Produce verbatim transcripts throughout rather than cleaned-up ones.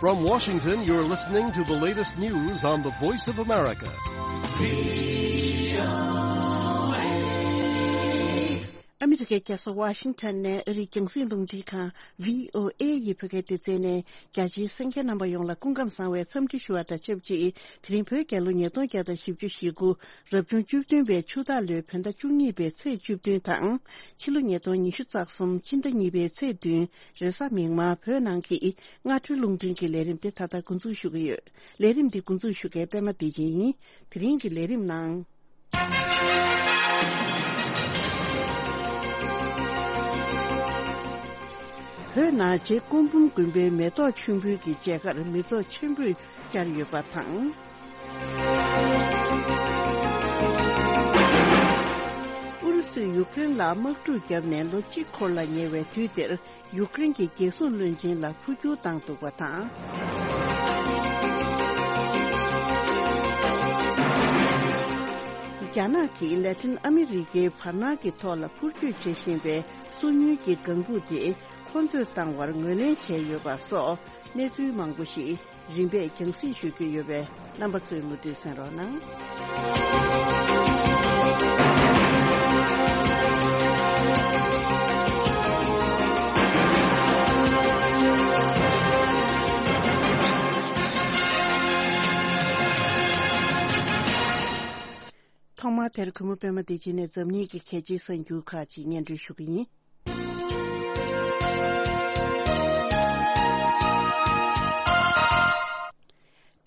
From Washington, you're listening to the latest news on the Voice of America. ཨ་མི་རི་ཀའི་རྒྱལ་ས་ཝ་ཤིང་ཊོན་ནས་ཨ་རིའི་རྒྱང་སྲིང་རླུང་འཕྲིན་ཁང་བྷི་ཨོ་ཨེ་ཡི་བོད་སྐད་སྡེ་ཚན་ནས་རྒྱ་ཆེའི་གསན་མཁན་རྣམ་པ་ཡོངས་ལ་སྐུ་ཁམས་བཟང་བའི་འཚམས་འདྲི་ཞུ་བ་དང་ཆབས་ཅིག་དེ་རིང་བོད་རྒྱལ་ལོ་ཉིས་སྟོང་བརྒྱ་དང་བཞི་བཅུ་ཞེ་དགུ་རབ་བྱུང་བཅུ་བདུན་པའི་ཆུ་སྟག་ལོའི་བོད་ཟླ་བཅུ་གཉིས་པའི་ཚེས་བཅུ་བདུན་དང་། ཕྱི་ལོ་ཉིས་སྟོང་ཉི་ཤུ་རྩ་གསུམ་སྤྱི་ཟླ་གཉིས་པའི་ཚེས་བདུན་རེས་གཟའ་མིག་དམར་བོད་ནང་གི་སྔ་དྲོའི་རླུང་འཕྲིན་གྱི་ལས་རིམ་དེ་ད་ལྟ་འགོ་འཛུགས་ཞུ་གི་ཡོད། ལས་རིམ་འདི་འགོ་འཛུགས་ཞུ་མཁན་པད་མ་བདེ་ཆེན་ཡིན། དེ་རིང་གི་ལས་རིམ་ནང་། བོད་ནང་རྗེ་སྐུ་འབུམ་དགོན་པའི་མེ་ཏོག་མཆོད་འབུལ་གྱི་མཇལ་ཁར་མི་ཚོགས་ཆེན་པོས་བཅར་ཡོད་པ་དང་། ཨུ་རུ་སུས་ཡུཀ་རེན་ལ་དམག་འཁྲུག་བརྒྱབ་ནས་ལོ་གཅིག་འཁོར་ལ་ཉེ་བའི་དུས་འདིར། ཡུཀ་རེན་གྱི་རྒྱལ་སྲུང་བློན་ཆེན་ལ་འཕོ་འགྱུར་བཏང་འདུག་པ་དང་། རྒྱ་ནག་གིས་ལ་ཏིན་ཨ་མི་རི་ཀའི་བར་སྣང་གི་ཐོག་ལ་འཕུར་སྐྱོད་བྱེད་བཞིན་པའི་སོ་ཉུལ་གྱི་ལྒང་བུ་དེ་ཁོ་ཚོས་བཏང་བར་ངོས་ལེན་བྱས་ཡོད་པ་སོགས་གནས་ཚུལ་མང་པོ་ཞིག་རིམ་པས་རྒྱང་སྲིང་ཞུ་རྒྱུ་ཡོད་པས་རྣམ་པ་ཚོས་མུ་མཐུད་གསན་རོགས་གནང་། ཐོག་མར་དེར་གུས་མོ་པད་མ་བདེ་ཆེན་ནས་འཛམ་གླིང་གི་གལ་ཆེའི་གསར་འགྱུར་ཁག་ཅིག་སྙན་སྒྲོན་ཞུ་གི་ཡིན།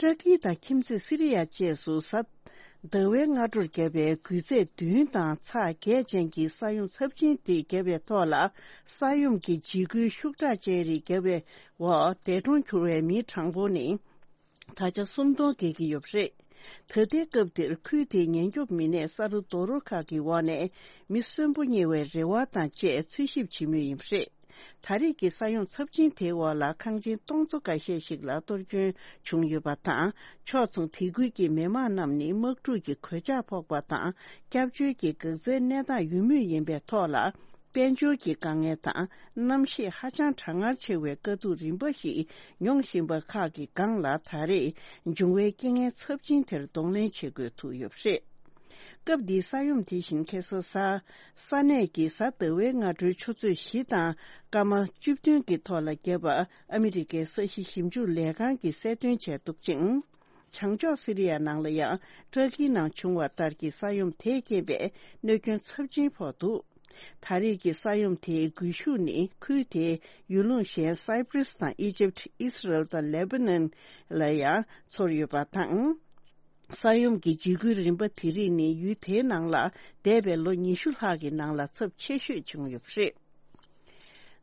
ཏུར་ཀི་དང་ཁྱིམ་མཚེས་སི་རི་ཡ་བཅས་སུ་གཟའ་ཟླ་བའི་སྔ་དྲོར་བརྒྱབ་པའི་རྒུད་ཚད་བདུན་དང་ཚེག་བརྒྱད་ཅན་གྱི་ས་ཡོམ་ཚབས་ཆེན་དེ་བརྒྱབ་པའི་ཐོག་ལ། ས་ཡོམ་གྱི་འཇིགས་སྐུལ་ཤུགས་དྲག་ཅན་རིགས་བརྒྱབ་པའི་འོག་འདས་གྲོངས་གྱུར་བའི་མིའི་གྲངས་འབོར་ནི། ད་ཆ་སུམ་སྟོང་བརྒལ་གྱི་ཡོད་པ་རེད། ད་ལྟའི་སྐབས་འདིར་ཁུལ་དེའི་ཉེན་སྐྱོབ་མི་སྣས་ས་རུ་རྡོ་རོ་ཁག་གི་འོག་ནས་མི་གསོན་པོ་རྙེད་པའི་རེ་བ་དང་བཅས་འཚོལ་ཞིབ་བྱེད་མུས་ཡིན་པ་རེད། ད་རེས་ཀྱི་ས་ཡོམ་ཚབས་ཆེན་དེའི་འོག་ལ་ཁང་ཆེན་སྟོང་ཚོ་འགའ་ཤས་ཤིག་ལ་གཏོར་སྐྱོན་བྱུང་ཡོད་པ་དང་། ཕྱོགས་མཚུངས་དེ་ཁུལ་གྱི་མི་མང་རྣམས་ནི་དམག་འཁྲུག་གི་གོད་ཆག་ཕོག་པ་དང་། སྐྱབས་བཅོལ་གྱི་འགག་རྩའི་གནས་སྟངས་ཡོད་མུས་ཡིན་པའི་ཐོག་ལ། དཔལ་འབྱོར་གྱི་དཀའ་ངལ་དང་། གནམ་གཤིས་ཧ་ཅང་གྲང་ངར་ཆེ་བའི་དཀའ་སྡུག་རིམ་པ་ཞིག་མྱོང་བཞིན་པ་ཁག་གི་སྒང་ལ། ད་རེས་འབྱུང་བའི་རྐྱེན་ངན་ཚབས་ཆེན་དེར་གདོང་ལེན་བྱེད་དགོས་ཐུག་ཡོད་པ་རེད། སྐབས་འདིའི་ས་ཡོམ་དེ་བཞིན་ཁ་སང་གཟའ། ས་གནས་ཀྱི་གཟའ་ཟླ་བའི་སྔ་དྲོའི་ཆུ་ཚོད་བཞི་དང་སྐར་མ་བཅུ་བདུན་གྱི་ཐོག་ལ་བརྒྱབ་པ་ཨ་མི་རི་ཀའི་ས་གཞི་ཞིབ་འཇུག་ལས་ཁང་གིས་གསལ་སྟོན་བྱས་འདུག་ཅིང་། བྱང་ཕྱོགས་སི་རི་ཡ་ནང་ལ་ཡང་ཏུར་ཀིའི་ནང་བྱུང་བ་ལྟར་གྱི་ས་ཡོམ་དེས་རྐྱེན་པས་གནོད་སྐྱོན་ཚབས་ཆེན་ཕོག་འདུག་ད་རེས་ཀྱི་ས་ཡོམ་དེའི་སྒུལ་ཤུགས་ནི་ཁུལ་དེའི་ཡུལ་ལུང་གཞན་སའི་པྲིས་དང་ཨི་ཇིབ། ཨི་སི་རལ་དང་ལེ་བྷ་ནན་ལ་ཡང་ཚོར་ཡོད་པ་དང་། ས་ཡོམ་གྱི་འཇིགས་སྐུལ་རིམ་པ་དེ་རིགས་ནི་ཡུལ་དེའི་ནང་ལ་འདས་པའི་ལོ་ཉི་ཤུ་ལྷག་གི་ནང་ལ་ཚབས་ཆེ་ཤོས་བྱུང་ཡོད་པ་རེད།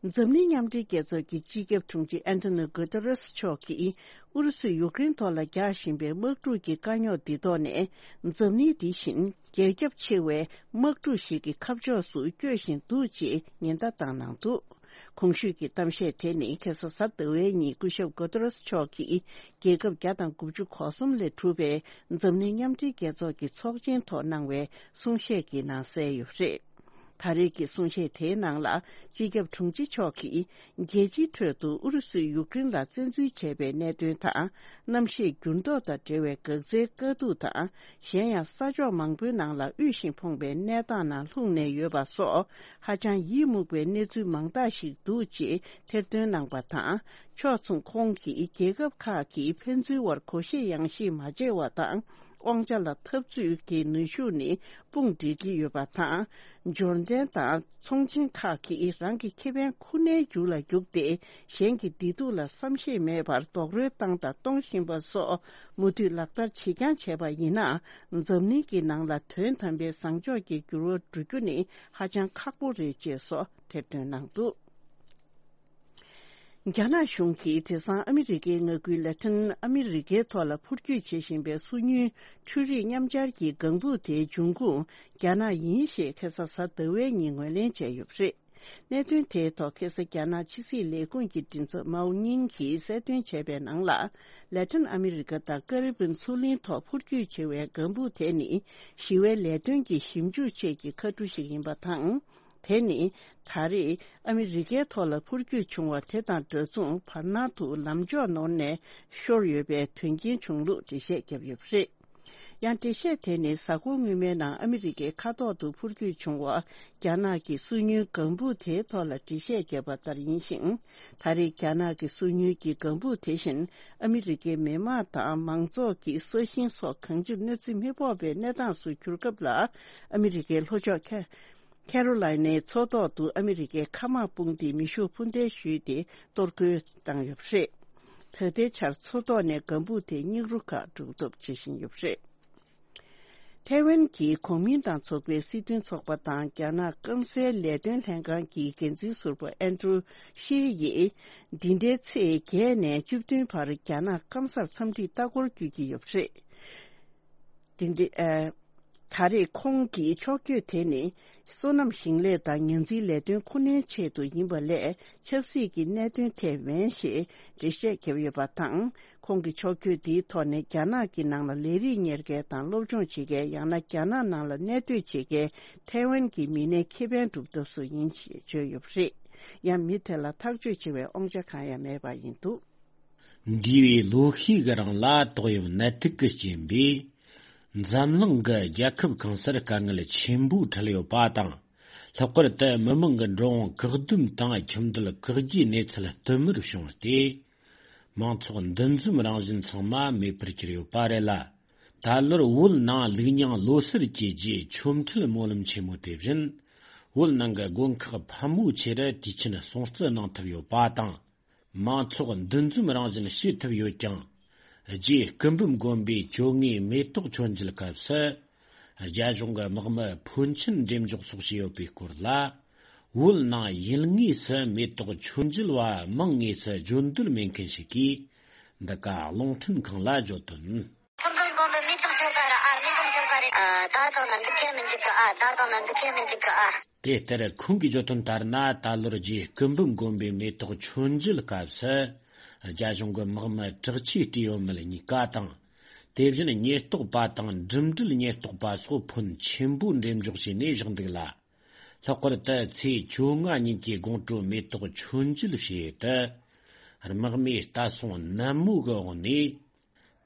འཛམ་གླིང་མཉམ་འབྲེལ་རྒྱལ་ཚོགས་ཀྱི་སྤྱི་ཁྱབ་དྲུང་ཆེ་ཨན་ཏོ་ནི་གུ་ཏེ་རེས་མཆོག་གིས་ཨུ་རུ་སུས་ཡུཀ་རེན་ཐོག་ལ་རྒྱག་བཞིན་པའི་དམག་འཁྲུག་གི་དཀའ་རྙོག་འདི་ཐོག་ནས། འཛམ་གླིང་འདི་བཞིན་རྒྱ་ཁྱབ་ཆེ་བའི་དམག་འཁྲུག་ཞིག་གི་ཁ་ཕྱོགས་སུ་བསྐྱོད་བཞིན་འདུག་ཅེས་ཉེན་བརྡ་བཏང་གནང་འདུག་གོང་ཞུས་ཀྱི་གཏམ་བཤད་དེ་ནི་ཁ་སང་གཟའ་ཟླ་བའི་ཉིན་སྐུ་ཞབས་གུ་ཏེ་རེས་མཆོག་གིས་རྒྱལ་ཁབ་བརྒྱ་དང་དགུ་བཅུ་གོ་གསུམ་ལས་གྲུབ་པའི་འཛམ་གླིང་མཉམ་འབྲེལ་རྒྱལ་ཚོགས་ཀྱི་ཚོགས་ཆེན་ཐོག་གནང་བའི་གསུང་བཤད་ཀྱི་ནང་གསལ་ཡོད་པ་རེད། ད་རེས་ཀྱི་གསུང་བཤད་དེའི་ནང་ལ། སྤྱི་ཁྱབ་དྲུང་ཆེ་མཆོག་གིས། རྒྱལ་སྤྱིའི་ཁྲོད་དུ་ཨུ་རུ་སུས་ཡུཀ་རེན་ལ་བཙན་འཛུལ་བྱས་པའི་གནད་དོན་དང་། གནམ་གཤིས་འགྱུར་ལྡོག་དང་འབྲེལ་བའི་འགག་རྩའི་དཀའ་སྡུག་དང་། གཞན་ཡང་ས་ཕྱོགས་མང་པོའི་ནང་ལ་དབུལ་ཞིང་ཕོངས་པའི་གནས་སྟངས་ནང་ལྷུང་ནས་ཡོད་པ་སོགས། ཧ་ཅང་ཡིད་མུག་པའི་གནས་ཚུལ་མང་དག་ཞིག་འདུག་ཅེས་ཐེར་འདོན་གནང་པ་དང་། ཕྱོགས་མཚུངས་ཁོང་གིས་རྒྱལ་ཁབ་ཁག་གིས་ཕན་ཚུན་དབར་གོ་ཤེས་ཡང་ཤེས་མ་བྱས་པ་དང་། དབང་ཆ་ལ་འཐབ་རྩོད་ཀྱི་ནུས་ཤུགས་ནི་དཔུང་སྒྲིག་གི་ཡོད་པ་དང་། འབྱོར་ལྡན་དང་ཚོང་ཆེན་ཁག་གིས་རང་གི་ཁེ་ཕན་ཁོ་ནའི་རྒྱུ་ལ་རྒྱུགས་ཏེ། གཞན་གྱི་བདེ་སྡུག་ལ་བསམ་ཤེས་མེད་པར་རྡོག་རོལ་བཏང་དང་གཏོང་བཞིན་པ་སོགས་མུ་མཐུད་ལག་བསྟར་ཇི་འགྱངས་བྱས་པ་ཡིན་ན། འཛམ་གླིང་གི་ནང་ལ་དོན་དམ་པའི་བཟང་ཕྱོགས་ཀྱི་འགྱུར་བ་འགྲོ་རྒྱུ་ནི་ཧ་ཅང་ཁག་པོ་རེད་ཅེས་སོགས་ཐེར་འདོན་གནང་འདུག་རྒྱ་ནག་གཞུང་གིས་དེང་སང་ཨ་མི་རི་ཀའི་མངའ་ཁུལ་ལ་ཏིན་ཨ་མི་རི་ཀའི་ཐོག་ལ་འཕུར་སྐྱོད་བྱེད་བཞིན་པའི་སོ་ཉུལ་འཕྲུལ་རིག་མཉམ་སྦྱར་གྱི་ལྒང་བུ་དེའི་འབྱུང་ཁུངས་རྒྱ་ནག་ཡིན་ཞེས་ཁ་སང་གཟའ་ཟླ་བའི་ཉིན་ངོས་ལེན་བྱས་ཡོད་པ་རེད། གནད་དོན་དེའི་ཐོག་ཁ་སང་རྒྱ་ནག་ཕྱི་སྲིད་ལས་ཁུངས་ཀྱི་མགྲིན་ཚབ་མའོ་ཉིང་གིས་གསལ་སྟོན་བྱས་པའི་ནང་ལ། ལ་ཏིན་ཨ་མི་རི་ཀ་དང་ཀ་རི་བིན་མཚོ་གླིང་ཐོག་འཕུར་སྐྱོད་བྱེད་པའི་ལྒང་བུ་དེ་ནི་ཞི་བའི་ལས་དོན་གྱི་ཞིབ་འཇུག་ཆེད་ཀྱི་ཁ་གྲུ་ཞིག་ཡིན་པ་དང་། དེ་ནི་ད་རེས་ཨ་མི་རི་ཀའི་ཐོག་ལ་འཕུར་སྐྱོད་བྱུང་བ་དེ་དང་འདྲ་མཚུངས་བར་སྣང་དུ་ལམ་འཇོག་ནོར་ནས་ཤོར་ཡོད་པའི་དོན་རྐྱེན་བྱུང་ལུགས་འགྲེལ་བཤད་བརྒྱབ་ཡོད་པ་རེད། ཡང་འགྲེལ་བཤད་དེ་ནི་གཟའ་འཁོར་སྔོན་མའི་ནང་ཨ་མི་རི་ཀའི་མཁའ་ཐོག་ཏུ་འཕུར་སྐྱོད་བྱུང་བ་རྒྱ་ནག་གི་སོ་ཉུལ་ལྒང་བུ་དེའི་ཐོག་ལ་འགྲེལ་བཤད་བརྒྱབ་པ་ལྟར་ཡིན་ཞིང་། ད་རེས་རྒྱ་ནག་གི་སོ་ཉུལ་གྱི་ལྒང་བུ་དེ་བཞིན་ཨ་མི་རི་ཀའི་མི་དམངས་དང་མང་ཚོགས་ཀྱི་ས་ཞིང་སོགས་གང་ཅིར་གནོད་འཚེ་མི་ཕོག་པའི་གནས་སྟངས་སུ་གྱུར་སྐབས་ལ། ཨ་མི་རི་ཀའི་ལྷོ་ཕྱོགས་ཁེ་ཁེ་རོ་ལའི་ནའི་མཚོ་ཐོག་ཏུ་ཨ་མི་རི་ཀའི་མཁའ་དམག་དཔུང་སྡེས་མེ་ཤུགས་འཕུར་མདེལ་གཞུས་ཏེ་གཏོར་རྒོལ་བཏང་ཡོད་པ་རེད། ད་ལྟའི་ཆར་མཚོ་ཐོག་ནས་ལྒང་བུ་དེ་སྙིགས་རོ་ཁག་སྒྲུག་ཐབས་བྱེད་བཞིན་ཡོད་པ་རེད། ཐའེ་ཝན་གྱི་གོང་མིན་ཏང་ཚོགས་པའི་སྲིད་དོན་ཚོགས་པ་དང་རྒྱ་ནག་སྐམ་སའི་ལས་དོན་ལྷན་ཁང་གི་འགན་འཛིན་ཟུར་པ་ཨན་ཀྲུའུ་ཤི་ཡིས། འདི་ཟླའི་ཚེས་བརྒྱད་ནས་བཅུ་བདུན་བར་རྒྱ་ནག་སྐམ་སར་འཚམས་འདྲིའི་ལྟ་སྐོར་བསྐྱོད་ཀྱི་ཡོད་པ་རེད། འདི་འདི། ཨ། ད་རེས་ཁོང་གི་ཕྱོགས་བསྐྱོད་དེ་ནི། སོ་ནམ་ཞིང་ལས་དང་ཉ་འཛིན་ལས་དོན་ཁུ་ནན་ཆེད་དུ་ཡིན་པ་ལས་ཆབ་སྲིད་ཀྱི་གནད་དོན་ཐད་མིན་ཞེས་འགྲེལ་བཤད་བརྒྱབ་ཡོད་པ་དང་། ཁོང་གི་ཕྱོགས་བསྐྱོད་འདིའི་ཐོག་ནས་རྒྱ་ནག་གི་ནང་ལ་ལས་རིགས་གཉེར་མཁན་དང་སློབ་སྦྱོང་བྱེད་མཁན། ཡང་ན་རྒྱ་ནག་ནང་ལ་གནས་སྡོད་བྱེད་མཁན་ཐའེ་ཝན་གྱི་མི་སྣའི་ཁེ་ཕན་སྒྲུབ་ཐབས་སུ་ཡིན་ཞེས་བརྗོད་ཡོད་པ་རེད། ཡང་མི་དེ་ལ་ཐག་གཅོད་བྱེད་པའི་དབང་ཆ་གང་ཡང་མེད་པ་ཡིན་འདུག། འདས་པའི་ལོ་ཤས་ཀྱི་རིང་ལ་ཏོག་དབྱིབས་ནད་དུག་གི་རྐྱེན་པས། འཛམ་གླིང་གི་རྒྱལ་ཁབ་གང་སར་དཀའ་ངལ་ཆེན་པོ་འཕྲད་ཡོད་པ་དང་། ལྷག་པར་དུ་མི་མང་གི་འགྲོ་འོང་བཀག་སྡོམ་དང་ཁྱིམ་སྡོད་བཀག་རྒྱའི་གནས་ཚུལ་བསྟུད་མར་བྱུང་སྟེ། མང་ཚོགས་འདུ་འཛོམས་རང་བཞིན་ཚང་མ་མེད་པར་གྱུར་ཡོད་པ་རེད་ལ། ད་ལོར་བོད་ནང་ལུགས་རྙིང་ལོ་གསར་གྱི་རྗེས་ཆོ་འཕྲུལ་སྨོན་ལམ་ཆེན་མོ་དེ་བཞིན། བོད་ནང་གི་དགོན་ཁག་ཕལ་མོ་ཆེར་དུས་ཆེན་སྲུང་བརྩི་གནང་ཐུབ་ཡོད་པ་དང་། མང་ཚོགས་འདུ་འཛོམས་རང་བཞིན་བྱེད་ཐུབ་ཡོད་ཀྱང་། རྗེ་སྐུ་འབུམ་དགོན་པའི་བཅོ་ལྔའི་མེ་ཏོག་མཆོད་མཇལ་སྐབས་སུ། རྒྱ་གཞུང་གི་དམག་མི་ཕོན་ཆེན་འགྲེམས་འཇོག་སོགས་བྱས་ཡོད་པའི་སྐོར་ལ། བོད་ནང་ཡུལ་དངོས་སུ་མེ་ཏོག་མཆོད་མཇལ་བ་མིང་དངོས་སུ་བརྗོད་འདོད་མེད་མཁན་ཞིག་གིས། འདི་ག་རླུང་འཕྲིན་ཁང་ལ་བརྗོད་དོན། སྐུ་འབུམ་དགོན་པའི་མེ་ཏོག་མཆོད་པ་ར་ཨ། མེ་ཏོག་མཆོད་པ་རེད། ཨ། ད་དང་ན་འདུག་ཁྱེར་མི་འཇུག་གི་ཨ། ད་དང་ན་འདུག་ཁྱེར་མི་འཇུག་གི་ཨ། དེ་ལྟར་ཁོང་གིས་བརྗོད་དོན་ལྟར་ན། ད་ལོར་རྗེ་སྐུ་འབུམ་དགོན་པའི་མེ་ཏོག་མཆོད་མཇལ་སྐབས་སུ། རྒྱ་གཞུང་གི་དམག་མི་དྲག་ཆས་སྤྲས་ཡོད་མེད་གཉིས་ཀ་དང་། དེ་བཞིན་ཉེན་རྟོག་པ་དང་འགྲིམ་འགྲུལ་ཉེན་རྟོག་པ་སོགས་ཕོན་ཆེན་པོ་འགྲེམས་འཇོག་བྱས་ནས་བཞག་འདུག་ལ། ལྷག་པར་དུ་ཚེས་བཅོ་ལྔ་ཉིན་གྱི་དགོང་དྲོ་མེ་ཏོག་མཆོད་མཇལ་བྱེད་ཡུལ་དུ། དམག་མིས་ལྟ་སྲུང་ནན་མོ་གི་འོག་ནས།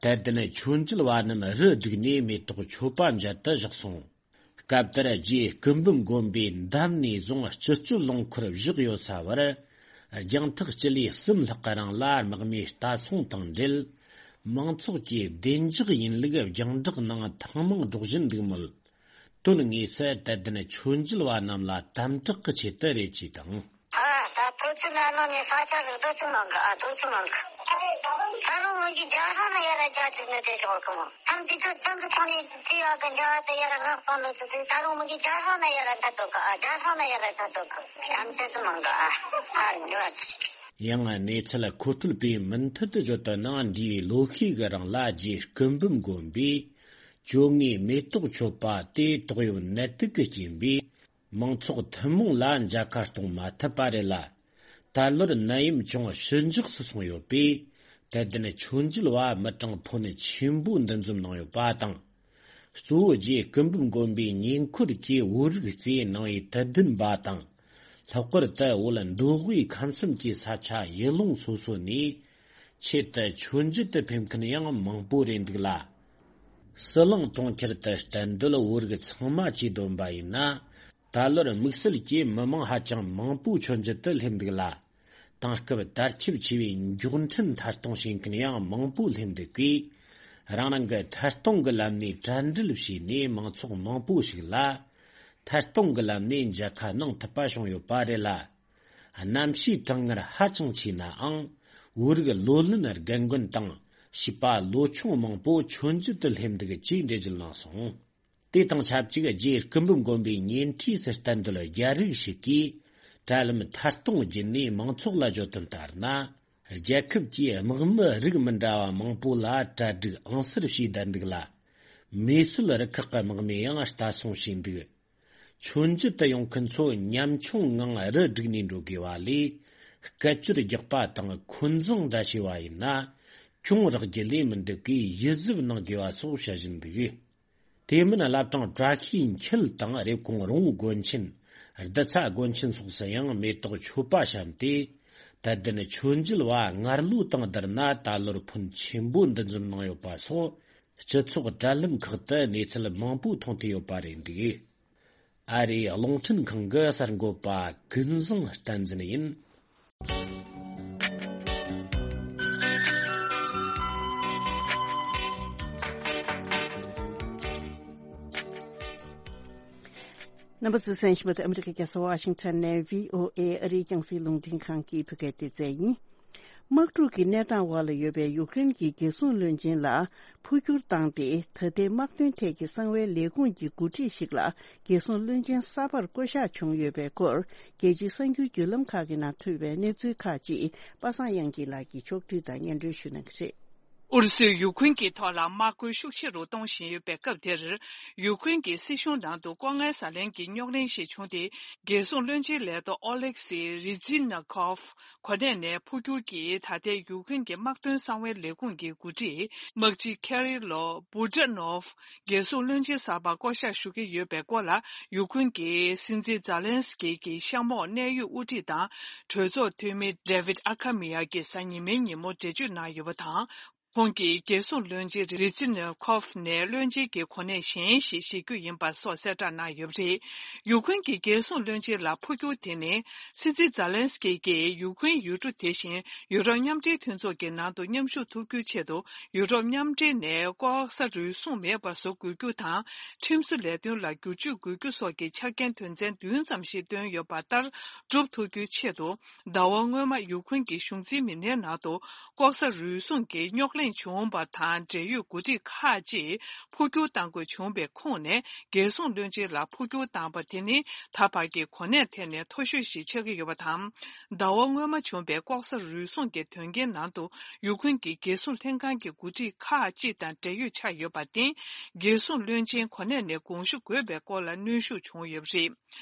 དད་ལྡན་མཆོད་མཇལ་བ་རྣམས་རུ་བསྒྲིགས་ནས་མེ་ཏོག་མཆོད་པ་མཇལ་དུ་བཞག་སོང་། སྐབས་དེར་རྗེ་སྐུ་འབུམ་དགོན་པའི་འདབས་ནས་བཟུང་སྤྱི་སྤྱོད་རླངས་འཁོར་བཞག་ཡོད་ས་བར། རྒྱང་ཐག་སྤྱི་ལེ་གསུམ་ལྷག་གི་རིང་ལ་དམག་མིའི་ལྟ་སྲུང་དང་འབྲེལ། མང་ཚོགས་ཀྱིས་བདེ་འཇགས་ཡིན་ལུགས་རྒྱང་བསྒྲགས་ནང་ཐེངས་མང་སྒྲོག་བཞིན་འདུག་མོད། དོན་དངོས་སུ་དད་ལྡན་མཆོད་མཇལ་བ་རྣམས་ལ་དམ་དྲག་གི་ཆེད་དུ་རེད་ཅེས་དང་། ཨ། ད་ཐོ་ཚུ་ན་ནོ་ནི་ས་ཆ་རུ་དོ་ཚུ་མང་གི་ཨ། དོ་ཚུ་མང་གི། ད་རུང་མོ་གི་རྒྱ་སྲང་ན་ཡ་ར་རྒྱ་ཅིག་ནི་དེ་ཞོག་གི་མོ། ཐམ་དེ་ཚོ་ཚང་གི་ཚོང་ནི་ཚི་ཡ་གི་འཇའ་བ་དེ་ཡ་ར་ངག་ཚོང་ནོ་ཚུ་དེ། ད་རུང་མོ་གི་རྒྱ་སྲང་ན་ཡ་ར་ད་དོ་གི་ཨ། རྒྱ་སྲང་ན་ཡ་ར་ད་དོ་གི། ཨམ་ཚེ་ཚུ་མང་གི་ཨ། ཨ་འདྲ་བ་ཚི། ཡང་གནས་ཚུལ་མཁོ་སྤྲོད་པས་མུ་མཐུད་དུ་བརྗོད་དོན་ནང་། འདས་པའི་ལོ་ཤས་ཀྱི་རིང་ལ་རྗེ་སྐུ་འབུམ་དགོན་པའི་བཅོ་ལྔའི་མེ་ཏོག་མཆོད་པ་དེ་ཏོག་དབྱིབས་ནད་དུག་གི་རྐྱེན་པས། མང་ཚོགས་ཐུན་མོང་ལ་མཇལ་ཁ་གཏོང་མ་ཐུབ་པ་རེད་ལ། ད་ལོར་ནད་ཡམས་ཅུང་ཞི་འཇགས་སུ་སོང་ཡོད་པས། དད་ལྡན་མཆོད་མཇལ་བ་མི་གྲངས་ཕོན་ཆེན་པོ་འདུ་འཛོམས་གནང་ཡོད་པ་དང་། གཙོ་བོ་རྗེ་སྐུ་འབུམ་དགོན་པའི་ཉེ་འཁོར་གྱི་བོད་རིགས་གཙོས་ནང་པའི་དད་ལྡན་པ་དང་། ལྷག་པར་དུ་བོད་མདོ་དབུས་ཁམས་གསུམ་གྱི་ས་ཆ་ཡུལ་ལུང་སོ་སོ་ནས་ཆེད་དུ་མཆོད་མཇལ་དུ་ཕེབས་མཁན་ཡང་མང་པོ་རེད་འདུག་ལ། ཟི་ལིང་གྲོང་ཁྱེར་དུ་གཏན་སྡོད་བོད་རིགས་ཚང་མ་བཅས་བསྡོམས་པ་ཡིན་ན། ད་ལོར་དམིགས་བསལ་གྱིས་མི་མང་ཧ་ཅང་མང་པོ་མཆོད་མཇལ་དུ་སླེབས་འདུག་ལ། དེང་སྐབས་དར་ཁྱབ་ཆེ་བའི་མགྱོགས་འཕྲིན་ཐད་གཏོང་བྱེད་མཁན་ཡང་མང་པོ་སླེབས་འདུག་གས། རང་རང་གི་ཐད་གཏོང་གི་ལམ་ནས་གྲ་སྒྲིག་བྱས་ནས་མང་ཚོགས་མང་པོ་ཞིག་ལ་ཐད་གཏོང་གི་ལམ་ནས་མཇལ་ཁ་གནང་ཐུབ་པ་བྱུང་ཡོད་པ་རེད་ལ། གནམ་གཤིས་གྲང་ངར་ཧ་ཅང་ཆེ་ནའང་། བོད་རིགས་ལོ་ལོན་རྒན་རྒོན་དང་བྱིས་པ་ལོ་ཆུང་མང་པོ་མཆོད་མཇལ་དུ་སླེབས་འདུག་ཅེས་འགྲེལ་བརྗོད་གནང་སོང་། དེ་དང་ཆབས་ཅིག་རྗེ་སྐུ་འབུམ་དགོན་པའི་ཉེ་འཁྲིས་སུ་གཏན་སྡོད་རྒྱ་རིགས་ཤིག་གིས་དྲ་ལམ་ཐད་གཏོང་བརྒྱུད་ནས་མང་ཚོགས་ལ་བརྗོད་དོན་ལྟར་ན། རྒྱལ་ཁབ་ཀྱིས་དམག་མི་རིགས་མི་འདྲ་བ་མང་པོ་ལ་གྲ་སྒྲིག་ཨང་གསར་བྱས་བསྡད་འདུག་ལ། མེ་གསོད་རུ་ཁག་གི་དམག་མིས་ཡང་ལྟ་སྲུང་བྱས་འདུག་མཆོད་མཇལ་དུ་ཡོང་མཁན་ཚོ་ཉམ་ཆུང་ངང་རུ་བསྒྲིགས་ནས་འགྲོ་དགོས་པ་ལས། སྐད་ཅོར་རྒྱག་པ་དང་འཁོན་འཛིང་འདྲ་བྱས་པ་ཡིན་ན། གྱོང་རག་རྒྱུ་ལས་མི་འདུག་གས། ཡིད་གཟབ་གནང་དགོས་པ་སོགས་བཤད་བཞིན་འདུག་དེ་མིན་བླ་བྲང་བཀྲ་ཤིས་འཁྱིལ་དང་རེབ་གོང་རོང་བོ་དགོན་ཆེན། རྡུལ་ཚ་སྒོ་ཆེན་སོགས་སུ་ཡང་མེ་ཏོག་མཆོད་པ་བཤམས་ཏེ། དད་ལྡན་མཆོད་མཇལ་བ་སྔར་ལོ་དང་བསྡུར་ན་ད་ལོར་ཕོན་ཆེན་པོ་འདུ་འཛོམས་གནང་ཡོད་པ་སོགས། སྤྱི་ཚོགས་དྲ་ལམ་ཁག་ཏུ་གནས་ཚུལ་མང་པོ་མཐོང་ཐུབ་ཡོད་པ་རེད་འདུག། ཨ་རིའི་རླུང་འཕྲིན་ཁང་གི་གསར་འགོད་པ་ཀུན་བཟང་བསྟན་འཛིན་ཡིན། རྣམ་པ་ཚོས་གསན་བཞིན་པ་དེ་ཨ་མི་རི་ཀའི་རྒྱལ་ས་ཝ་ཤིང་ཊོན་ནས་བྷི་ཨོ་ཨེ་ཨ་རིའི་རྒྱང་སྲིང་རླུང་འཕྲིན་ཁང་གི་བོད་སྐད་སྡེ་ཚན་ཡིན། དམག་འཁྲུག་གི་གནས་སྟངས་འོག་ལ་ཡོད་པའི་ཡུཀ་རེན་གྱི་རྒྱལ་སྲུང་བློན་ཆེན་ལ་འཕོ་འགྱུར་བཏང་སྟེ། ད་ལྟའི་དམག་དོན་ཐད་ཀྱི་གསང་བའི་ལས་ཁུངས་ཀྱི་འགོ་ཁྲིད་ཞིག་ལ་རྒྱལ་སྲུང་བློན་ཆེན་གསར་པར་བསྐོ་གཞག་བྱུང་ཡོད་པའི་སྐོར། རྒྱལ་སྤྱིའི་གསར་འགྱུར་བརྒྱུད་ལམ་ཁག་གི་ནང་ཐོན་པའི་གནས་ཚུལ་ཁག་ཅིག་པ་སངས་དབྱངས་སྐྱིད་ལགས་ཀྱིས་ཕྱོགས་བསྒྲིགས་དང་སྙན་སྒྲོན་ཞུ་གནང་གི་རེད། ཨུ་རུ་སུས་ཡུ་ཁུན་གྱི་ཐོག་ལ་དམག་རྒོལ་ཤུགས་ཆེ་རུ་གཏོང་བཞིན་ཡོད་པའི་སྐབས་དེར། ཡུ་ཁུན་གྱི་སྲིད་གཞུང་ནང་དུ་ལྐོག་རྔན་ཟ་ལེན་གྱི་རྙོག་གླེང་ཞིག་བྱུང་སྟེ། རྒྱལ་སྲུང་བློན་ཆེན་ལས་ཐོག་ཨོ་ལེག་སི་རི་ཛི་ན་ཁོབ་གོ་གནས་ནས་འཕོ་འགྱུར་གྱིས། ད་ལྟའི་ཡུ་ཁུན་གྱི་དམག་དོན་གསང་བའི་ལས་ཁུངས་ཀྱི་འགོ་ཁྲིད་དམག་སྤྱི་ཁེ་རི་ལོ་བུ་ཏྲ་ནོབ་རྒྱལ་སྲུང་བློན་ཆེན་གསར་པ་བསྐོ་གཞག་ཞུ་གི་ཡོད་པའི་སྐོར་ལ། ཡུ་ཁུན་གྱི་སྲིད་འཛིན་ཛཱ་ལན་སི་ཀི་གི་གཤམ་འོག་གནད་ཡོད་དབུ་ཁྲིད་དང་གྲོས་ཚོགས་འཐུས་མི་ཌེ་ཝིད་ཨ་ཁ་མི་ཡ་གིས་གཟའ་ཉི་མའི་ཉིན་མོ་འགྲེལ་བརྗོད་གནང་ཡོད་པ་དང་། ཁོང་གིས་རྒྱལ་སྲུང་བློན་ཆེན་རི་ཛི་ནེ་ཁོབ་ནས་བློན་ཆེན་གྱི་གོ་གནས་གཞན་ཞིག་བཞེས་རྒྱུ་ཡིན་པ་སོགས་གསལ་བསྒྲགས་གནང་ཡོད་པ་རེད། ཡུ་ཁུན་གྱི་རྒྱལ་སྲུང་བློན་ཆེན་ལ་འཕོ་འགྱུར་དེ་ནི། སྲིད་འཛིན་ཛཱ་ལན་སི་ཀི་གིས་ཡུ་ཁུན་ཡུལ་གྲུ་དེ་བཞིན་ཡུ་རོབ་མཉམ་འབྲེལ་མཐུན་ཚོགས་ཀྱི་ནང་དུ་མཉམ་ཞུགས་ཐུབ་རྒྱུའི་ཆེད་དུ། ཡུ་རོབ་མཉམ་འབྲེལ་ནས་ལྐོག་ཟ་རུལ་སུངས་མེད་པ་བཟོ་དགོས་རྒྱུ་དང་། ཁྲིམས་བཟོ་ལས་དོན་ལ་བསྒྱུར་བཅོས་དགོས་རྒྱུ་སོགས་ཀྱི་ཆ་རྐྱེན་དོན་ཚན་བདུན་ཙམ་ཞིག་བཏོན་ཡོད་པ་ལྟར་སྒྲུབ་ཐུབ་རྒྱུའི་ཆེད་དུ། ཟླ་བ་སྔོན་མ་ཡུ་ཁུན་གྱི་གཞུང་འཛིན་མི་སྣའི་ནང་དུ་ལྐོག་ཟ་རུལ་སུངས་ཀྱི་རྙོག་གླེང་བྱུང་བ་དང་འབྲེལ་ཡོད་འགོ་ཁྲིད་ཁག་ཅིག་འཕོ་འགྱུར་གཏང་དགོས་བྱུང་བའི་ཁོངས་ནས། རྒྱལ་སྲུང་བློན་ཆེན་ལ་འཕོ་འགྱུར་བཏང་པ་དེ་ནི་ད་བར་གྱི་གོ་གནས་ཐད་ནས་མཐོ་ཤོས་ཤིག་ཆགས་ཀྱི་ཡོད་པ་དང་། ཟླ་བ་སྔོན་མ་བྱུང་བའི་ལྐོག་ཟ་རུལ་སུངས་ཀྱི་དོན་རྐྱེན་ནང་དུ་ཡུ་ཁུན་གྱི་རྒྱལ་སྲུང་ལྷན་ཁང་གི་འགོ་ཁྲིད་ཁག་ཅིག་དང་འབྲེལ་ཡོད་ཆགས་ཡོད་པར་བརྟེན། རྒྱལ་སྲུང་བློན་ཆེན་གོ་གནས་ནས་དགོངས་ཞུ་དགོས་པའི་སྐོར་ལ་གནོན་ཤུགས་བྱུང་ཡོད་པ་རེད།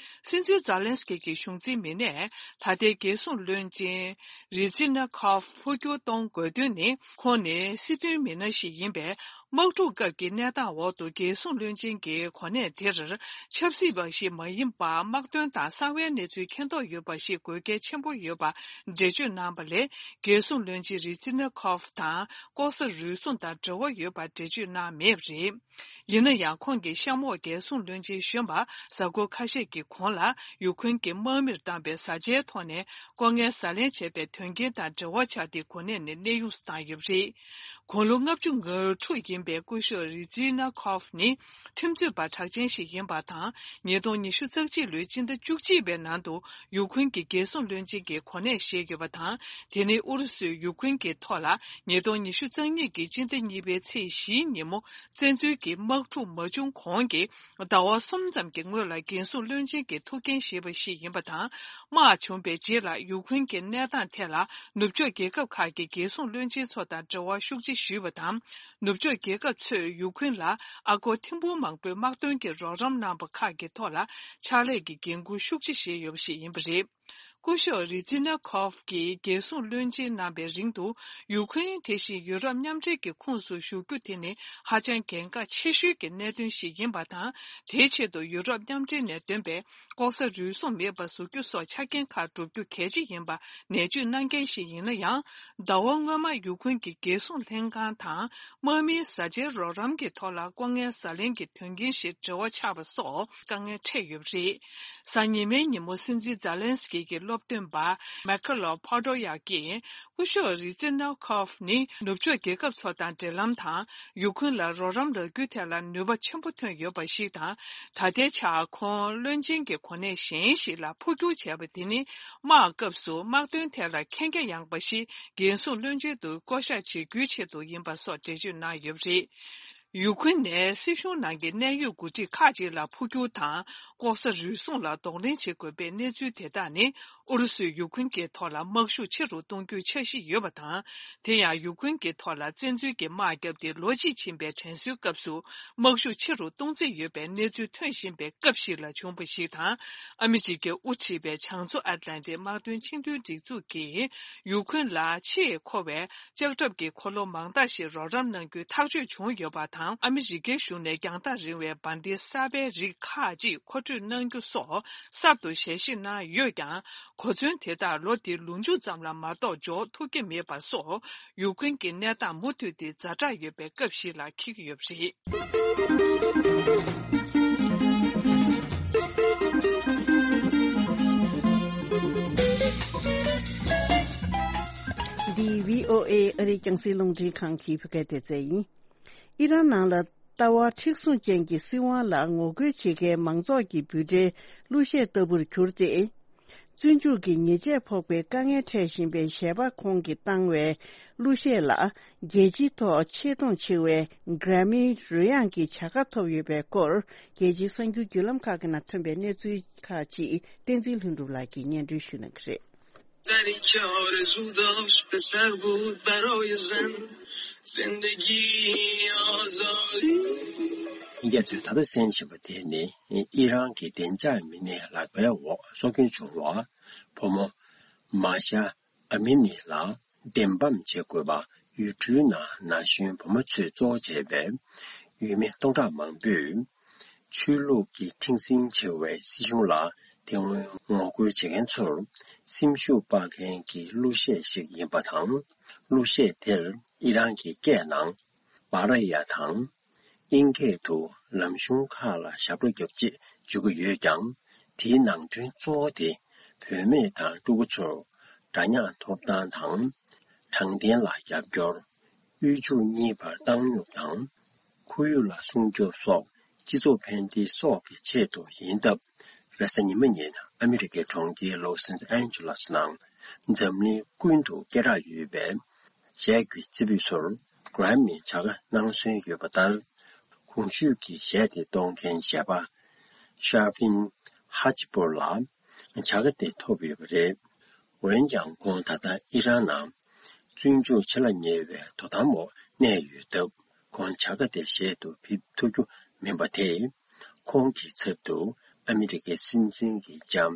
སྲིད་འཛིན་ཛཱ་ལན་སི་ཀི་གི་གཞུང་འཛིན་མི་སྣས་ད་ལྟའི་རྒྱལ་སྲུང་བློན་ཆེན་རི་ཛི་ན་ཁོབ་འཕོ་འགྱུར་གཏོང་དགོས་དོན་ནི། ཁོང་ནི་སྲིད་དོན་མི་སྣ་ཞིག་ཡིན་པས། དམག་འཁྲུག་སྐབས་ཀྱི་གནས་སྟངས་འོག་ཏུ་རྒྱལ་སྲུང་བློན་ཆེན་གྱི་གོ་གནས་དེར་ཆབ་སྲིད་པ་ཞིག་མ་ཡིན་པར། དམག་དོན་དང་གསང་བའི་གནས་ཚུལ་མཁྱེན་རྟོགས་ཡོད་པ་ཞིག་དགོས་གལ་ཆེན་པོ་ཡོད་པ་འགྲེལ་བརྗོད་གནང་བ་ལས། རྒྱལ་སྲུང་བློན་ཆེན་རི་ཛི་ན་ཁོབ་དང་ལྐོག་ཟ་རུལ་སུངས་དང་འབྲེལ་བ་ཡོད་པ་འགྲེལ་བརྗོད་གནང་མེད་པ་རེད། ཡིན་ན་ཡང་། ཁོང་གི་གཤམ་འོག་རྒྱལ་སྲུང་བློན་ཆེན་གཞོན་པ་གཟའ་འཁོར་ཁ་ཤས་ཀྱི་གོང་ལ་ཡུ་ཁུན་གྱི་དམག་མིར་བཏང་པའི་བཟའ་བཅའི་ཐོག་ནས་ལྐོག་རྔན་ཟ་ལེན་བྱས་པའི་དོན་རྐྱེན་དང་འབྲེལ་བ་ཆགས་ཏེ་གོ་གནས་ནས་གནས་དབྱུང་བཏང་ཡོད་པ་རེད། དགུང་ལོ་ལྔ་བཅུ་ང་དྲུག་ཡིན་པའི་སྐུ་ཞབས་རི་ཛི་ན་ཁོབ་ནི་ཁྲིམས་རྩོད་པ་གྲགས་ཅན་ཞིག་ཡིན་པ་དང་། ཉིས་སྟོང་ཉི་ཤུ་རྩ་གཅིག་ལོའི་སྤྱི་ཟླ་བཅུ་གཅིག་པའི་ནང་དུ་ཡུ་ཁུན་གྱི་རྒྱལ་སྲུང་བློན་ཆེན་གྱི་གོ་གནས་བཞེས་ཡོད་པ་དང་། དེ་ནི་ཨུ་རུ་སུས་ཡུ་ཁུན་གྱི་ཐོག་ལ་ཉིས་སྟོང་ཉི་ཤུ་རྩ་གཉིས་ཀྱི་སྤྱི་ཟླ་གཉིས་པའི་ཚེས་བཞིའི་ཉིན་མོ། བཙན་འཛུལ་གྱི་དམག་འཁྲུག་མ་བྱུང་གོང་གི་ཟླ་བ་གསུམ་ཙམ་གྱི་སྔོན་ལ་རྒྱལ་སྲུང་བློན་ཆེན་གྱི་ཐུགས་འགན་བཞེས་པ་ཞིག་ཡིན་པ་དང་། དམག་བྱུང་བའི་རྗེས་ལ་ཡུ་ཁུན་གྱི་གནས་སྟངས་ཐད་ལ་ནུབ་ཕྱོགས་རྒྱལ་ཁབ་ཁག་གི་རྒྱལ་སྲུང་བློན་ཆེན་ཚོ་དང་འབྲེལ་བ་ཤུགས་ཆེ་ཞུས་པ་དང་། ནུབ་ཕྱོགས་རྒྱལ་ཁབ་ཚོས་ཡུ་ཁུན་ལ་ཨ་སྒོར་ཐེར་འབུམ་མང་པོའི་དམག་དོན་གྱི་རོགས་རམ་གནང་བ་ཁག་གི་ཐོག་ལ་ཕྱག་ལས་ཀྱི་འགན་འཁུར་ཤུགས་ཆེ་བཞེས་ཡོད་པ་ཞིག་ཡིན་པ་རེད། སྐུ་ཞབས་རི་ཛི་ན་ཁོབ་ཀྱིས་རྒྱལ་སྲུང་བློན་ཆེན་གནང་བའི་རིང་དུ། ཡུ་ཁུན་དེ་བཞིན་ཡུ་རོབ་མཉམ་འབྲེལ་གྱི་ཁོངས་སུ་ཞུགས་རྒྱུ་དེ་ནི་ཧ་ཅང་གལ་འགངས་ཆེ་ཤོས་ཀྱི་གནད་དོན་ཞིག་ཡིན་པ་དང་། དེའི་ཆེད་དུ་ཡུ་རོབ་མཉམ་འབྲེལ་ནས་འདོན་པའི་ལྐོག་ཟ་རུལ་སུངས་མེད་པ་བཟོ་རྒྱུ་སོགས་ཆ་རྐྱེན་ཁག་བསྒྲུབ་རྒྱུ་གལ་ཆེ་ཡིན་པ་ནན་བརྗོད་གནང་མཁན་ཞིག་ཡིན་ན་ཡང་། ཟླ་བ་སྔོན་མ་ཡུ་ཁུན་གྱི་རྒྱལ་སྲུང་ལྷན་ཁང་དང་། དམག་མིའི་བཟའ་བཅའི་རོགས་རམ་གྱི་ཐོག་ལ་ལྐོག་རྔན་ཟ་ལེན་གྱི་དོན་རྐྱེན་ཞིག་འབྲེལ་བ་ཆགས་པ་སོགས་དཀའ་ངལ་འཕྲད་ཡོད་པ་རེད། གཟའ་ཉི་མའི་ཉིན་མོ་སྲིད་འཛིན་ཛཱ་ལན་སི་ཀི་གི་སློབ་སྟོན་པ་མེ་ཁ་ལོ་ཕོ་ཏོ་ཡ་ཀིས། སྐུ་ཞབས་རི་ཛི་ན་ཁོབ་ནི་ནུབ་ཕྱོགས་རྒྱལ་ཁབ་ཚོ་དང་འབྲེལ་ལམ་དང་། ཡུ་ཁུན་ལ་རོགས་རམ་རག་རྒྱུའི་ཐད་ལ་ནུས་པ་ཆེན་པོ་ཐོན་ཡོད་པ་ཞིག་དང་། ད་ལྟའི་ཆར་ཁོང་བློན་ཆེན་གྱི་གོ་གནས་གཞན་ཞིག་ལ་འཕོ་འགྱུར་བྱས་པ་དེ་ནི། དམག་སྐབས་སུ་དམག་དོན་ཐད་ལ་མཁྱེན་རྒྱ་ཡངས་པ་ཞིག་རྒྱལ་སྲུང་བློན་ཆེན་དུ་བསྐོ་གཞག་བྱེད་རྒྱུའི་ཆེད་དུ་ཡིན་པ་སོགས་འགྲེལ་བརྗོད་གནང་ཡོད་པ་རེད། ཡུ་ཁུན་ནས་སྲིད་གཞུང་ནང་གི་གནད་ཡོད་འགོ་ཁྲིད་ཁག་ཅིག་ལ་འཕོ་འགྱུར་དང་། ལྐོག་ཟ་རུལ་སུངས་ལ་གདོང་ལེན་བྱེད་དགོས་པའི་གནས་ཚུལ་དེ་དག་ནི། ཨུ་རུ་སུས་ཡུ་ཁུན་གྱི་ཐོག་ལ་དམག་ཤུགས་ཆེ་རུ་གཏོང་རྒྱུའི་འཆར་གཞི་ཡོད་པ་དང་། དེ་ཡང་ཡུ་ཁུན་གྱི་ཐོག་ལ་བཙན་འཛུལ་གྱི་དམག་བརྒྱབ་སྟེ་ལོ་གཅིག་ཕྱིན་པའི་དྲན་གསོའི་སྐབས་སུ། དམག་ཤུགས་ཆེ་རུ་གཏོང་རྩིས་ཡོད་པའི་གནས་ཚུལ་ཐོན་བཞིན་པའི་སྐབས་ཤིག་ལ་བྱུང་བ་ཞིག་དང་། ཨ་མི་རི་ཀས་དབུ་ཁྲིད་པའི་བྱང་མཚོ་ཨེཊ་ལན་ཊིག་དམག་དོན་ཆིངས་དོན་སྒྲིག་འཛུགས་ཀྱིས་ཡུ་ཁུན་ལ་ཆེས་མཁོ་བའི་ལྕགས་ཁྲབ་ཀྱི་འཁོར་ལོ་མང་དག་ཞིག་རོགས་རམ་གནང་རྒྱུའི་ཐག་གཅོད་བྱུང་ཡོད་པ་དང་། ནང་ཨ་མི་རི་ཀའི་གཞུང་ནས་རྒྱང་ཐག་རིང་བའི་འབར་མདེལ་གསར་པའི་རིགས་ཁག་ཅིག་མཁོ་སྤྲོད་གནང་རྒྱུ་སོགས་གསར་དུ་ཞལ་བཞེས་གནང་ཡོད་ཀྱང་། གོ་མཚོན་དེ་དག་ལོ་འདིའི་ལོ་མཇུག་ཙམ་ལ་མ་གཏོགས་འབྱོར་ཐུབ་ཀྱི་མེད་པ་སོགས། ཡུཀ་རེན་གྱི་གནས་སྟངས་མུ་མཐུད་དེ་ཛ་དྲག་ཡོད་པའི་སྐབས་ཤིག་ལ་འཁེལ་གྱི་ཡོད་པ་རེད། འདི་བྷི་ཨོ་ཨེ་ཨ་རིའི་རྒྱང་སྲིང་རླུང་འཕྲིན་ཁང་གི་བོད་སྐད་སྡེ་ཚན་ཡིན། ཨི་རན་ནང་ལ་ལྟ་བ་མཁྲེགས་བཟུང་ཅན་གྱི་སྲིད་དབང་ལ་ངོ་རྒོལ་བྱེད་མཁན་མང་ཚོགས་ཀྱི་འབོད་སྒྲའི་གླུ་གཞས་ལྟ་བུར་གྱུར་ཏེ། བཙོན་འཇུག་གི་ཉེས་ཆད་ཕོག་པའི་དཀའ་ངལ་འཕྲད་བཞིན་པའི་གཞས་པ་ཁོང་གིས་བཏང་བའི་གླུ་གཞས་ལ་རྒྱལ་སྤྱིའི་ཐོག་ཆེས་མཐོང་ཆེ་བའི་གྷ་རེ་མི་རོལ་དབྱངས་ཀྱི་བྱ་དགའ་ཐོབ་ཡོད་པའི་སྐོར། རྒྱལ་སྤྱིའི་གསར་འགྱུར་བརྒྱུད་ལམ་ཁག་གི་ནང་ཐོན་པའི་གནས་ཚུལ་ཁག་ཅིག་བསྟན་འཛིན་ལྷུན་གྲུབ་ལགས་ཀྱིས་སྙན་སྒྲོན་ཞུ་གནང་གི་རེད། زنی که آرزو داشت پسر بود برای زن، زندگی آزادی. རྒྱ་མཚོས་ད་ལྟ་གསན་བཞིན་པ་དེ་ནི་ཨི་རན་གྱི་བདེ་འཇགས་མི་སྣའི་ལག་པའི་འོག་སྲོག་སྐྱོན་བྱུང་བ། བུ་མོ་མཱ་ཤ་ཨ་མི་ནི་ལ་བདེན་དཔང་བྱེད་དགོས་པ། ཡུལ་གྲུའི་ནང་ན་གཞོན་བུ་མོ་ཚོས་གཙོ་བོ་བྱས་པའི་ཡུལ་མི་སྟོང་ཕྲག་མང་པོས། ཆོས་ལུགས་ཀྱི་མཁྲེགས་འཛིན་ཆེ་བའི་སྲིད་གཞུང་ལ་དེ་སྔོན་ངོ་རྒོལ་བྱེད་མཁན་ཚོར་སེམས་ཤུགས་སྤར་མཁན་གྱི་གླུ་གཞས་ཤིག་ཡིན་པ་དང་། གླུ་གཞས་དེར་ཨི་རན་གྱི་སྐད་ནང་བྷ་ར་ཡ་དང་། ཨིན་སྐད་དུ་ལམ་གཞུང་ཁག་ལ་ཞབས་བྲོ་རྒྱོབ་ཅེས་བརྗོད་ཀྱི་ཡོད་ཀྱང་། དེའི་ནང་དོན་གཙོ་བོ་དེ་བུད་མེད་དང་ཕྲུ་གུ་ཚོར་འདྲ་མཉམ་ཐོབ་ཐང་དང་། དྲང་བདེན་ལ་རྒྱབ་སྐྱོར། དབུལ་ཕྱུག་གཉིས་བར་བཏང་སྙོམས་དང་། ཁོར་ཡུག་ལ་སྲུང་སྐྱོབ་སོགས་སྤྱི་ཚོགས་ཕན་བདེ་སོགས་ཀྱི་ཆེད་དུ་ཡིན་སྟབས། རེས་གཟའ་ཉི་མ་ཉིན་ཨ་མི་རི་ཀའི་གྲོང་ཁྱེར་ལོ་སན་ཨན་ཇེ་ལེ་སི་ནང་འཛམ་གླིང་ཀུན་ཏུ་སྐད་གྲགས་ཡོད་པའི་གཞས་ཀྱི་རྩེ་ཕུད་ཚོར་གྷ་རེ་མི་བྱ་དགའ་གནང་སྲོལ་ཡོད་པ་ལྟར། གོང་ཞུས་ཀྱི་གཞས་དེ་གཏོང་མཁན་གཞས་པ་ཤར་ཕིན་ཧ་ཅི་པོར་ལ་བྱ་དགའ་དེ་ཐོབ་ཡོད་པ་རེད། འོན་ཀྱང་ཁོང་ད་ལྟ་ཨི་རན་ནང་བཙོན་འཇུག་ཆེ་ལ་ཉེ་བའི་དོ་དམ་འོག་གནས་ཡོད་སྟབས། ཁོང་བྱ་དགའ་དེ་གཞས་སུ་ཕེབས་ཐུབ་རྒྱུ་མིན་པ་དེས། ཁོང་གི་ཚབ་ཏུ་ཨ་མི་རི་ཀའི་སྲིད་འཛིན་གྱི་ལྕམ་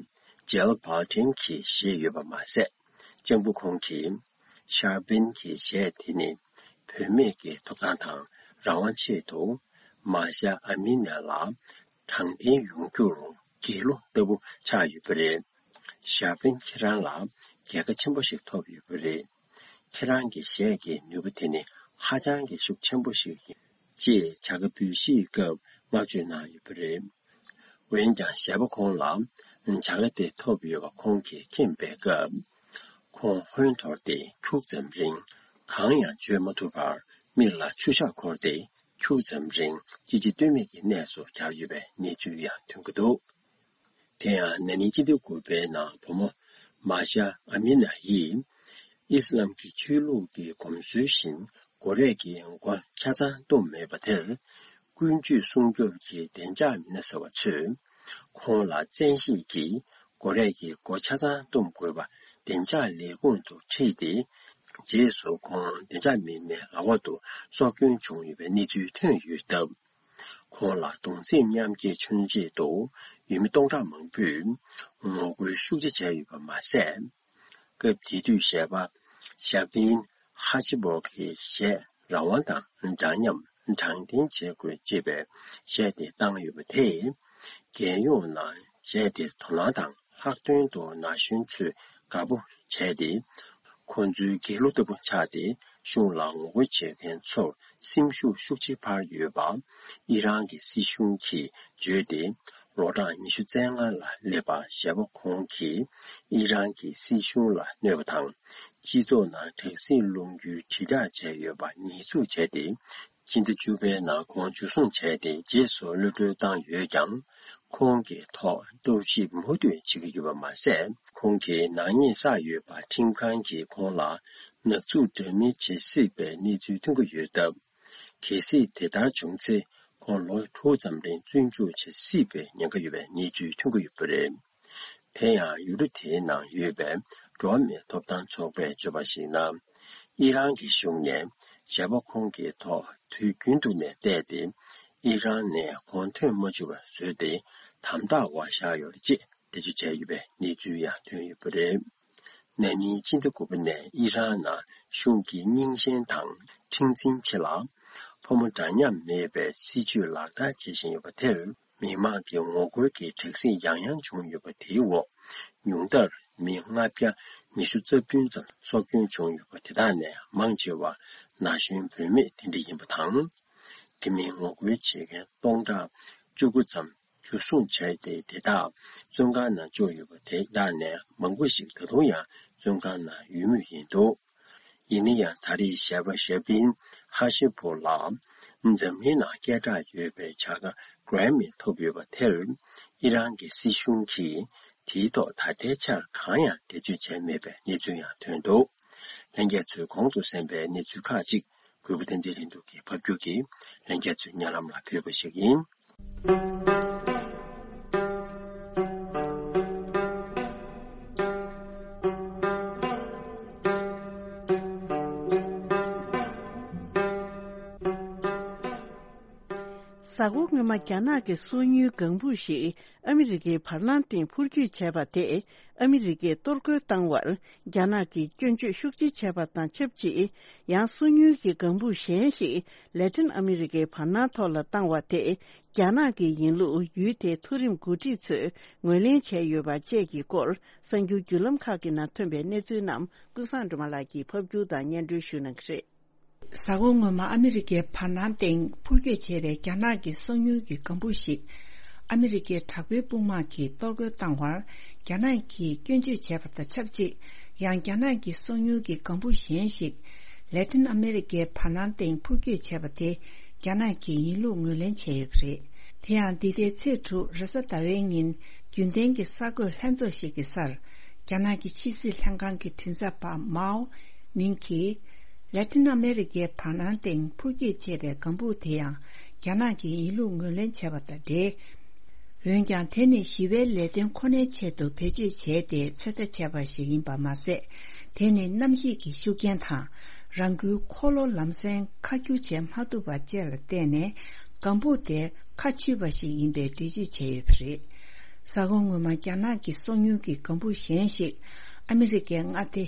ཇིལ་བྷ་ལ་ཊིན་གྱིས་བཞེས་ཡོད་པ་མ་ཟད། ལྕམ་སྐུ་ཁོང་གིས་ཤར་པིན་གྱི་གཞས་དེ་ནི་བུད་མེད་ཀྱི་ཐོབ་ཐང་དང་རང་དབང་ཆེད་དུ་མཱ་ཤ་ཨ་མི་ནེ་ལ་དྲང་བདེན་ཡོང་རྒྱུར་དགེ་བློ་ལྟ་བུ་ཆགས་ཡོད་པ་རེད། ཤར་པིན་ཁྱེད་རང་ལ་རྒྱལ་ཁ་ཆེན་པོ་ཞིག་ཐོབ་ཡོད་པ་རེད། ཁྱེད་རང་གི་གཞས་ཀྱི་ནུས་པ་དེ་ནི་ཧ་ཅང་གི་ཤུགས་ཆེན་པོ་ཞིག་ཡིན། ཅེས་བྱ་དགའ་འབུལ་བཞེས་སྐབས་བསྔགས་བརྗོད་གནང་ཡོད་པ་རེད། འོན་ཀྱང་གཞས་པ་ཁོང་ལ་བྱ་དགའ་དེ་ཐོབ་ཡོད་པ་ཁོང་གིས་མཁྱེན་པའི་སྐབས། ཁོང་ཧོན་འཐོར་ཏེ་ཁྱུག་ཙམ་རིང་གང་ཡང་བརྗོད་མ་ཐུབ་པར་མིག་ལ་ཆུ་ཤག་འཁོར་ཏེ་ཁྱུག་ཙམ་རིང་ཅི་བྱེད་གཏོལ་མེད་ཀྱི་གནས་སུ་གྱར་ཡོད་པའི་གནས་ཚུལ་ཡང་ཐོན་གྱི་འདུག་དེ་ཡང་ན་ནིང་སྤྱི་ཟླ་དགུ་པའི་ནང་བུ་མོ་མཱ་ཤ་ཨ་མི་ན་ཡིས་ཨི་སི་ལམ་གྱི་ཆོས་ལུགས་ཀྱི་གོམས་སྲོལ་བཞིན་མགོ་རས་ཀྱི་མགོ་ཆ་ཚང་བཏུམས་མེད་པ་དེར། ཀུན་སྤྱོད་སྲུང་སྐྱོབ་ཀྱི་བདེ་འཇགས་མི་སྣ་ཟེར་བ་ཚོས་ཁོང་ལ་བཙན་ཤེད་ཀྱིས་མགོ་རས་ཀྱི་མགོ་ཆ་ཚང་བཏུམས་དགོས་པ་བདེ་འཇགས་ལས་ཁུངས་དུ་ཁྲིད་དེ། རྗེས་སུ་ཁོང་བདེ་འཇགས་མི་སྣའི་ལག་འོག་ཏུ་སྲོག་སྐྱོན་བྱུང་ཡོད་པའི་གནས་ཚུལ་ཐོན་ཡོད་སྟབས། ཁོང་ལ་གདུང་སེམས་མཉམ་སྐྱེད་མཚོན་ཆེད་དུ་ཡུལ་མི་སྟོང་ཕྲག་མང་པོས་ངོ་རྒོལ་ཤུགས་ཆེ་བྱས་ཡོད་པ་མ་ཟད། སྐབས་དེ་དུས་གཞས་པ་ཞབ་ཏིན་ཧ་ཆི་བོ་གིས་གཞས་རང་དབང་དང་འདྲ་མཉམ་དྲང་བདེན་བྱེད་དགོས་ཅེས་པའི་གཞས་དེ་བཏང་ཡོད་པ་དེས། རྒྱལ་ཡོངས་ནང་གཞས་དེར་དོ་སྣང་དང་ལྷག་དོན་དུ་ན་གཞོན་ཚོས་དགའ་པོ་བྱས་ཏེ། ཁོང་ཚོའི་དགེ་ལུགས་ལྟ་བུ་ཆགས་ཏེ་གཞུང་ལ་ངོ་རྒོལ་བྱེད་མཁན་ཚོར་སེམས་ཤུགས་ཤུགས་ཆེ་འཕར་ཡོད་པ་ཨི་རན་གྱི་སྲིད་གཞུང་གིས་བརྗོད་དེ། ལོ་གྲངས་ཉི་ཤུ་རྩ་ལྔ་ལ་སླེབས་པ་གཞས་པ་ཁོང་གིས་ཨི་རན་གྱི་སྲིད་གཞུང་ལ་གནོད་པ་དང་། སྤྱི་ཚོགས་ནང་དྲག་ཟིང་སློང་རྒྱུའི་དྲིལ་བསྒྲགས་བྱས་ཡོད་པ་ཉེས་འཛུགས་བྱས་ཏེ། སྤྱི་ཟླ་བཅུ་པའི་ནང་ཁོང་འཇུ་བཟུང་བྱས་ཏེ་རྗེས་སུ་གློད་གྲོལ་བཏང་ཡོད་ཀྱང་། ཁོང་གི་ཐོག་རྟོག་ཞིབ་མུ་མཐུད་བྱེད་ཀྱི་ཡོད་པ་མ་ཟད། ཁོང་གིས་ནག་ཉེས་བསགས་ཡོད་པ་ཁྲིམས་ཁང་གིས་ཁོང་ལ་ནག་འཛུགས་འདྲ་མིན་བྱེད་སྲིད་པའི་གནས་ཚུལ་ཐོན་གྱི་ཡོད་སྟབས། གལ་སྲིད་དེ་ལྟར་བྱུང་ཚེ། ཁོང་ལོ་དྲུག་ཙམ་རིང་བཙོན་འཇུག་བྱེད་སྲིད་པའི་ཉེན་ཁ་ཡོད་པའི་གནས་ཚུལ་ཐོན་གྱི་ཡོད་པ་རེད། དེ་ཡང་ཡུལ་གྲུ་དེའི་ནང་ཡོད་པའི་འགྲོ་བ་མིའི་ཐོབ་ཐང་ཚོགས་པས་བརྗོད་པར་གཞིགས་ན། ཨི་རན་གྱི་གཞུང་ནས་གཞས་པ་ཁོང་གི་ཐོག་དུས་རྒྱུན་དུ་ནས་བལྟས་ཏེ། ཨི་རན་ནས་ཁོང་ཐོན་མ་བཅུག་པ་བཟོས་ཏེ་དམ་དྲག་འོག་བཞག་ཡོད་རེད་ཅེས་འགྲེལ་བརྗོད་བྱས་ཡོད་པའི་གནས་ཚུལ་ཡང་ཐོན་ཡོད་པ་རེད། ན་ནིང་སྤྱི་ཟླ་དགུ་པ་ནས་ཨི་རན་ནང་གཞུང་གི་རྙིང་ཞེན་དང་མཁྲེགས་འཛིན་ཆེ་ལ། བོད་ ཕོ་མོ་འདྲ་མཉམ་མེད་པའི་སྲིད་བྱུས་ལག་བསྟར་བྱེད་བཞིན་ཡོད་པ་དེར། མི་མང་གི་ངོ་རྒོལ་གྱི་དྲག་ཟིང་ཡང་ཡང་བྱུང་ཡོད་པ་དེའི་འོག་ཉུང་མཐར་མི་ལྔ་བརྒྱ་ཉི་ཤུ་རྩ་བདུན་ཙམ་སྲོག་སྐྱོན་བྱུང་ཡོད་པ་དེ་དག་ནས་མང་ཆེ་བ་ན་གཞོན་བུད་མེད་དེ་འདྲ་ཡིན་པ་དང་། དེ་མིན་ངོ་རྒོལ་བྱེད་མཁན་སྟོང་ཕྲག་བཅུ་དགུ་ཙམ་འཇུ་བཟུང་བྱས་ཏེ། དེ་དག་བཙོན་ཁང་ནང་བཅུག་ཡོད་པ་དེ་དག་ནས་མང་པོ་ཞིག་ད་དུང་ཡང་བཙོན་ཁང་ནང་ཡོད་མུས་ཡིན་འདུག་ཡིན་ན་ཡང་། ད་རེས་ཞལ་པ་ཞབ་པིན་ཧ་ཤི་པུར་ལགས་འཛམ་གླིང་ནང་སྐད་གྲགས་ཡོད་པའི་བྱ་དགའ་གྷི་རེ་མི་ཐོབ་ཡོད་པ་དེར། ཨི་རན་གྱི་སྲིད་གཞུང་གིས་དེའི་ཐོག་ད་ལྟའི་ཆར་གང་ཡང་འགྲེལ་བརྗོད་བྱས་མེད་པའི་གནས་ཚུལ་ཡང་ཐོན་འདུག་ལྷན་རྒྱས་ཚོས་གོང་དུ་གསན་པའི་གནས་ཚུལ་ཁག་ཅིག་གུས་པ་བསྟན་འཛིན་ལྷུན་གྲུབ་ཀྱིས་ཕབ་སྒྱུར་གྱིས་ལྷན་རྒྱས་ཚོའི་སྙན་ལམ་ལ་ཕུལ་བ་ཞིག་ཡིན། གཟའ་འཁོར་སྔོན་མ་རྒྱ་ནག་གི་སོ་ཉུལ་ལྒང་བུ་ཞིག་ཨ་མི་རི་ཀའི་བར་སྣང་སྟེང་འཕུར་སྐྱོད་བྱས་པ་དེས་ཨ་མི་རི་ཀས་གཏོར་རྒོལ་བཏང་བར། རྒྱ་ནག་གིས་སྐྱོན་བརྗོད་ཤུགས་ཆེ་བྱས་པ་དང་ཆབས་ཅིག་ཡང་སོ་ཉུལ་གྱི་ལྒང་བུ་གཞན་ཞིག་ལེ་ཏིན་ཨ་མི་རི་ཀའི་བར་སྣང་ཐོག་ལ་བཏང་བ་དེས། རྒྱ་ནག་གི་ཡིན་ལུགས་ཡུལ་དེའི་མཐོ་རིམ་འགོ་ཁྲིད་ཚོས་ངོས་ལེན་བྱས་ཡོད་པ་བཅས་ཀྱི་སྐོར། གསར་འགྱུར་བརྒྱུད་ལམ་ཁག་གི་ནང་ཐོན་པའི་གནས་ཚུལ་རྣམས་ཀུན་བཟང་སྒྲོལ་མ་ལགས་ཀྱིས་ཕབ་སྒྱུར་དང་སྙན་སྒྲོན་ཞུ་གནང་གི་རེད། གཟའ་འཁོར་སྔོན་མ་ཨ་མི་རི་ཀའི་བར་སྣང་སྟེང་འཕུར་སྐྱོད་བྱས་པའི་རྒྱ་ནག་གི་སོ་ཉུལ་གྱི་ལྒང་བུ་ཞིག་ཨ་མི་རི་ཀའི་དྲག་པོའི་དཔུང་དམག་གིས་གཏོར་རྒོལ་བཏང་བར། རྒྱ་ནག་གིས་སྐྱོན་བརྗོད་བྱས་པ་དང་ཆབས་ཅིག་ཡང་རྒྱ་ནག་གི་སོ་ཉུལ་གྱི་ལྒང་བུ་གཞན་ཞིག་ལེ་ཏིན་ཨ་མི་རི་ཀའི་བར་སྣང་སྟེང་འཕུར་སྐྱོད་བྱས་པ་དེ་རྒྱ་ནག་གིས་ཡིན་ལུགས་ངོས་ལེན་བྱས་ཡོད་པ་རེད། དེ་ཡང་འདི་ཟླའི་ཚེས་དྲུག་རེས་གཟའ་ཟླ་བའི་ཉིན་རྒྱུན་ལྡན་གྱི་གསར་འགོད་ལྷན་ཚོགས་ཤིག་གི་སར། རྒྱ་ནག་གི་ཕྱི་སྲིད་ལྷན་ཁང་གི་མགྲིན་ཚབ་པ་མའོ་ནིང་གིས། ལེ་ཏིན་ཨ་མེ་རི་ཀའི་བར་སྣང་སྟེང་འཕུར་སྐྱོད་བྱས་པའི་ལྒང་བུ་དེ་ཡང་རྒྱ་ནག་གིས་ཡིན་ལུགས་ངོས་ལེན་བྱས་པ་དང་འབྲེལ། འོན་ཀྱང་དེ་ནི་ཞི་བའི་ལས་དོན་ཁོ་ནའི་ཆེད་དུ་བེད་སྤྱོད་བྱས་ཏེ་ཚོད་ལྟ་བྱས་པ་ཞིག་ཡིན་པ་མ་ཟད། དེ་ནི་གནམ་གཤིས་ཀྱི་ཤུགས་རྐྱེན་དང་། རང་འགུལ་འཁོར་ལོ་ལམ་སེང་ཁ་བསྒྱུར་བྱེད་མ་ཐུབ་པ་བཅས་ལ་བརྟེན་ནས། ལྒང་བུ་དེ་ཁ་ཆུད་པ་ཞིག་ཡིན་པའི་འགྲེལ་བརྗོད་བྱས་ཡོད་པ་རེད། གཟའ་འཁོར་སྔོན་མ་རྒྱ་ནག་གི་སོ་ཉུལ་གྱི་ལྒང་བུ་གཞན་ཞིག་ཨ་མི་རི་ཀའི་མངའ་སྡེ་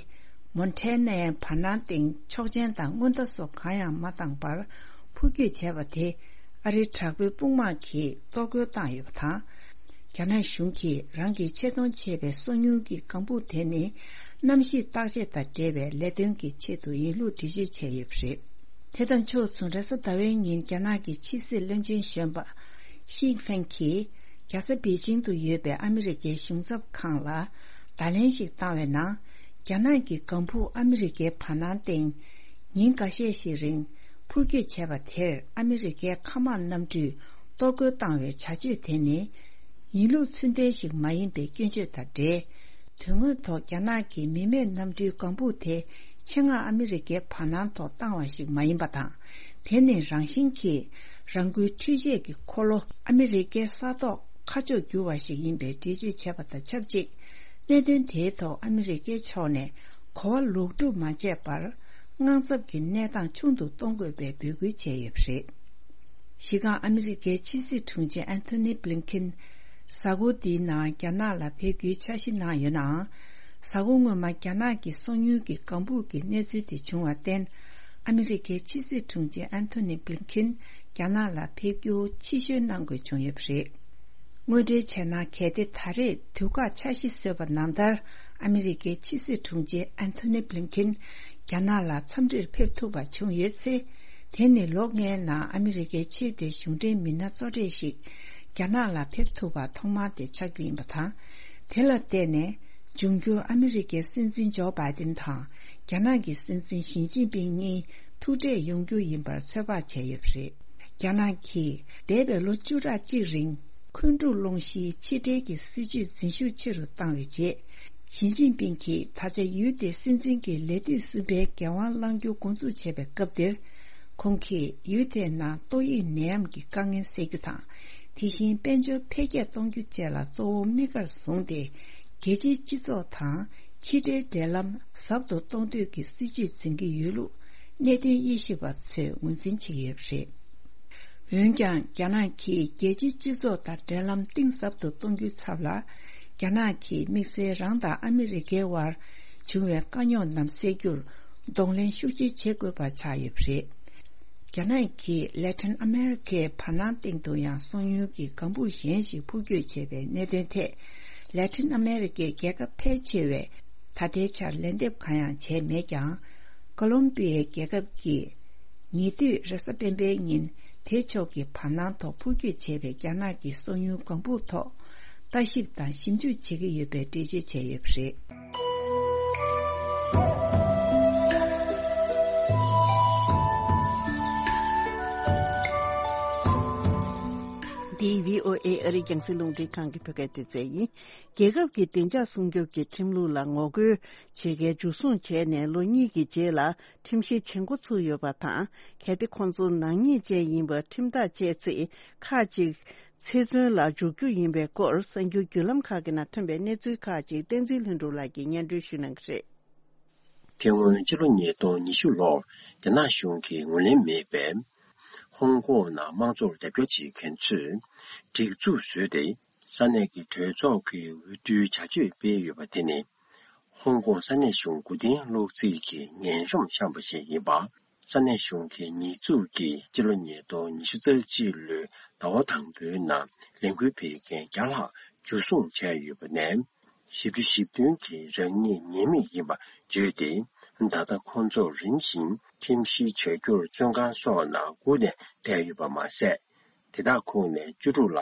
མོན་ཊེ་ནའི་བར་སྣང་སྟེང་ཆོག་མཆན་དང་སྔོན་བརྡ་སོགས་གང་ཡང་མ་བཏང་པར་འཕུར་སྐྱོད་བྱས་པ་དེ། ཨ་རིའི་དྲག་པོའི་དཔུང་དམག་གིས་གཏོར་རྒོལ་བཏང་ཡོད་པ་དང་། རྒྱ་ནག་གཞུང་གིས་རང་གིས་ཆེད་གཏོང་བྱས་པའི་སོ་ཉུལ་གྱི་ལྒང་བུ་དེ་ནི་གནམ་གཤིས་བརྟག་དཔྱད་དང་འབྲེལ་བའི་ལས་དོན་གྱི་ཆེད་དུ་ཡིན་ལུགས་འགྲེལ་བརྗོད་བྱས་ཡོད་པ་རེད། དེ་དང་ཕྱོགས་མཚུངས་རེས་གཟའ་ཟླ་བའི་ཉིན་རྒྱ་ནག་གི་ཕྱི་སྲིད་བློན་ཆེན་གཞོན་པ་ཤིན་ཕེང་གིས་རྒྱལ་ས་པེ་ཅིང་དུ་ཡོད་པའི་ཨ་མི་རི་ཀའི་གཞུང་ཚབ་ཁང་ལ་བརྡ་ལན་ཞིག་བཏང་བའི་ནང་། རྒྱ་ནག་གི་ལྒང་བུ་ཨ་མི་རི་ཀའི་བར་སྣང་སྟེང་ཉིན་འགའ་ཤས་ཤིག་རིང་འཕུར་སྐྱོད་བྱས་པ་དེར་ཨ་མི་རི་ཀའི་མཁའ་དམག་གནམ་གྲུས་གཏོར་རྒོལ་བཏང་བའི་བྱ་སྤྱོད་དེ་ནི་ཡིན་ལུགས་ཚུལ་ལྡན་ཞིག་མ་ཡིན་པའི་སྐྱོན་བརྗོད་དང་འབྲེལ། དོན་དངོས་ཐོག་རྒྱ་ནག་གི་མི་མེད་གནམ་གྲུའི་ལྒང་བུ་དེ་ཆེད་མངགས་ཨ་མི་རི་ཀའི་བར་སྣང་ཐོག་བཏང་བ་ཞིག་མ་ཡིན་པ་དང་། དེ་ནི་རང་བཞིན་གྱིས་རང་འགུལ་འཕྲུལ་ཆས་ཀྱི་འཁོར་ལོ་ཨ་མི་རི་ཀའི་ས་ཐོག་ཁ་ཕྱོགས་བསྒྱུར་བ་ཞིག་ཡིན་པའི་འགྲེལ་བརྗོད་བྱས་པ་དང་ཆབས་ཅིག་གནད་དོན་དེའི་ཐོག་ཨ་མི་རི་ཀའི་ཕྱོགས་ནས་གོ་བ་ལོག་སྒྲུབ་མ་བྱས་པར། དངངས་འཚབ་ཀྱི་གནས་སྟངས་ཆུང་དུ་གཏོང་དགོས་པའི་འབོད་སྐུལ་བྱས་ཡོད་པ་རེད། གཞི་རྐང་ཨ་མི་རི་ཀའི་ཕྱི་སྲིད་དྲུང་ཆེ་ཨན་ཐོ་ནི་བྷི་ལིན་ཁིན། གཟའ་འཁོར་འདིའི་ནང་རྒྱ་ནག་ལ་ཕེབས་རྒྱུའི་འཆར་གཞི་གནང་ཡོད་ནའང་། གཟའ་འཁོར་སྔོན་མ་རྒྱ་ནག་གི་སོ་ཉུལ་གྱི་ལྒང་བུ་གི་གནས་ཚུལ་དེ་བྱུང་བར་བརྟེན། ཨ་མི་རི་ཀའི་ཕྱི་སྲིད་དྲུང་ཆེ་ཨན་ཐོ་ནི་བྷི་ལིན་ཁིན་རྒྱ་ནག་ལ་ཕེབས་རྒྱུ་ཕྱིར་བཤོལ་གནང་དགོས་བྱུང་ཡོད་པ་རེད། དངོས་འབྲེལ་བྱས་ན། གལ་ཏེ་ད་རེས་དུས་བཀག་འཆར་གཞི་བཟོས་པ་ནང་ལྟར། ཨ་མི་རི་ཀའི་ཕྱི་སྲིད་དྲུང་ཆེ་ཨན་ཐོ་ནི་བྷི་ལིན་ཁིན་རྒྱ་ནག་ལ་འཚམས་འདྲིར་ཕེབས་ཐུབ་པ་བྱུང་ཡོད་ཚེ། དེ་ནི་ལོ་ལྔའི་ནང་ཨ་མི་རི་ཀའི་ཆེས་མཐོའི་གཞུང་འབྲེལ་མི་སྣ་གཙོ་གྲས་ཤིག་རྒྱ་ནག་ལ་ཕེབས་ཐུབ་པ་ཐོག་མ་དེ་ཆགས་རྒྱུ་ཡིན་པ་དང་། དེ་ལ་བརྟེན་ནས། འབྱུང་འགྱུར་ཨ་མི་རི་ཀའི་སྲིད་འཛིན་ཇོ་བྷའི་ཏིན་དང་རྒྱ་ནག་གི་སྲིད་འཛིན་ཞི་ཅིན་ཕིང་གཉིས་ཐུག་འཕྲད་ཡོང་རྒྱུ་ཡིན་པར་ཚོད་དཔག་བྱས་ཡོད་པ་རེད། རྒྱ་ནག་གིས་འདས་པའི་ལོ་བཅུ་ཕྲག་གཅིག་རིང་འཁོན་འཁྲུག་སློང་གཞིའི་ཕྱི་འབྲེལ་གྱི་སྲིད་ཇུས་འཛིན་ཤུགས་ཆེ་རུ་བཏང་བའི་རྗེས། ཞི་ཅིན་ཕིང་གིས་ད་ཆ་ཡུལ་དེའི་སྲིད་འཛིན་གྱི་ལས་དུས་གསུམ་པའི་འགན་དབང་བླང་རྒྱུ་འགོ་འཛུགས་བྱས་པའི་སྐབས་དེར། ཁོང་གིས་ཡུལ་དེའི་ནང་ཏོག་དབྱིབས་ནད་ཡམས་ཀྱི་དཀའ་ངལ་སེལ་རྒྱུ་དང་། དེ་བཞིན་དཔལ་འབྱོར་འཕེལ་རྒྱས་གཏོང་རྒྱུ་བཅས་ལ་གཙོ་བོ་དམིགས་བཀར་བཟུང་སྟེ། རྒྱལ་སྤྱིའི་སྤྱི་ཚོགས་དང་ཕྱི་འབྲེལ་འབྲེལ་ལམ་ཟབ་ཏུ་གཏོང་འདོད་ཀྱི་སྲིད་ཇུས་འཛིན་གྱི་ཡོད་ལུགས་གནད་དོན་དབྱེ་ཞིབ་པ་ཚོས་ངོས་འཛིན་བྱེད་ཀྱི་ཡོད་པ་རེད། འོན་ཀྱང་། རྒྱ་ནག་གིས་རྒྱལ་སྤྱིའི་སྤྱི་ཚོགས་དང་འབྲེལ་ལམ་གཏིང་ཟབ་ཏུ་གཏོང་རྒྱུའི་ཚབ་ལ། རྒྱ་ནག་གིས་དམིགས་བསལ་རང་དང་ཨ་མི་རི་ཀའི་དབར་བྱུང་བའི་དཀའ་རྙོག་རྣམས་སེལ་རྒྱུར་གདོང་ལེན་ཤུགས་ཆེ་བྱེད་དགོས་པ་ཆགས་ཡོད་པ་རེད། རྒྱ་ནག་གིས་ལེ་ཐན་ཨ་མེ་རི་ཁའི་བར་སྣང་སྟེང་དུ་ཡང་སོང་ཡུལ་གྱི་ལྒང་བུ་གཞན་ཞིག་འཕུར་སྐྱོད་བྱས་པའི་གནད་དོན་ཐད། ལེ་ཐན་ཨ་མེ་རི་ཁའི་རྒྱལ་ཁབ་ཕལ་ཆེ་བས་ད་ལྟའི་ཆར་ལན་འདེབས་གང་ཡང་བྱས་མེད་ཀྱང་། ཀོ་ལོམ་པི་ཡའི་རྒྱལ་ཁབ་ཀྱིས་ཉེ་དུས་རེས་གཟའ་སྤེན་པའི་ཉིན་དེ་ཕྱོགས་ཀྱི་བར་སྣང་ཐོག་འཕུར་སྐྱོད་བྱས་པའི་རྒྱ་ནག་གི་སོང་ཡུལ་ལྒང་བུ་ཐོག་ལྟ་ཞིབ་དང་ཞིབ་འཇུག་བྱེད་ཀྱི་ཡོད་པའི་འགྲེལ་བརྗོད་བྱས་ཡོད་པ་རེད། འདི་བྷི་ཨོ་ཨེ་ཨ་རིའི་རྒྱང་སྲིང་རླུང་འཕྲིན་ཁང་གི་བོད་སྐད་སྡེ་ཚན་ཡིན། རྒྱལ་ཁབ་ཀྱི་བདེ་འཇགས་སྲུང་སྐྱོབ་ཀྱི་ཁྲིམས་ལུགས་ལ་ངོ་རྒོལ་བྱེད་མཁན་འཇུ་བཟུང་བྱས་ནས་ལོ་གཉིས་ཀྱི་རྗེས་ལ་ཁྲིམས་བཤེར་བྱེད་འགོ་ཚུགས་ཡོད་པ་དང་། གལ་ཏེ་ཁོང་ཚོ་ནག་ཉེས་ཅན་ཡིན་པར་ཁྲིམས་ཐག་བཅད་ཚེ། ཁག་ཅིག་ཚེ་བཙོན་ལ་འཇུག་རྒྱུ་ཡིན་པའི་སྐོར་གསར་འགྱུར་བརྒྱུད་ལམ་ཁག་གི་ནང་ཐོན་པའི་གནས་ཚུལ་ཁག་ཅིག་བསྟན་འཛིན་ལྷུན་གྲུབ་ལགས་ཀྱིས་སྙན་སྒྲོན་ཞུ་གནང་གི་རེད། དེ་སྔོན་ཕྱི་ལོ་ཉིས་སྟོང་ཉི་ཤུ་ལོར་རྒྱ་ནག་གཞུང་གིས་ངོས་ལེན་མེད་པའི་ཧོང་ཀོང་ནང་དམངས་གཙོར་རྒྱབ་སྐྱོར་བྱེད་མཁན་ཚོས་སྒྲིག་འཛུགས་བཟོས་ཏེ། ས་གནས་ཀྱི་གྲོས་ཚོགས་ཀྱི་འོས་བསྡུའི་བྱ་སྤྱོད་སྤེལ་ཡོད་པ་དེ་ནི། ཧོང་ཀོང་ས་གནས་གཞུང་མགོ་རྟིང་སློག་རྩིས་ཀྱི་ངན་གཤོམ་བཤམས་པ་ཞིག་ཡིན་པ། ས་གནས་གཞུང་གི་ཉེས་འཛུགས་ཀྱིས་སྤྱི་ལོ་ཉིས་སྟོང་ཉི་ཤུ་རྩ་གཅིག་ལོའི་ཟླ་བ་དང་པོའི་ནང་ལས་འགུལ་སྤེལ་མཁན་བརྒྱ་ལྷག་འཇུ་བཟུང་བྱས་ཡོད་པ་ནས། བཞི་བཅུ་ཞེ་བདུན་གྱིས་རང་ཉིད་ཉེས་མེད་ཡིན་པ་བརྗོད་དེ། ད་ལྟ་ཁོང་ཚོར་རིམ་བཞིན་ཁྲིམས་བཤེར་བྱ་རྒྱུར་བཙོན་ཁང་སོགས་ནང་སྒུག་ནས་བསྡད་ཡོད་པ་མ་ཟད། དེ་དག་ཁོངས་ནས་བཅུ་དྲུག་ལ་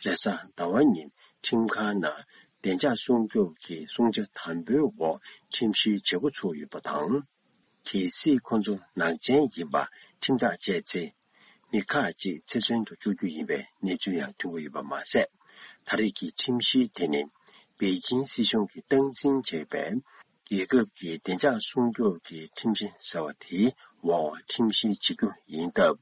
རེས་གཟའ་ཟླ་བ་ཉིན་ཁྲིམས་ཁང་ནང་བདེ་འཇགས་སྲུང་སྐྱོབ་ཀྱི་སྲུང་བྱ་དམ་པོའི་འོག་ཁྲིམས་བཤེར་བྱེད་འགོ་ཚུགས་ཡོད་པ་དང་། གལ་སྲིད་ཁོང་ཚོ་ནག་ཅན་ཡིན་པ་ཁྲིམས་ཐག་བཅད་ཚེ། མི་ཁག་ཅིག་ཚེ་བཙོན་དུ་བཅུག་རྒྱུ་ཡིན་པའི་གནས་ཚུལ་ཡང་ཐོན་གྱི་ཡོད་པ་མ་ཟད། ད་རེས་ཀྱི་ཁྲིམས་བཤེར་དེ་ནི་པེ་ཅིན་སྲིད་གཞུང་གིས་སྟངས་འཛིན་བྱས་པའི་རྒྱལ་ཁབ་ཀྱི་བདེ་འཇགས་སྲུང་སྐྱོབ་ཀྱི་ཁྲིམས་གཞི་ཟེར་བ་དེའི་འོག་ཁྲིམས་བཤེར་བྱེད་རྒྱུ་ཡིན་སྟབས།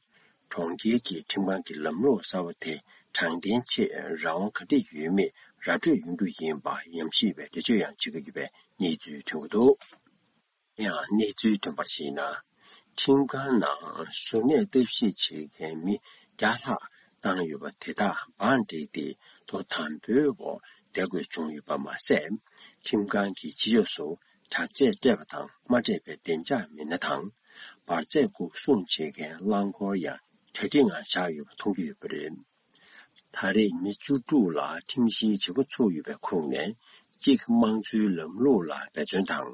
གྲོང་ཁྱེར་གྱི་ཁྲིམས་ཁང་གི་ལམ་ལུགས་གསར་བ་དེ་དྲང་བདེན་ཆེད་རང་དབང་ག་འདྲ་ཡོད་མེད་ར་སྤྲོད་ཡོང་རྒྱུ་ཡིན་པ་ཉམས་ཞིབ་པས་འགྲེལ་བརྗོད་ཡང་བྱེད་ཀྱི་ཡོད་པའི་གནས་ཚུལ་ཐོན་གྱི་འདུག་ཡང་གནས་ཚུལ་ཐོན་པར་གཞིགས་ན། ཁྲིམས་ཁང་ནང་གཟུར་གནས་ལྟ་ཞིབ་བྱེད་མཁན་མི་བརྒྱ་ལྷག་བཏང་ཡོད་པ་དེ་དག་བང་བསྒྲིགས་ཏེ་ཐོག་དམ་པོའི་འོག་བསྡད་དགོས་བྱུང་ཡོད་པ་མ་ཟད། ཁྲིམས་ཁང་གི་སྤྱི་ཡོངས་སུ་དྲག་ཆས་སྤྲས་པ་དང་མ་སྤྲས་པའི་བདེ་འཇགས་མི་སྣ་དང་། འབར་རྫས་འགོག་སྲུང་བྱེད་མཁན་རླངས་འཁོར་ཡང་གྲ་སྒྲིག་ངང་བཞག་ཡོད་པ་མཐོང་རྒྱུ་ཡོད་པ་རེད། ད་རེས་མི་བཅུ་དྲུག་ལ་ཁྲིམས་བཤེར་བྱེད་འགོ་ཚུགས་ཡོད་པའི་ཁོངས་ནས། གཅིག་དམངས་གཙོའི་ལམ་ལུགས་ལ་འབད་བརྩོན་དང་།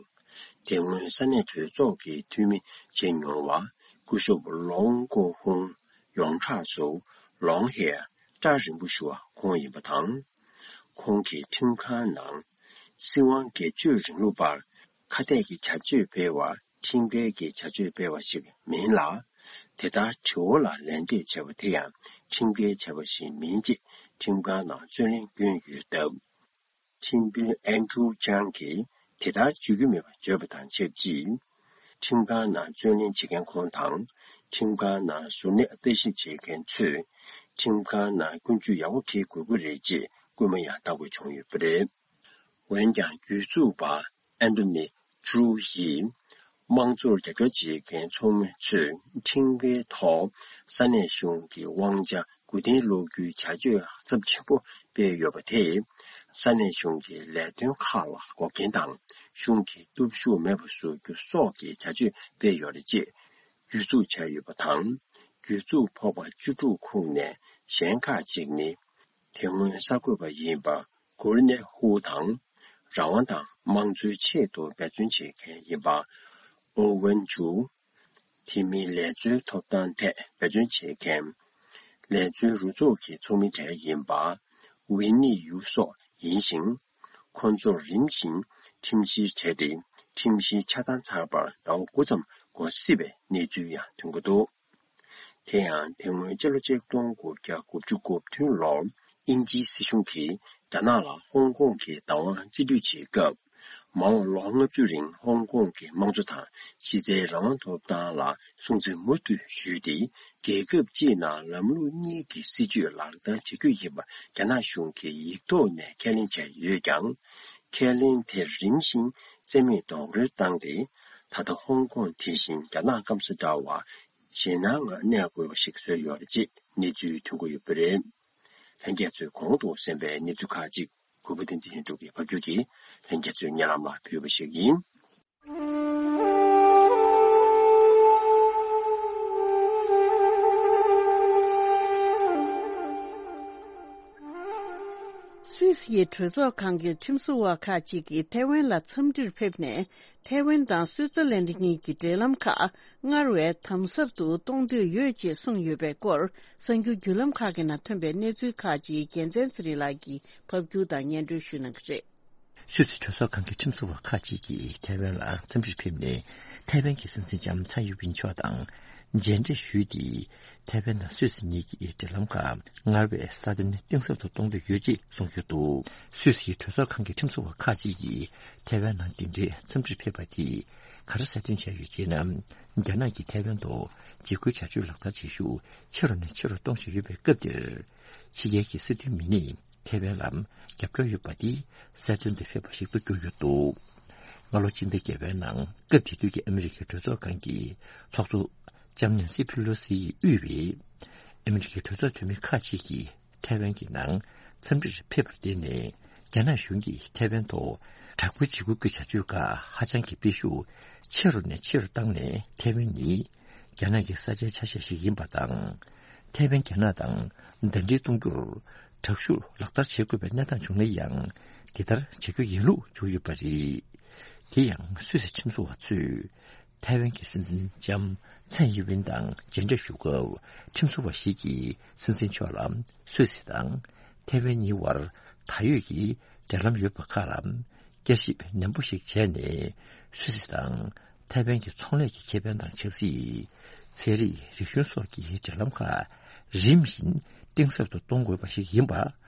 དེ་སྔོན་ས་གནས་གྲོས་ཚོགས་ཀྱི་འཐུས་མི་བྱས་མྱོང་བ་སྐུ་ཞབས་ལོང་ཀོ་ཧུང་ཡོངས་གྲགས་སུ་ལོང་ཧེ་སྐྲ་རིང་པོ་ཞུ་བ་ཁོང་ཡིན་པ་དང་། ཁོང་གིས་ཁྲིམས་ཁང་ནང་སྲིད་དབང་སྒེར་གཅོད་རིང་ལུགས་པར་ཁ་གཏད་ཀྱི་བྱ་སྤྱོད་སྤེལ་བ་ཁྲིམས་འགལ་གྱི་བྱ་སྤྱོད་སྤེལ་བ་ཞིག་མིན་ལ། དེ་ལྟར་དྲི་བ་ལ་ལན་འདེབས་བྱས་པ་དེ་ཡང་ཁྲིམས་འགལ་བྱས་པ་ཞིག་མིན་ཅེས་ཁྲིམས་ཁང་ནང་རྩོད་གླེང་བསྐྱོན་ཡོད་སྟབས། ཁྲིམས་དཔོན་ཨན་ཀྲུའུ་ཅང་གིས་དེ་ལྟར་བརྗོད་རྒྱུ་མེད་པ་བརྗོད་པ་དང་ཆབས་ཅིག་ཁྲིམས་ཁང་ནང་རྩོད་གླེང་བྱེད་མཁན་ཁོང་དང་། ཁྲིམས་ཁང་ནང་གཟུར་གནས་ལྟ་ཞིབ་བྱེད་མཁན་ཚོས་ཁྲིམས་ཁང་ནང་ཀུན་སྤྱོད་ཡག་པོ་འཁྱེར་དགོས་ཀྱི་རེད་ཅེས་སྐུལ་མ་ཡང་བཏང་དགོས་བྱུང་ཡོད་པ་རེད། འོན་ཀྱང་། བརྒྱུད་འཛུགས་པ་ཨན་ཏོ་ནི་ཀྲུའུ་ཡིས། དམངས་གཙོར་རྒྱབ་སྐྱོར་བྱེད་མཁན་ཚོགས་མི་ཚོས་ཁྲིམས་འགལ་ཐོག་ས་གནས་གཞུང་གི་དབང་ཆ་མགོ་རྟིང་སློག་རྒྱུའི་བྱ་སྤྱོད་ཚབས་ཆེན་པོ་སྤེལ་ཡོད་པ་དེས། ས་གནས་གཞུང་གི་ལས་དོན་ཁག་ལ་འགོག་རྐྱེན་དང་། གཞུང་གི་སྟོབས་ཤུགས་མེད་པ་བཟོ་རྒྱུ་སོགས་ཀྱི་བྱ་སྤྱོད་སྤེལ་ཡོད་རེད་ཅེས་བརྒྱུད་འཛུགས་བྱས་ཡོད་པ་དང་། བརྒྱུད་འཛུགས་ཕོག་པ་བཅུ་དྲུག་ཁོངས་ནས་གཞན་ཁག་ཅིག་ནི། དེ་སྔོན་གསར་འགོད་པ་ཡིན་པ་གུར་ནེ་ཧུ་དང་། རང་དབང་དང་དམངས་གཙོའི་ཆེད་དུ་འབད་བརྩོན་བྱེད་མཁན་ཡིན་པ་ཨོ་ཝན་ཇུ། དེ་མིན་ལས་འཛོལ་ཐོབ་ཐང་ཐད་འབད་བརྩོན་བྱེད་མཁན། ལས་འཛོལ་རུ་ཚོགས་ཀྱི་ཚོགས་མི་གྲས་ཡིན་པ་ཝི་ནི་ཡུ་སོགས་ཡིན་ཞིང་། ཁོང་ཚོར་རིམ་བཞིན་ཁྲིམས་བཤེར་བྱས་ཏེ། ཁྲིམས་བཤེར་ཆ་ཚང་ཚར་བར་ཟླ་བ་དགུ་ཙམ་འགོར་སྲིད་པའི་གནས་ཚུལ་ཡང་ཐོན་གྱི་འདུག་དེ་ཡང་དེ་སྔོན་སྤྱི་ལོ་ཆིག་སྟོང་དགུ་བརྒྱ་དགུ་བཅུ་གོ་བདུན་ལོར་དབྱིན་ཇིའི་སྲིད་གཞུང་གིས་རྒྱ་ནག་ལ་ཧོང་ཀོང་གི་བདག་དབང་རྩིས་སྤྲོད་བྱེད་སྐབས། མ་འོངས་ལོ་ལྔ་བཅུ་རིང་ཧོང་ཀོང་གི་དམངས་གཙོ་དང་གཞི་རྩའི་རང་དབང་ཐོབ་ཐང་ལ་སྲུང་བརྩི་མུ་མཐུད་ཞུས་ཏེ། རྒྱལ་ཁབ་སྤྱིའི་ནང་ལམ་ལུགས་གཉིས་ཀྱི་སྲིད་བྱུས་ལག་བསྟར་བྱ་རྒྱུ་ཡིན་པ་རྒྱ་ནག་གཞུང་གིས་ཡིག་ཐོག་ནས་ཁས་ལེན་བྱས་ཡོད་ཀྱང་། ཁས་ལེན་དེ་རིམ་བཞིན་རྩིས་མེད་རྡོག་རོལ་བཏང་སྟེ། ད་ལྟ་ཧོང་ཀོང་དེ་བཞིན་རྒྱ་ནག་སྐམ་ས་འདྲ་བར་ཞེད་སྣང་ངང་གནས་དགོས་པ་ཞིག་བཟོས་ཡོད་རེད་ཅེས་གནས་ཚུལ་ཐོན་གྱི་ཡོད་པ་རེད། ལྷན་རྒྱས་ཚོས་གོང་དུ་གསན་པའི་གནས་ཚུལ་ཁག་ཅིག་གུས་པ་བསྟན་འཛིན་ལྷུན་གྲུབ་ཀྱིས་ཕབ་སྒྱུར་གྱིས་ལྷན་རྒྱས་ཚོའི་སྙན་ལམ་ལ་ཕུལ་བ་ཞིག་ཡིན། སི་ཡའི་གྲོས་ཚོགས་ཁང་གི་ཁྲིམས་བཟོ་བ་ཁག་ཅིག་གིས་ཐའེ་ཝན་ལ་འཚམས་འདྲིར་ཕེབས་ནས། ཐའེ་ཝན་དང་སུའི་ཙེར་ལན་གཉིས་ཀྱི་འབྲེལ་ལམ་ཁག་སྔར་བས་དམ་ཟབ་ཏུ་གཏོང་འདོད་ཡོད་ཅེས་གསུངས་ཡོད་པའི་སྐོར། གསར་འགྱུར་བརྒྱུད་ལམ་ཁག་གི་ནང་ཐོན་པའི་གནས་ཚུལ་ཁག་ཅིག་རྒྱལ་མཚན་ཚེ་རིང་ལགས་ཀྱིས་ཕབ་སྒྱུར་དང་སྙན་སྒྲོན་ཞུ་གནང་གི་རེད། སུད་སི་གྲོས་ཚོགས་ཁང་གི་ཁྲིམས་བཟོ་བ་ཁག་ཅིག་གིས་ཐའེ་ཝན་ལ་འཚམས་འདྲིར་ཕེབས་ནས། ཐའེ་ཝན་གྱི་སྲིད་འཛིན་ལྕམ་ཚའེ་ཡིན་ཝིན་མཆོག་དང་མཇལ་འཕྲད་ཞུས་ཏེ། ཐའེ་ཝན་དང་སུད་སི་གཉིས་ཀྱི་འབྲེལ་ལམ་ཁག་སྔར་བས་སྲ་བརྟན་གཏིང་ཟབ་ཏུ་གཏོང་འདོད་ཡོད་ཅེས་གསུངས་ཡོད་འདུག་སུད་སི་གྲོས་ཚོགས་ཁང་གི་ཁྲིམས་བཟོ་བ་ཁག་ཅིག་གིས་ཐའེ་ཝན་ནང་འདི་འདྲའི་འཚམས་འདྲིར་ཕེབས་པ་དེས་ག་རེ་གསལ་སྟོན་བྱས་ཡོད་ཅེ་ན། རྒྱ་ནག་གིས་ཐའེ་ཝན་ཐོག་འཇིགས་སྐུལ་བྱ་སྤྱོད་ལག་བསྟར་བྱེད་ཤུགས་ཆེ་རུ་ནས་ཆེ་རུ་གཏོང་བཞིན་ཡོད་པའི་སྐབས་འདིར། ཕྱི་རྒྱལ་གྱི་སྲིད་དོན་མི་སྣས་ཐའེ་ཝན་ལ་རྒྱབ་སྐྱོར་ཡོད་པ་དེ་གསལ་སྟོན་དུ་ཕེབས་པ་ཞིག་ཏུ་གྱུར་ཡོད་འདུག་སྔ་ལོ་སྤྱི་ཟླ་བརྒྱད་པའི་ནང་སྐབས་དེ་དུས་ཀྱི་ཨ་མི་རི་ཀའི་གྲོས་ཚོགས་ཁང་གི་ཚོགས་གཙོ་ལྕམ་ནན་སི་ཕི་ལོ་སི་ཡིས་དབུས་པའི་ཨ་མི་རི་ཀའི་གྲོས་ཚོགས་འཐུས་མི་ཁག་ཅིག་གིས་ཐའེ་ཝན་གྱི་ནང་འཚམས་འདྲིར་ཕེབས་པར་བརྟེན་ནས། རྒྱ་ནག་གཞུང་གིས་ཐའེ་ཝན་ཐོག་དྲག་པོའི་འཇིགས་སྐུལ་གྱི་བྱ་སྤྱོད་ཁག་ཧ་ཅང་གི་སྤེལ་ཤུགས་ཆེ་རུ་ནས་ཆེ་རུ་བཏང་ནས། ཐའེ་ཝན་ནི་རྒྱ་ནག་གི་ས་ཆའི་ཆ་ཤས་ཤིག་ཡིན་པ་དང་། ཐའེ་ཝན་རྒྱ་ནག་དང་ཟླ་སྒྲིལ་གཏོང་རྒྱུར་དྲག་ཤུགས་ལག་བསྟར་བྱེད་དགོས་པའི་གནས་སྟངས་བྱུང་ན་ཡང་། དེ་ལྟར་བྱ་རྒྱུ་ཡིན་ལུགས་བརྗོད་ཡོད་པ་རེད། དེ་ཡང་སུད་སི་ཁྲིམས་བཟོ་བ་ཚོས་ཐའེ་ཝན་གྱི་སྲིད་འཛིན་ལྕམ་ཚའེ་ཡིན་ཝིན་དང་མཇལ་འཕྲད་ཞུ་སྐབས། ཁྲིམས་བཟོ་བ་ཞིག་གིས་སྲིད་འཛིན་མཆོག་ལ་སུད་སི་དང་ཐའེ་ཝན་གཉིས་བར་ད་ཡོད་ཀྱི་འབྲེལ་ལམ་ཡོད་པ་ཁག་ལ་བསྐྱར་ཞིབ་ནན་པོ་ཞིག་བྱས་ནས། སུད་སི་དང་ཐའེ་ཝན་གྱི་ཚོང་ལས་ཀྱི་ཁེ་ཕན་དང་ཆབ་སྲིད། ཚན་རིག་རིག་གཞུང་སོགས་ཀྱི་འབྲེལ་ལམ་ཁག་རིམ་བཞིན་གཏིང་ཟབ་ཏུ་གཏོང་དགོས་པ་ཞིག་ཡིན་པ་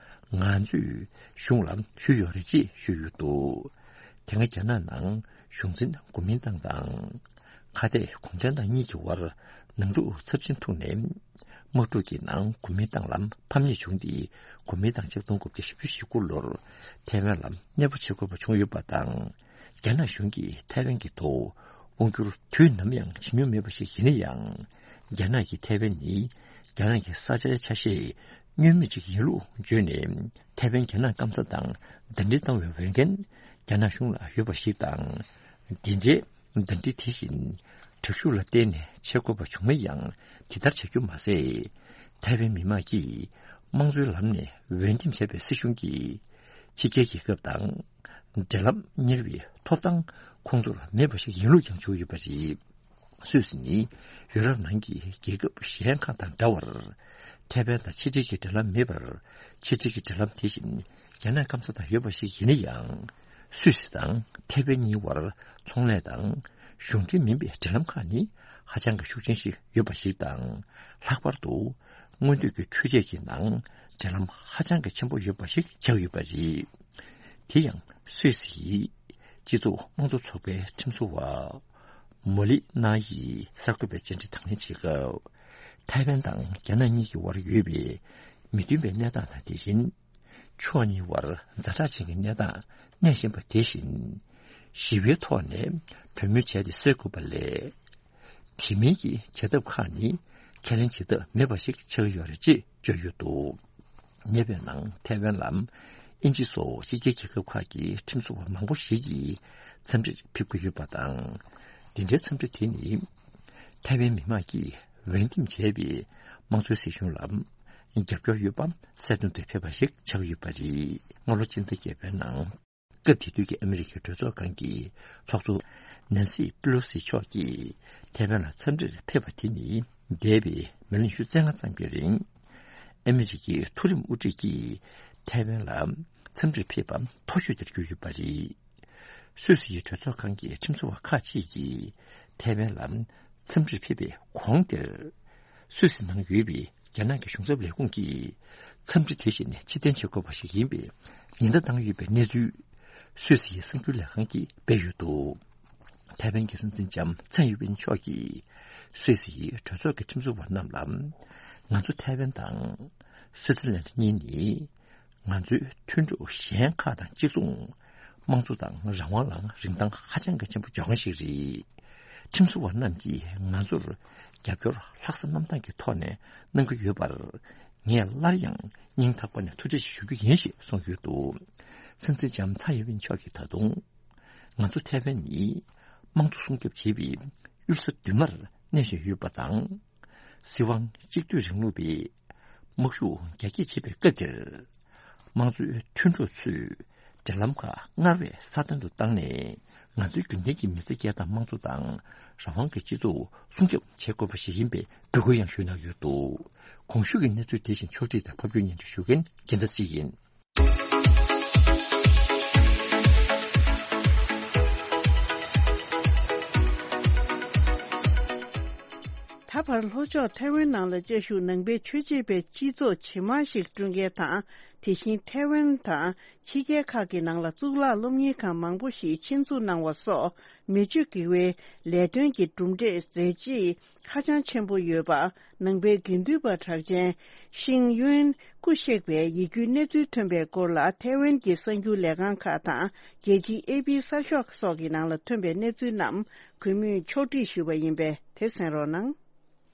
ང་ཚོས་གཞུང་ལ་ཞུས་ཡོད་རེད་ཅེས་ཞུས་ཡོད་འདུག་དེ་སྔ་རྒྱ་ནག་ནང་གཞུང་འཛིན་གོ་མིན་ཏང་དང་། ཁ་གཏད་གུང་ཁྲན་ཏང་གཉིས་ཀྱི་དབར་ནང་འཁྲུག་ཚབས་ཆེན་ཐུག་ནས། དམག་འཁྲུག་གི་ནང་གོ་མིན་ཏང་ལ་ཕམ་ཉེས་བྱུང་སྟེ། གོ་མིན་ཏང་ཆིག་སྟོང་དགུ་བརྒྱ་བཞི་བཅུ་ཞེ་དགུ་ལོར་ཐའེ་ཝན་ལ་གནས་སྤོ་བྱེད་དགོས་པ་བྱུང་ཡོད་པ་དང་། རྒྱ་ནག་གཞུང་གིས་ཐའེ་ཝན་གྱི་ཐོག་དབང་བསྒྱུར་དུས་ནམ་ཡང་བྱེད་མྱོང་མེད་པ་ཞིག་ཡིན་ན་ཡང་། རྒྱ་ནག་གིས་ཐའེ་ཝན་ནི་རྒྱ་ནག་གི་ས་ཆའི་ཆ་ཤས་བསྙོན་མེད་ཅིག་ཡིན་ལུགས་བརྗོད་ནས། ཐའེ་ཝན་རྒྱ་ནག་སྐམ་ས་དང་ཟླ་སྒྲིལ་བཏང་བའི་འོས་འགན་རྒྱ་ནག་གཞུང་ལ་ཡོད་པ་ཞིག་དང་། དེ་འདྲའི་ཟླ་སྒྲིལ་དེ་བཞིན་དྲག་ཤུགས་ལ་བརྟེན་ནས་བྱེད་དགོས་པ་བྱུང་ན་ཡང་། དེ་ལྟར་བྱ་རྒྱུ་མ་ཟད། ཐའེ་ཝན་མི་མང་གིས་དམངས་གཙོའི་ལམ་ནས་འོས་འདེམས་བྱས་པའི་སྲིད་གཞུང་གིས་ཕྱི་རྒྱལ་རྒྱལ་ཁབ་དང་འབྲེལ་ལམ་གཉེར་བའི་ཐོབ་ཐང་ཁོང་ཚོར་མེད་པ་ཞིག་ཡིན་ལུགས་ཀྱང་བརྗོད་ཡོད་པ་རེད། སུད་སི་ནི་ཡུ་རོབ་ནང་གི་རྒྱལ་ཁབ་གཞན་ཁག་དང་འདྲ་བར། ཐའེ་ཝན་དང་ཕྱི་འབྲེལ་གྱི་འབྲེལ་ལམ་མེད་པར། ཕྱི་འབྲེལ་གྱི་འབྲེལ་ལམ་དེ་བཞིན་རྒྱ་ནག་སྐམ་ས་དང་ཡོད་པ་ཞིག་ཡིན་ན་ཡང་། སུད་སི་དང་ཐའེ་ཝན་གཉིས་བར་ཚོང་ལས་དང་གཞུང་འབྲེལ་མིན་པའི་འབྲེལ་ལམ་ཁག་ནི་ཧ་ཅང་གི་ཤུགས་ཆེན་ཞིག་ཡོད་པ་ཞིག་དང་། ལྷག་པར་དུ་མངོན་འདོད་ཀྱི་འཕྲུལ་ཆས་ཀྱི་ནང་འབྲེལ་ལམ་ཧ་ཅང་གི་ཆེན་པོ་ཡོད་པ་ཞིག་ཆགས་ཡོད་པ་རེད། དེ་ཡང་སུད་སི་ཡི་སྤྱི་ཚོགས་དམངས་གཙོ་ཚོགས་པའི་ཁྲིམས་བཟོ་བ་མོ་ལི་ན་ཡིས་གསར་འགོད་པའི་བཅར་འདྲི་དང་ལེན་བྱེད་སྐབས། ཐའེ་ཝན་དང་རྒྱ་ནག་གཉིས་ཀྱི་དབར་ཡོད་པའི་མི་མཐུན་པའི་གནས་སྟངས་དང་། དེ་བཞིན་ཕྱོགས་གཉིས་དབར་ཛ་དྲག་ཅན་གྱི་གནས་སྟངས་གནས་བཞིན་པ་དེ་བཞིན། ཞི་བའི་ཐོག་ནས་གྲོས་མོལ་བྱས་ཏེ་སེལ་དགོས་པ་ལས། དེ་མིན་གྱི་བྱ་ཐབས་ཁག་ནི་ཁས་ལེན་བྱེད་ཐབས་མེད་པ་ཞིག་ཆགས་ཡོད་རེད་ཅེས་བརྗོད་ཡོད་འདུག་ཉེ་བའི་ནང་ཐའེ་ཝན་ལ་དབྱིན་ཇི་སོགས་ཕྱི་རྒྱལ་རྒྱལ་ཁབ་ཁག་གི་ཁྲིམས་བཟོ་བ་མང་པོ་ཞིག་གིས་འཚམས་འདྲིར་ཕེབས་ཀྱི་ཡོད་པ་དང་། འདི་འདྲའི་འཚམས་འདྲི་དེ་ནི་ཐའེ་ཝན་མི་དམངས་ཀྱིས་འོས་འདེམས་བྱས་པའི་དམངས་གཙོའི་སྲིད་གཞུང་ལ་རྒྱབ་སྐྱོར་ཡོད་པ་གསལ་སྟོན་དུ་ཕེབས་པ་ཞིག་ཆགས་ཡོད་པ་རེད། སྔ་ལོ་སྤྱི་ཟླ་བརྒྱད་པའི་ནང་། སྐབས་དེ་དུས་ཀྱི་ཨ་མི་རི་ཀའི་གྲོས་ཚོགས་ཁང་གི་ཚོགས་གཙོ་ནན་སི་པི་ལོ་སི་མཆོག་གིས་ཐའེ་ཝན་ལ་འཚམས་འདྲིར་ཕེབས་པ་དེ་ནི། འདས་པའི་མི་ལོ་ཉི་ཤུ་རྩ་ལྔ་ཙམ་གྱི་རིང་། ཨ་མི་རི་ཀའི་མཐོ་རིམ་དབུ་ཁྲིད་ཀྱིས་ཐའེ་ཝན་ལ་འཚམས་འདྲིར་ཕེབས་པ་མཐོ་ཤོས་དེར་གྱུར་ཡོད་པ་རེད། སུད་སི་ཡི་གྲོས་ཚོགས་ཁང་གི་ཁྲིམས་བཟོ་བ་ཁག་ཅིག་གིས་ཐའེ་ཝན་ལ་འཚམས་འདྲིར་ཕེབས་པའི་གོང་དེར། སུད་སི་ནང་ཡོད་པའི་རྒྱ་ནག་གི་གཞུང་ཚབ་ལས་ཁུངས་ཀྱིས་འཚམས་འདྲི་དེ་བཞིན་ཕྱིར་འཐེན་བྱེད་དགོས་པ་ཞིག་ཡིན་པའི་ཉེན་བརྡ་བཏང་ཡོད་པའི་གནས་ཚུལ། སུད་སི་ཡི་གསར་འགྱུར་ལས་ཁང་གིས་སྤེལ་ཡོད་འདུག་ཐའེ་ཝན་གྱི་སྲིད་འཛིན་ལྕམ་ཚའེ་ཡིན་ཝིན་མཆོག་གིས་སུད་སི་ཡི་གྲོས་ཚོགས་ཀྱི་ཁྲིམས་བཟོ་བ་རྣམས་ལ། ང་ཚོ་ཐའེ་ཝན་དང་སུད་སི་ལན་གཉིས་ནི། ང་ཚོའི་མཐུན་གྲོགས་གཞན་ཁག་དང་གཅིག་མཚུངས། དམངས་གཙོ་དང་རང་དབང་ལ་རིན་ཐང་ཧ་ཅང་གི་ཆེན་པོ་འཇོག་མཁན་ཞིག་རེད། ཁྲིམས་བཟོ་བ་རྣམས་ཀྱིས་ང་ཚོར་རྒྱབ་སྐྱོར་ལྷག་བསམ་རྣམ་དག་གི་ཐོག་ནས་གནང་གི་ཡོད་པར། ངས་སླར་ཡང་སྙིང་ཐག་པ་ནས་ཐུགས་རྗེ་ཆེ་ཞུ་རྒྱུ་ཡིན་ཞེས་གསུངས་ཡོད་འདུག་སྲིད་འཛིན་ལྕམ་ཚའེ་ཡིན་ཝིན་མཆོག་གིས་ད་དུང་། ང་ཚོ་ཐའེ་ཝན་ནི་དམངས་གཙོ་སྲུང་སྐྱོབ་བྱེད་པའི་གཡུལ་ས་མདུན་མར་གནས་བཞིན་ཡོད་པ་དང་། སྲིད་དབང་གཅིག་སྡུད་རིང་ལུགས་པའི་དམག་ཤུགས་རྒྱ་སྐྱེད་བྱེད་པའི་སྐབས་དེར། དམངས་གཙོའི་མཐུན་གྲོགས་ཚོས་འབྲེལ་ལམ་ཁག་སྔར་བས་སྲ་བརྟན་དུ་བཏང་ནས། ང་ཚོའི་རྒྱུན་ལྡན་གྱི་མི་ཚེ་སྐྱེལ་སྟངས་དམངས་གཙོ་དང་རང་དབང་གི་སྤྱི་ཚོགས་སྲུང་སྐྱོབ་བྱེད་དགོས་པ་ཞིག་ཡིན་པའི་འབོད་སྐུལ་ཡང་ཞུས་གནང་ཡོད་འདུག། གོང་ཞུས་ཀྱི་གནས་ཚུལ་དེ་བཞིན་ཕྱོགས་སྒྲིག་དང་ཕབ་སྒྱུར་སྙན་སྒྲོན་ཞུ་མཁན་རྒྱལ་མཚན་སྲིད་ཡིན། ད་བར་ལྷོ་ཕྱོགས་ཐའེ་ཝན་ནང་ལ་བཅའ་བཞུགས་ནང་པའི་ཆོས་བྱེད་པའི་སྤྱི་ཚོགས་ཇི་མང་ཞིག་བསྐྲུན་མཁན་དང་། དེ་བཞིན་ཐའེ་ཝན་དང་ཕྱི་རྒྱལ་ཁག་གི་ནང་ལ་གཙུག་ལག་སློབ་གཉེར་ཁང་མང་པོ་ཞིག་ཆེད་འཛུགས་གནང་བ་སོགས་མི་སྤྱོད་དགེ་བའི་ལས་དོན་གྱི་གྲུབ་འབྲས་མཛད་རྗེས་ཧ་ཅང་ཆེན་པོ་ཡོད་པ། ནང་པའི་དགེ་འདུན་པ་གྲགས་ཅན་ཤིང་ཡོན་སྐུ་གཤེགས་པའི་ཡིད་སྐྱོའི་གནས་ཚུལ་ཐོན་པའི་སྐོར་ལ། ཐའེ་ཝན་གྱི་གསར་འགྱུར་ལས་ཁང་ཁག་དང་རྒྱལ་སྤྱིའི་ཨེ་པི་གསར་ཤོག་སོགས་ཀྱི་ནང་ལ་ཐོན་པའི་གནས་ཚུལ་རྣམས་གུས་མོས་ཕྱོགས་སྒྲིག་ཞུས་པ་ཡིན་པས་དེ་གསན་རོགས་གནང་།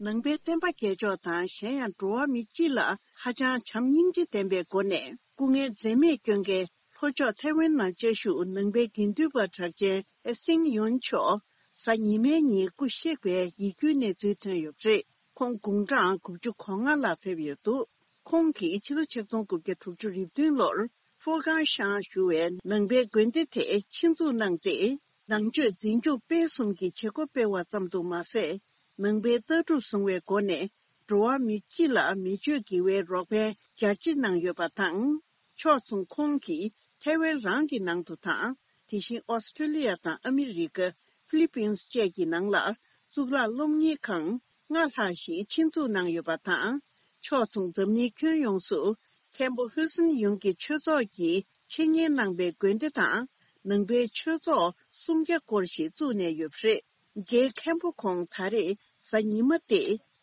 ནང་པའི་བསྟན་པ་རྒྱལ་མཆོག་དང་གཞན་ཡང་འགྲོ་བ་མི་སྤྱི་ལ་ཧ་ཅང་བྱམས་སྙིང་རྗེ་ལྡན་པའི་སྒོ་ནས་སྐུ་ངལ་འཛེམས་མེད་བསྐྱོན་མཁན་ལྷོ་ཕྱོགས་ཐའེ་ཝན་ནང་བཅའ་བཞུགས་ནང་པའི་དགེ་འདུན་པ་གྲགས་ཅན་ཨེ་སིང་ཡོན་མཆོག་གཟའ་ཉི་མའི་ཉིན་སྐུ་གཤེགས་པའི་ཡིད་སྐྱོའི་གནས་ཚུལ་ཐོན་ཡོད་པ་རེད། ཁོང་དགུང་གྲངས་དགུ་བཅུ་གོ་ལྔ་ལ་ཕེབས་ཡོད་འདུག། ཁོང་གིས་ཕྱི་ལོ་ཆིག་སྟོང་དགུ་བརྒྱ་དྲུག་ཅུ་རེ་བདུན་ལོར་ཧྥུ་ཀང་ཤང་ཞུ་བའི་ནང་པའི་དགོན་སྡེ་དེ་ཆེད་འཛུགས་གནང་སྟེ། ནང་ཆོས་འཛིན་སྐྱོང་སྤེལ་གསུམ་གྱི་བྱེད་སྒོ་སྤེལ་བ་ཙམ་དུ་མ་ཟད། ནང་པའི་ལྟ་གྲུབ་བཟུང་བའི་སྒོ་ནས་འགྲོ་བ་མི་སྤྱི་ལ་མི་ཆོས་དགེ་བའི་རོགས་ཕན་རྒྱ་ཆེ་གནང་ཡོད་པ་དང་། ཕྱོགས་མཚུངས་ཁོང་གིས་ཐའེ་ཝན་རང་གི་ནང་དུ་དང་། དེ་བཞིན་ཨོ་སི་ཀྲི་ལི་ཡ་དང་ཨ་མི་རི་ཀ། ཧྥི་ལི་པིན་སི་བཅས་ཀྱི་ནང་ལ་གཙུག་ལག་སློབ་གཉེར་ཁང་ལྔ་ལྷག་ཞིག་ཆེད་འཛུགས་གནང་ཡོད་པ་དང་། ཕྱོགས་མཚུངས་འཛམ་གླིང་ཁྱོན་ཡོངས་སུ་མཁན་པོ་ཧུ་སིན་ཡུན་གྱི་ཆོས་ཚོགས་ཀྱིས་འཆད་ཉན་གནང་པའི་དགོན་སྡེ་དང་། ནང་པའི་ཆོས་ཚོགས་སུམ་བརྒྱ་སྐོར་ཞིག་བཙུགས་ནས་ཡོད་པ་རེད། རྒན་མཁན་པོ་ཁོང་ད་རེས་གཟའ་ཉི་མ་སྟེ་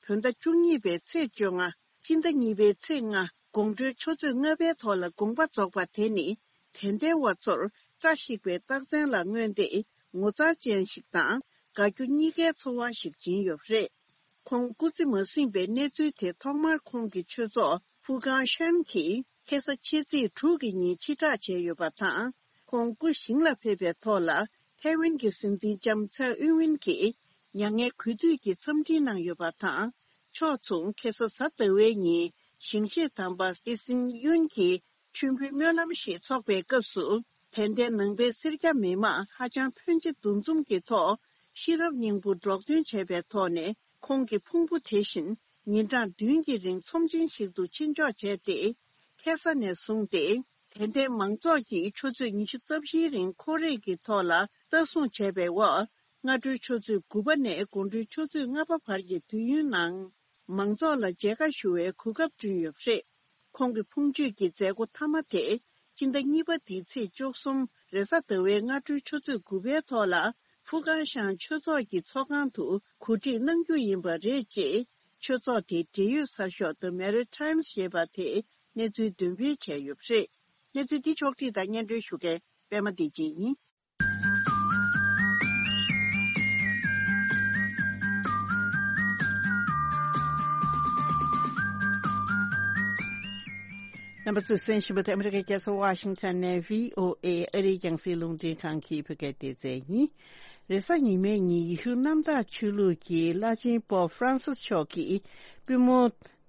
བོད་ཟླ་བཅུ་གཉིས་པའི་ཚེས་བཅོ་ལྔ། སྤྱི་ཟླ་གཉིས་པའི་ཚེས་ལྔ། དགོང་དྲོའི་ཆུ་ཚོད་ལྔ་པའི་ཐོག་ལ་དགོངས་པ་རྫོགས་པ་དེ་ནི། དད་ལྡན་པ་ཚོར་བཀྲ་ཤིས་པའི་རྟགས་མཚན་ལ་མངོན་ཏེ། ངོ་མཚར་ཅན་ཞིག་དང་དགའ་སྐྱོ་གཉིས་ཀའི་ཚོར་བ་ཞིག་སྦྱིན་ཡོད་པ་རེད། ཁོང་སྐུ་ཚེ་མ་ཟིན་པའི་གནས་ཚུལ་དེ་ཐོག་མར་ཁོང་གི་ཆོས་ཚོགས་ཧྥུ་ཀང་ཤན་གྱིས་ཁ་སང་ཕྱི་ཚེས་དྲུག་གི་ཉིན་ཕྱིར་བསྒྲགས་བྱས་ཡོད་པ་དང་། ཁོང་སྐུ་ཞིང་ལ་ཕེབས་པའི་ཐོག་ལ་ཐའེ་ཝན་གྱི་སྲིད་འཛིན་ལྕམ་ཚའེ་ཨིན་ཝིན་གྱིས་མྱ་ངན་གུས་འདུད་ཀྱི་འཚམས་འདྲི་གནང་ཡོད་པ་དང་། ཕྱོགས་མཚུངས་ཁ་སང་གཟའ་ཟླ་བའི་ཉིན་ཞིང་གཤེགས་དམ་པ་ཨེ་སིན་ཡུན་གྱི་མཆོད་འབུལ་སྨོན་ལམ་ཞིག་འཚོགས་པའི་སྐབས་སུ། དད་ལྡན་ནང་པའི་སེར་སྐྱ་མི་མང་ཧ་ཅང་ཕོན་ཆེ་འདུ་འཛོམས་ཀྱི་ཐོག་ཤེས་རབ་སྙིང་པོ་སྒྲོག་འདོན་བྱས་པའི་ཐོག་ནས། ཁོང་གི་ཕུང་པོ་དེ་བཞིན་ཉིན་གྲངས་བདུན་གྱི་རིང་ཚོམས་ཆེན་ཞིག་ཏུ་ཕྱིར་འཇོག་བྱས་ཏེ། ཁ་ས་ནས་བཟུང་སྟེ། དད་ལྡན་མང་ཚོགས་ཀྱིས་ཆུ་ཚོད་ཉི་ཤུ་རྩ་བཞིའི་རིང་ཁོར་ཡུག་གི་ཐོག་ལ་ལྟ་སྲུང་བྱས་པའི་འོག་སྔ་དྲོའི་ཆུ་ཚོད་དགུ་པ་ནས་དགོང་དྲོའི་ཆུ་ཚོད་ལྔ་པ་བར་གྱི་དུས་ཡུན་ནང་། མང་ཚོགས་ལ་མཇལ་ཁ་ཞུ་བའི་གོ་སྐབས་བསྐྲུན་ཡོད་པ་རེད། ཁོང་གི་ཕུང་མཆོད་ཀྱི་མཛད་སྒོ་མཐའ་མ་དེ་སྤྱི་ཟླ་གཉིས་པ་འདིའི་ཚེས་བཅུ་གསུམ་རེས་གཟའ་ཟླ་བའི་སྔ་དྲོའི་ཆུ་ཚོད་དགུ་པའི་ཐོག་ལ་ཧྥུ་ཀང་ཤང་ཆོས་ཚོགས་ཀྱི་ཚོགས་ཁང་དུ་གོ་སྒྲིག་གནང་རྒྱུ་ཡིན་པ་རེད། ཅེས་ཆོས་ཚོགས་དེའི་འབྲེལ་ཡོད་གསར་ཤོག་The Maritime ཞེས་པ་དེས་གནས་ཚུལ་འདོན་སྤེལ་བྱས་ཡོད་པ་རེད། གནས་ཚུལ་འདི་ཕྱོགས་བསྒྲིགས་དང་སྙན་སྒྲོན་ཞུ་མཁན་པད་མ་བདེ་ཆེན་ཡིན། རྣམ་པ་ཚོས་གསན་བཞིན་པ་དེ་ཨ་མི་རི་ཀའི་རྒྱལ་ས་ཝ་ཤིང་ཊོན་ནས་བྷི་ཨོ་ཨེ་ཨ་རིའི་རྒྱང་སྲིང་རླུང་འཕྲིན་ཁང་གི་བོད་སྐད་སྡེ་ཚན་ཡིན། རེས་གཟའ་ཉི་མའི་ཉིན་ཡེ་ཤུ་གནམ་བདག་ཆོས་ལུགས་ཀྱི་བླ་ཆེན་པོབ་ཧྥ་རན་སིས་མཆོག་གིས་པུས་མོ་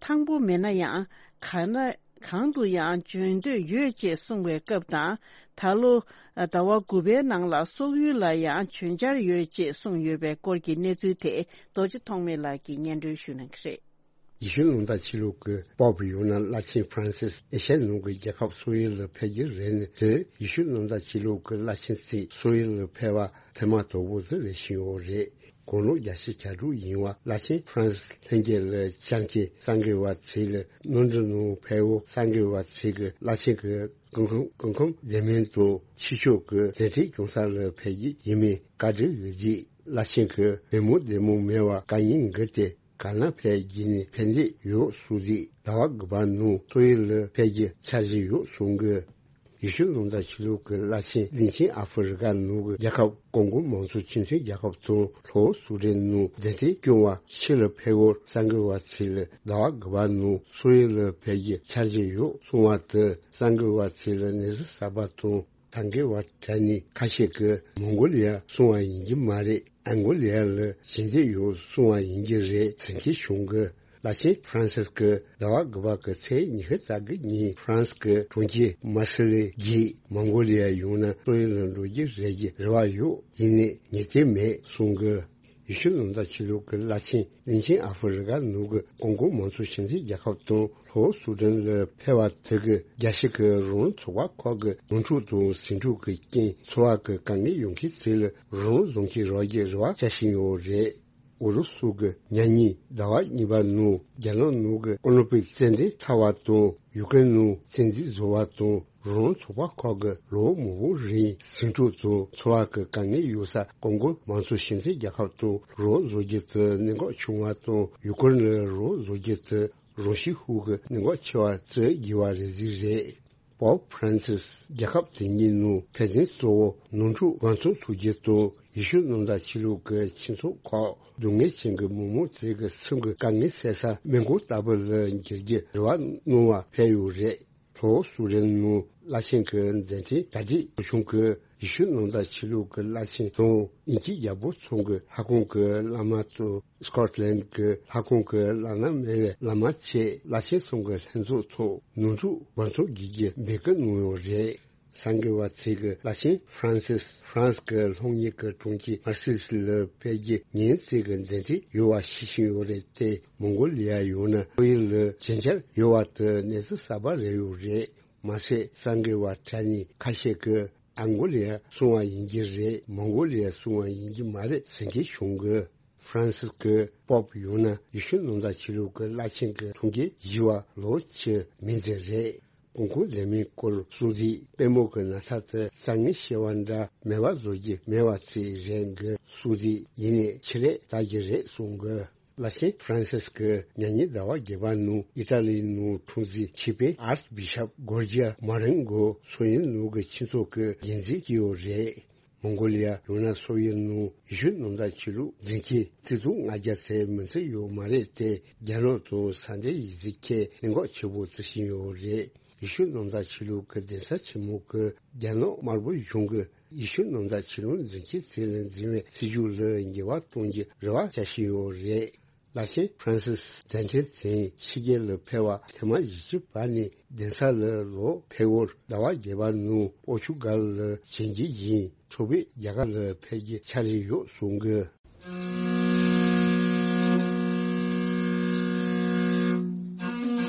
ཐང་པོ་མེད་ན་ཡང་ག་ན། གང་དུ་ཡང་བྱོན་འདོད་ཡོད་ཅེས་གསུངས་པའི་སྐབས་དང་། ད་ལོ་ཟླ་བ་དགུ་པའི་ནང་ལ་སོག་ཡུལ་ལ་ཡང་བྱོན་འཆར་ཡོད་ཅེས་གསུངས་ཡོད་པའི་སྐོར་གྱི་གནས་ཚུལ་དེ་རྡོ་རྗེ་ཐོགས་མེད་ལགས་ཀྱིས་སྙན་སྒྲོན་ཞུ་གནང་གི་རེད། ཡེ་ཤུ་ལུང་པ་ཆོས་ལུགས་ཀྱི་པོབ་ཡང་ན་བླ་ཆེན་ཧྥ་རན་སིས་ཨེ་ཤ་ཡ་ནང་གི་རྒྱལ་ཁབ་སོག་ཡུལ་ལ་ཕེབས་ཀྱི་རེད། ནི་དེ་ཡེ་ཤུ་ལུང་པ་ཆོས་ལུགས་ཀྱི་བླ་ཆེན་ཚོས་སོག་ཡུལ་ལ་ཕེབས་པ་ཐེངས་མ་དང་པོ་དེ་རེད་བཞིན་ཡོད་རེད། དགུང་ལོ་བརྒྱད་ཅུ་གྱ་དྲུག་ཡིན་པ་བླ་ཆེན་ཧྥ་རན་སིས་ལྷན་རྒྱས་ལ་བཅར་གྱི་སངས་རྒྱས་པ་ཚོ་ལ་གནམ་གྲུ་ནང་ཕེབས་འོག་སངས་རྒྱས་པ་ཚོ་གི་བླ་ཆེན་གྱི་སྐུ་ཁམས་སྐུ་ཁམས་བདེ་མིན་དུ་ཕྱི་ཕྱོགས་ཀྱི་མཛད་འཕྲིན་སྐྱོང་ས་ལ་ཕེབས་ཀྱི་ཡིན་མིན་བཀའ་འདྲི་ཡོད་རྗེས་བླ་ཆེན་གྱི་བུ་མོ་བདེ་མོ་མེད་པ་དཀའ་ངལ་འགི་སྟེ་ག་ན་ཕེབས་ཀྱི་ནི་ཕན་བདེ་ཡོད་གསུངས་རྗེས་ཟླ་བ་དགུ་པ་ནང་སོག་ཡུལ་ལ་ཕེབས་ཀྱི་འཆར་གཞི་ཡོད་གསུང་གི། ཡེ་ཤུ་ལུང་པ་ཆོས་ལུགས་ཀྱི་བླ་ཆེན་གླིང་ཆེན་ཨ་ཧྥེ་རི་ཀ་ནང་གི་རྒྱལ་ཁབ་ཀོང་གོ་མང་གཙོ་སྤྱི་མཐུན་རྒྱལ་ཁབ་དང་ལྷོ་སུ་ཌན་ནང་མཛད་འཕྲིན་སྐྱོང་བ་ཕྱི་ལ་ཕེབས་འོག་སངས་རྒྱས་པ་ཚོ་ལ་ཟླ་བ་དགུ་པ་ནང་སོག་ཡུལ་ལ་ཕེབས་ཀྱི་འཆར་གཞི་ཡོད་གསུང་བ་དེ་སངས་རྒྱས་པ་ཚོ་ལ་ནད་གཞི་གསར་པ་དང་ད་གིན་བར་དྲ་ནས་ཁ་ཤས་ཀྱིས་མོང་གོ་ལི་ཡ་སོང་བ་ཡིན་གྱི་མ་རེད། ཨན་གོ་ལི་ཡ་ལ་ཞི་བདེ་ཡོད་སོང་བ་ཡིན་གྱི་རེད་ཟེར་མཁན་བྱུང་གི། བླ་ཆེན་ཧྥ་རན་སིས་ཀྱིས་ཟླ་བ་དགུ་པ་གི་ཚེས་ཉི་ཤུ་རྩ་དགུ་ཉིན་ཧྥ་རན་སི་གི་གྲོང་ཁྱེར་མར་སེ་ལེ་བརྒྱུད་མོང་གོ་ལི་ཡར་ཡོང་ན་སོ་ཡུལ་ལ་འགྲོ་རྒྱུ་རེད་ཀྱི་རེ་བ་ཡོད། ཡིན་ནའི་ངེས་ཅན་མེད་གསུང་གི། ཡེ་ཤུ་ནང་བཟའ་ཆོས་ལུགས་ཀྱི་བླ་ཆེན་གླིང་ཆེན་ཨ་ཧྥེ་རི་ཀ་ནང་གི་ཀོང་ཀོ་མང་གཙོ་སྤྱི་མཐུན་རྒྱལ་ཁབ་དང་ལྷོ་སུ་དན་ལ་ཕེབས་པ་དེ་གི་རྒྱལ་སྤྱི་གི་རང་དབང་ཚོགས་པ་ཁག་གི་ནོར་འཁྲུལ་དང་ཟིང་འཁྲུག་གི་རྐྱེན་འཚོ་བ་གི་དཀའ་ངལ་ཡོང་མཁན་ཚོ་ལ་རང་དབང་བཟོ་མཁན་རག་རྒྱུ་རེ་བ་བྱ་བཞིན་ཡོད་རེད། ཨུ་རུ་སུ་གི་ཉེ་ཉིན་ཟླ་བ་གཉིས་པ་ནང་རྒྱ་ནག་ནང་གི་ཨོ་ལིམ་པིག་རྩེད་འགྲན་ཚར་བ་དང་ཡུ་ཀེ་རེན་ནང་བཙན་འཛུལ་བཟོ་བ་དང་རང་དབང་ཚོགས་པ་ཁག་གི་ལོ་མང་པོ་རིང་ཟིང་འཁྲུག་དང་འཚོ་བ་གི་དཀའ་ངལ་ཡོད་ས་ཀོང་ཀོ་མང་གཙོ་སྤྱི་མཐུན་རྒྱལ་ཁབ་དང་རང་དབང་བཟོ་རྒྱུ་དེ་གནད་འགག་ཆུང་བ་དང་ཡུ་ཀེ་རེན་ལ་རང་དབང་བཟོ་རྒྱུ་དེ་རང་ཤུགས་ཤུགས་ཀྱི་གནད་འགག་ཆེ་བ་བརྩི་དགོས་པ་རེད་ཟེར་རེད། པོབ་ཧྥ་རན་སིས་རྒྱལ་ཁབ་དེ་གཉིས་ནང་ཕན་ཚུན་གཙོ་བོ་ནོར་འཁྲུལ་བང་མཛོད་འཚོགས་རྒྱུ་དང་ཡེ་ཤུ་ནང་བཟའ་ཆོས་ལུགས་ཀྱི་ཆོས་ཚོགས་ཁག་སྡུག་བསྔལ་ཅན་གྱི་མི་མང་ཚོའི་གི་སེམས་ཀྱི་དཀའ་ངལ་སེལ་ས་སྨན་ཁང་ལྟ་བུ་ལ་འགྱུར་རྒྱུ་རེ་བ་གནང་བ་ཕེབས་ཡོད་རེད། ལྷོ་སུ་དན་ནང་བླ་ཆེན་གྱི་མཛད་འཕྲིན་གྲ་སྒྲིག་བྱུང་གི་ཡེ་ཤུ་ནང་བཟའ་ཆོས་ལུགས་ཀྱི་བླ་ཆེན་དང་དབྱིན་ཇིའི་རྒྱལ་པོ་ཚང་གི་ལྷ་ཁང་གི་བླ་མ་དང་། སྐོཊ་ལན་གྱི་ལྷ་ཁང་གི་བླ་ན་མེད་པའི་བླ་མ་བཅས་བླ་ཆེན་གསུམ་གྱི་ལྷན་ཚོགས་ཐོག་ནོར་འཁྲུལ་བང་མཛོད་བརྒྱུད་རྒྱུ་འབོད་སྐུལ་གནང་ཡོད་རེད། གསར་འགོད་པ་ཚོས་ཀྱིས་བླ་ཆེན་ཧྥ་རན་སིས་ཧྥ་རན་སི་གི་ལྷོ་ངོས་ཀྱི་གྲོང་ཁྱེར་མར་སེ་ལེ་ལ་ཕེབས་རྒྱུ་ཉིན་གཅིག་གི་མཛད་འཕྲིན་ཡོད་པ་ཤེས་བཞིན་ཡོད་རེད་དེ། མོང་གོ་ལི་ཡར་ཡོང་ན་ཕྱོགས་ཡུལ་ལ་ཞན་ཆ་ཡོད་པ་དེ་གནས་ཚུལ་གསར་པ་རེད་ཡོད་རེད། མ་ཟད་གསར་འགོད་པ་གྲས་ནས་ཁ་ཤས་ཀྱིས་ཨང་གོ་ལི་ཡར་སོང་བ་ཡིན་གྱི་རེད། མོང་གོ་ལི་ཡར་སོང་བ་ཡིན་གྱི་མ་རེད་ཟེར་མཁན་བྱུང་གི། ཧྥ་རན་སིས་ཀྱི་པོབ་ཡང་ན་ཡེ་ཤུ་ནང་བཟའ་ཆོས་ལུགས་ཀྱི་བླ་ཆེན་གྱི་ཐུགས་འགན་བཞེས་པ་ལོ་བཅུ་མིན་ཙམ་རེད། ཀོང་ཀོ་ལས་མིའི་སྐོར་སྲུང་བརྩི་དཔལ་མོ་གི་ན་ཚ་དེ་རྩ་ངན་ཤེས་པ་འདྲ་མེད་པ་བཟོ་རྒྱུ་མེད་པ་བྱས་རན་གི་སྲུང་བརྩི་ཡིན་ནའི་ཆེད་ལས་ལྟ་རྒྱུ་རེད་གསུང་གི། བླ་ཆེན་ཧྥ་རན་སིས་ཀྱིས་ཉེ་ཉིན་ཟླ་བ་བརྒྱད་པ་ནང་ཨི་ཏཱ་ལིའི་ནང་འཁྲུངས་འཛིན་ཆིབས་དཔོན་ཨར་སི་བི་ཤབ་གོར་ཇི་ཡ་མ་རེན་གོ་སོ་ཡུལ་ནང་གི་ཆོས་ཚོགས་ཀྱི་འགན་འཛིན་བྱས་ཡོད་རེད། མོང་གོ་ལི་ཡ་ཡང་ན་སོ་ཡི་ནང་ཡེ་ཤུ་ནང་བཟའ་ཆོས་ལུགས་འཛིན་མཁན་ཆིག་སྟོང་ལྔ་བརྒྱ་ཙམ་མི་ཚད་ཡོད་མ་རེད་དེ། རྒྱ་ནག་དང་ས་འབྲེལ་ཡིག་གཟུགས་ཁས་གནད་འགག་ཆེ་པོ་བརྩི་བཞིན་ཡོད་རེད། ཡེ་ཤུ་ནང་བཟའ་ཆོས་ལུགས་ཀྱི་གདན་ས་ཆེན་མོ་གི་རྒྱ་ནག་དམར་པོ་གཞུང་གིས་ཡེ་ཤུ་ནང་བཟའ་ཆོས་ལུགས་འཛིན་མཁན་ཚོ་ལ་འཛིན་པའི་སྲིད་ཇུས་ལ་འགྱུར་བ་གཏོང་རྒྱུ་རེ་བ་བྱ་བཞིན་ཡོད་རེད། བླ་ཆེན་ཧྥ་རན་སིས་མཛད་འཕྲིན་ཚན་ཕྱི་རྒྱལ་ལ་ཕེབས་པ་ཐེངས་མ་བཞི་བཅུ་པ་ནས་གདན་ས་ལ་ལོག་ཕེབས་སྐོར་ཟླ་བ་བརྒྱད་པ་ནང་པོར་ཅུ་གལ་ལ་བྱོན་རྒྱུ་ཡིན། ཚོགས་པས་རྒྱ་གར་ལ་ཕེབས་རྒྱུ་འཆར་གཞི་ཡོད་གསུང་གི།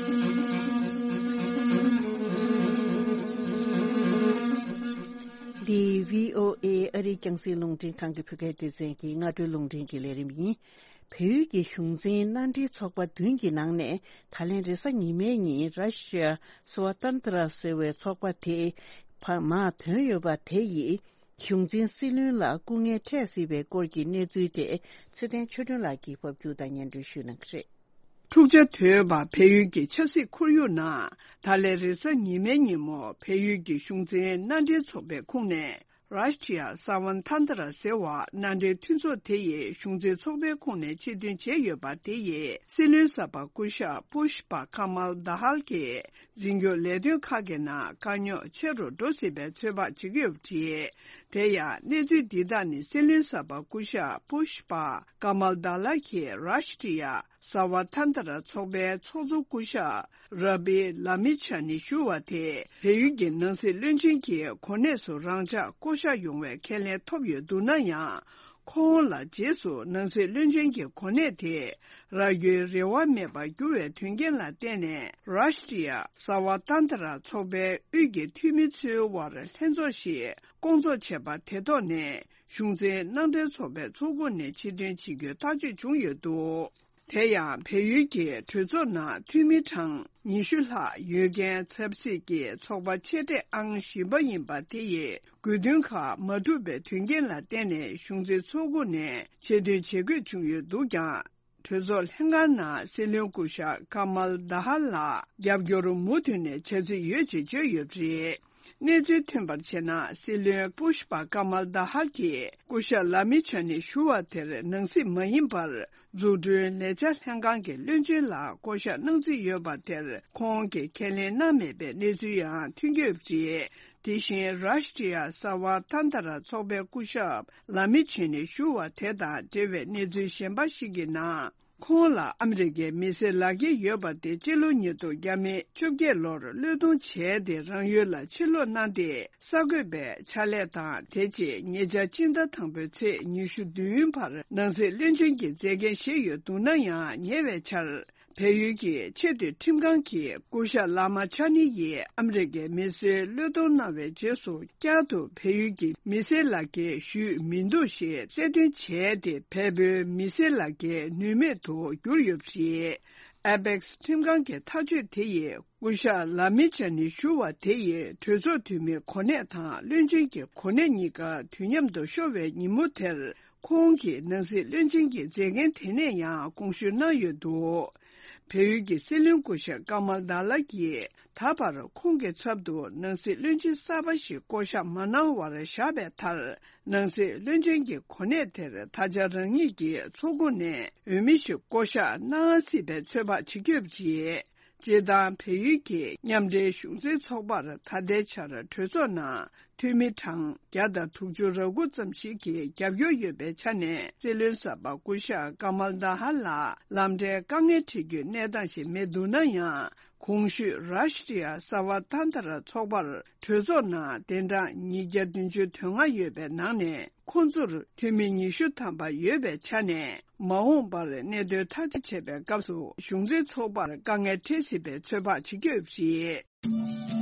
འདི་བྷི་ཨོ་ཨེ་ཨ་རིའི་རྒྱང་སྲིང་རླུང་འཕྲིན་ཁང་གི་བོད་སྐད་སྡེ་ཚན་གྱི་སྔ་དྲོའི་རླུང་འཕྲིན་གྱི་ལས་རིམ་ཡིན། བལ་ཡུལ་གྱི་གཞུང་འཛིན་མནའ་འབྲེལ་ཚོགས་པ་བདུན་གྱི་ནང་ནས་ད་ལན་རེས་གཟའ་ཉི་མའི་ཉིན་ར་ཤི་ཡ་སྭ་བ་ཏན་ཏྲ་ཟེར་བའི་ཚོགས་པ་དེ་བར་མར་ཐོན་ཡོད་པ་དེ་ཡིས་གཞུང་འཛིན་སྲིད་བློན་ལ་སྐུ་ངལ་འཕྲད་སྲིད་པའི་སྐོར་གྱི་གནས་ཚུལ་དེ་ཚེ་བརྟན་ཆོས་སྒྲོན་ལགས་ཀྱིས་ཕབ་སྒྱུར་དང་སྙན་སྒྲོན་ཞུ་གནང་གི་རེད། འཁྲུག་ཆ་དོད་པ་བལ་ཡུལ་གྱི་ཆབ་སྲིད་ཁོར་ཡུག་ནང་ད་ལན་རེས་གཟའ་ཉི་མའི་ཉིན་མོ་བལ་ཡུལ་གྱི་གཞུང་འཛིན་མནའ་འབྲེལ་ཚོགས་པའི་ཁོངས་ནས། རཱ་ཤི་ཡ་སྭ་བ་ཐན་ཏ་ར་ཟེར་བ་མནའ་འབྲེལ་མཐུན་ཚོགས་དེ་ཡི་གཞུང་འཛིན་ཚོགས་པའི་ཁོངས་ནས་ཆེད་འདོན་བྱས་ཡོད་པ་དེ་ཡི་སྲིད་བློན་གསར་པ་སྐུ་ཞབས་པུཤ་པ་ཀ་མལ་དཱ་ཧལ་གྱིས་འཛིན་སྐྱོང་ལས་དོན་ཁག་གི་ནང་དཀའ་རྙོག་ཆེ་རུ་འགྲོ་སྲིད་པའི་ཚོད་དཔག་བྱེད་ཀྱི་ཡོད་པ་རེད། དེ་ཡང་གནས་ཚུལ་འདི་དག་ནི་སྲིད་བློན་གསར་པ་སྐུ་ཞབས་པུཤ་པ་ཀ་མལ་དཱ་ཧལ་གྱིས་རཱ་ཤི་ཡ་སྭ་བ་ཐན་ཏ་ར་ཚོགས་པའི་ཚོགས་གཙོ་སྐུ་ཞབས་ར་བི་ལ་མི་ཆ་ནི་ཞུ་བ་དེ་བལ་ཡུལ་གྱི་ནང་སྲིད་བློན་ཆེན་གྱི་གོ་གནས་སུ་རང་འཇགས་བསྐོ་གཞག་ཡོང་བའི་ཁས་ལེན་ཐོབ་ཡོད་འདུག་ན་ཡང་། ཁོང་ལ་རྗེས་སུ་ནང་སྲིད་བློན་ཆེན་གྱི་གོ་གནས་དེ་རག་རྒྱུའི་རེ་བ་མེད་པར་གྱུར་བའི་དོན་རྐྱེན་ལ་བརྟེན་ནས། རཱ་ཤི་ཡ་སྭ་བ་ཏན་ཏ་ར་ཚོགས་པའི་དབུས་ཀྱི་འཐུས་མི་ཚོའི་དབར་ལྷན་ཚོགས་ཤིག་བསྐོང་ཚོགས་བྱས་པ་དེ་ཐོག་ནས། གཞུང་འཛིན་མནའ་འབྲེལ་ཚོགས་པའི་ཚོགས་ཁོངས་ནས་ཕྱིར་འདོན་བྱེད་རྒྱུའི་ཐག་གཅོད་བྱུང་ཡོད་འདུག་དེ་ཡང་བལ་ཡུལ་གྱི་གྲོས་ཚོགས་ནང་འཐུས་མི་གྲངས་ཉི་ཤུ་ལྷག་ཡོད་མཁན་ཆབ་སྲིད་ཀྱི་ཚོགས་པ་ཆེ་གྲས་ཨང་བཞི་པ་ཡིན་པ་དེ་ཡི་དགོས་འདུན་ཁག་མ་འགྲུབ་པའི་དོན་རྐྱེན་ལ་བརྟེན་ནས་གཞུང་འཛིན་ཚོགས་ཁོངས་ནས་ཕྱིར་འདོན་བྱེད་དགོས་བྱུང་ཡོད་འདུག་ཀྱང་། གྲོས་ཚོགས་ལྷན་ཁང་ནང་སྲིད་བློན་སྐུ་ཞབས་ཀ་མལ་དཱ་ཧལ་ལ་རྒྱབ་སྐྱོར་མུ་མཐུད་ནས་བྱ་རྩིས་ཡོད་ཅེས་བརྗོད་ཡོད་པ་རེད། གནས་ཚུལ་ཐོན་པར་བྱས་ན། སྲིད་བློན་པུཤ་པ་ཀ་མལ་དཱ་ཧལ་གྱིས་སྐུ་ཞབས་ལ་མི་ཆ་ནི་ཞུ་བ་དེར་ནང་སྲིད་མ་ཡིན་པར་འཛུགས་སྐྲུན་ལས་འཆར་ལྷན་ཁང་གི་བློན་ཆེན་ལ་བསྐོ་གཞག་གནང་རྩིས་ཡོད་པ་དེར་ཁོང་གིས་ཁས་ལེན་གནང་མེད་པའི་གནས་ཚུལ་ཡང་ཐོན་གྱི་ཡོད་པ་རེད། དེ་བཞིན་རཱ་ཤི་ཡ་སྭ་བ་ཐན་ཏ་ར་ཚོགས་པའི་སྐུ་ཞབས་ལ་མི་ཆེ་ནི་ཞུ་བ་དེ་དང་འབྲེལ་བའི་གནས་ཚུལ་གཞན་པ་ཞིག་གི་ནང་ ཁོང་ལ་ཨ་མི་རི་ཀའི་མི་སེར་ལག་འཁྱེར་ཡོད་པ་དེ་སྤྱི་ལོ་ཉིས་སྟོང་བརྒྱ་མེད་བཅོ་བརྒྱད་ལོར་བློས་གཏོང་བྱས་ཏེ་རང་ཡུལ་ལ་ཕྱིར་ལོག་གནང་སྟེ། གསར་འགོད་པའི་ཕྱག་ལས་དང་། དེ་རྗེས་ཉེ་ཆར་སྤྱི་ཟླ་དང་པོའི་ཚེས་ཉི་ཤུ་བདུན་བར་ནང་སྲིད་བློན་ཆེན་གྱི་མཛད་འགན་བཞེས་ཡོད་འདུག་ན་ཡང་། ཉེ་བའི་ཆར་བལ་ཡུལ་གྱི་ཆེས་མཐོའི་ཁྲིམས་ཁང་གིས་སྐུ་ཞབས་ལ་མ་ཆ་ནི་ཡིས་ཨ་མི་རི་ཀའི་མི་སེར་བློས་གཏོང་གནང་བའི་རྗེས་སུ། བསྐྱར་དུ་བལ་ཡུལ་གྱི་མི་སེར་ལག་འཁྱེར་ཞུས་མི་འདུག་ཞེས་གསལ་སྟོན་བྱས་ཏེ། བལ་པོའི་མི་སེར་ལག་འཁྱེར་ནུས་མེད་དུ་གྱུར་ཡོད་པ་རེད། ཨེ་པེག་སི་ཁྲིམས་ཁང་གི་ཐག་གཅོད་དེ་ཡིས། སྐུ་ཞབས་ལ་མི་ཆ་ནི་ཞུ་བ་དེ་ཡིས་གྲོས་ཚོགས་འཐུས་མིའི་གོ་གནས་དང་བློན་ཆེན་གྱི་གོ་གནས་གཉིས་ཀ་དུས་མཉམ་དུ་ཤོར་བའི་ཉིན་མོ་དེར། ཁོང་གིས་ནང་སྲིད་བློན་ཆེན་གྱི་མཛད་འགན་དེ་ནས་ཡང་དགོངས་ཞུ་གནང་ཡོད་འདུག་བལ་ཡུལ་གྱི་སྲིད་བློན་སྐུ་ཞབས་ཀ་མལ་ད་ལ་གིས། ད་བར་ཁོང་གི་ཚབ་ཏུ་ནང་སྲིད་བློན་ཆེན་གསར་པ་ཞིག་བསྐོ་གཞག་མ་གནང་བར་བཞག་པའི་མཐར། ནང་སྲིད་བློན་ཆེན་གྱི་གོ་གནས་དེར་ད་ཆ་རང་ཉིད་ཀྱི་ཚོགས་ཁོངས་ནས་འོས་མི་ཞིག་བསྐོ་གཞག་གནང་སྲིད་པའི་ཚོད་དཔག་བྱེད་ཀྱི་ཡོད་པ་རེད། སྤྱིར་བཏང་བལ་ཡུལ་གྱི་མཉམ་འབྲེལ་གཞུང་འཛིན་ཚོགས་པར་ད་ལྟའི་ཆར་གྲོས་ཚོགས་ནང་འཐུས་མི་གྲངས་བརྒྱ་དང་དྲུག་ཅུ་རེ་དགུ་ཙམ་ཞིག་གིས་རྒྱབ་སྐྱོར་ཡོད་པའི་ཆ་ནས། སྲིད་བློན་གསར་པ་སྐུ་ཞབས་ཀ་མལ་ད་ཧ་ལ་ལམ་འབྲས་དཀའ་ངལ་འཕྲད་རྒྱུའི་གནས་སྟངས་ཤིག་མེད་འདུག་ན་ཡང་། གོང་ཞུས་རཱ་ཤི་ཏྲི་ཡ་ས་བ་ཏན་ཏ་ར་ཚོགས་པར་གྲོས་ཚོགས་ནང་གདན་གྲངས་ཉིས་བརྒྱ་བདུན་ཅུ་དོན་ལྔ་ཡོད་པའི་ནང་ནས། ཁོང་ཚོར་འཐུས་མི་ཉི་ཤུ་ཐམ་པ་ཡོད་པའི་ཆ་ནས། མ་འོངས་པར་གནད་དོན་ཐག་གཅོད་བྱེད་པའི་སྐབས་སུ། གཞུང་འཛིན་ཚོགས་པར་དཀའ་ངལ་འཕྲད་སྲིད་པའི་ཚོད་དཔག་བྱེད་ཀྱི་ཡོད་པ་རེད།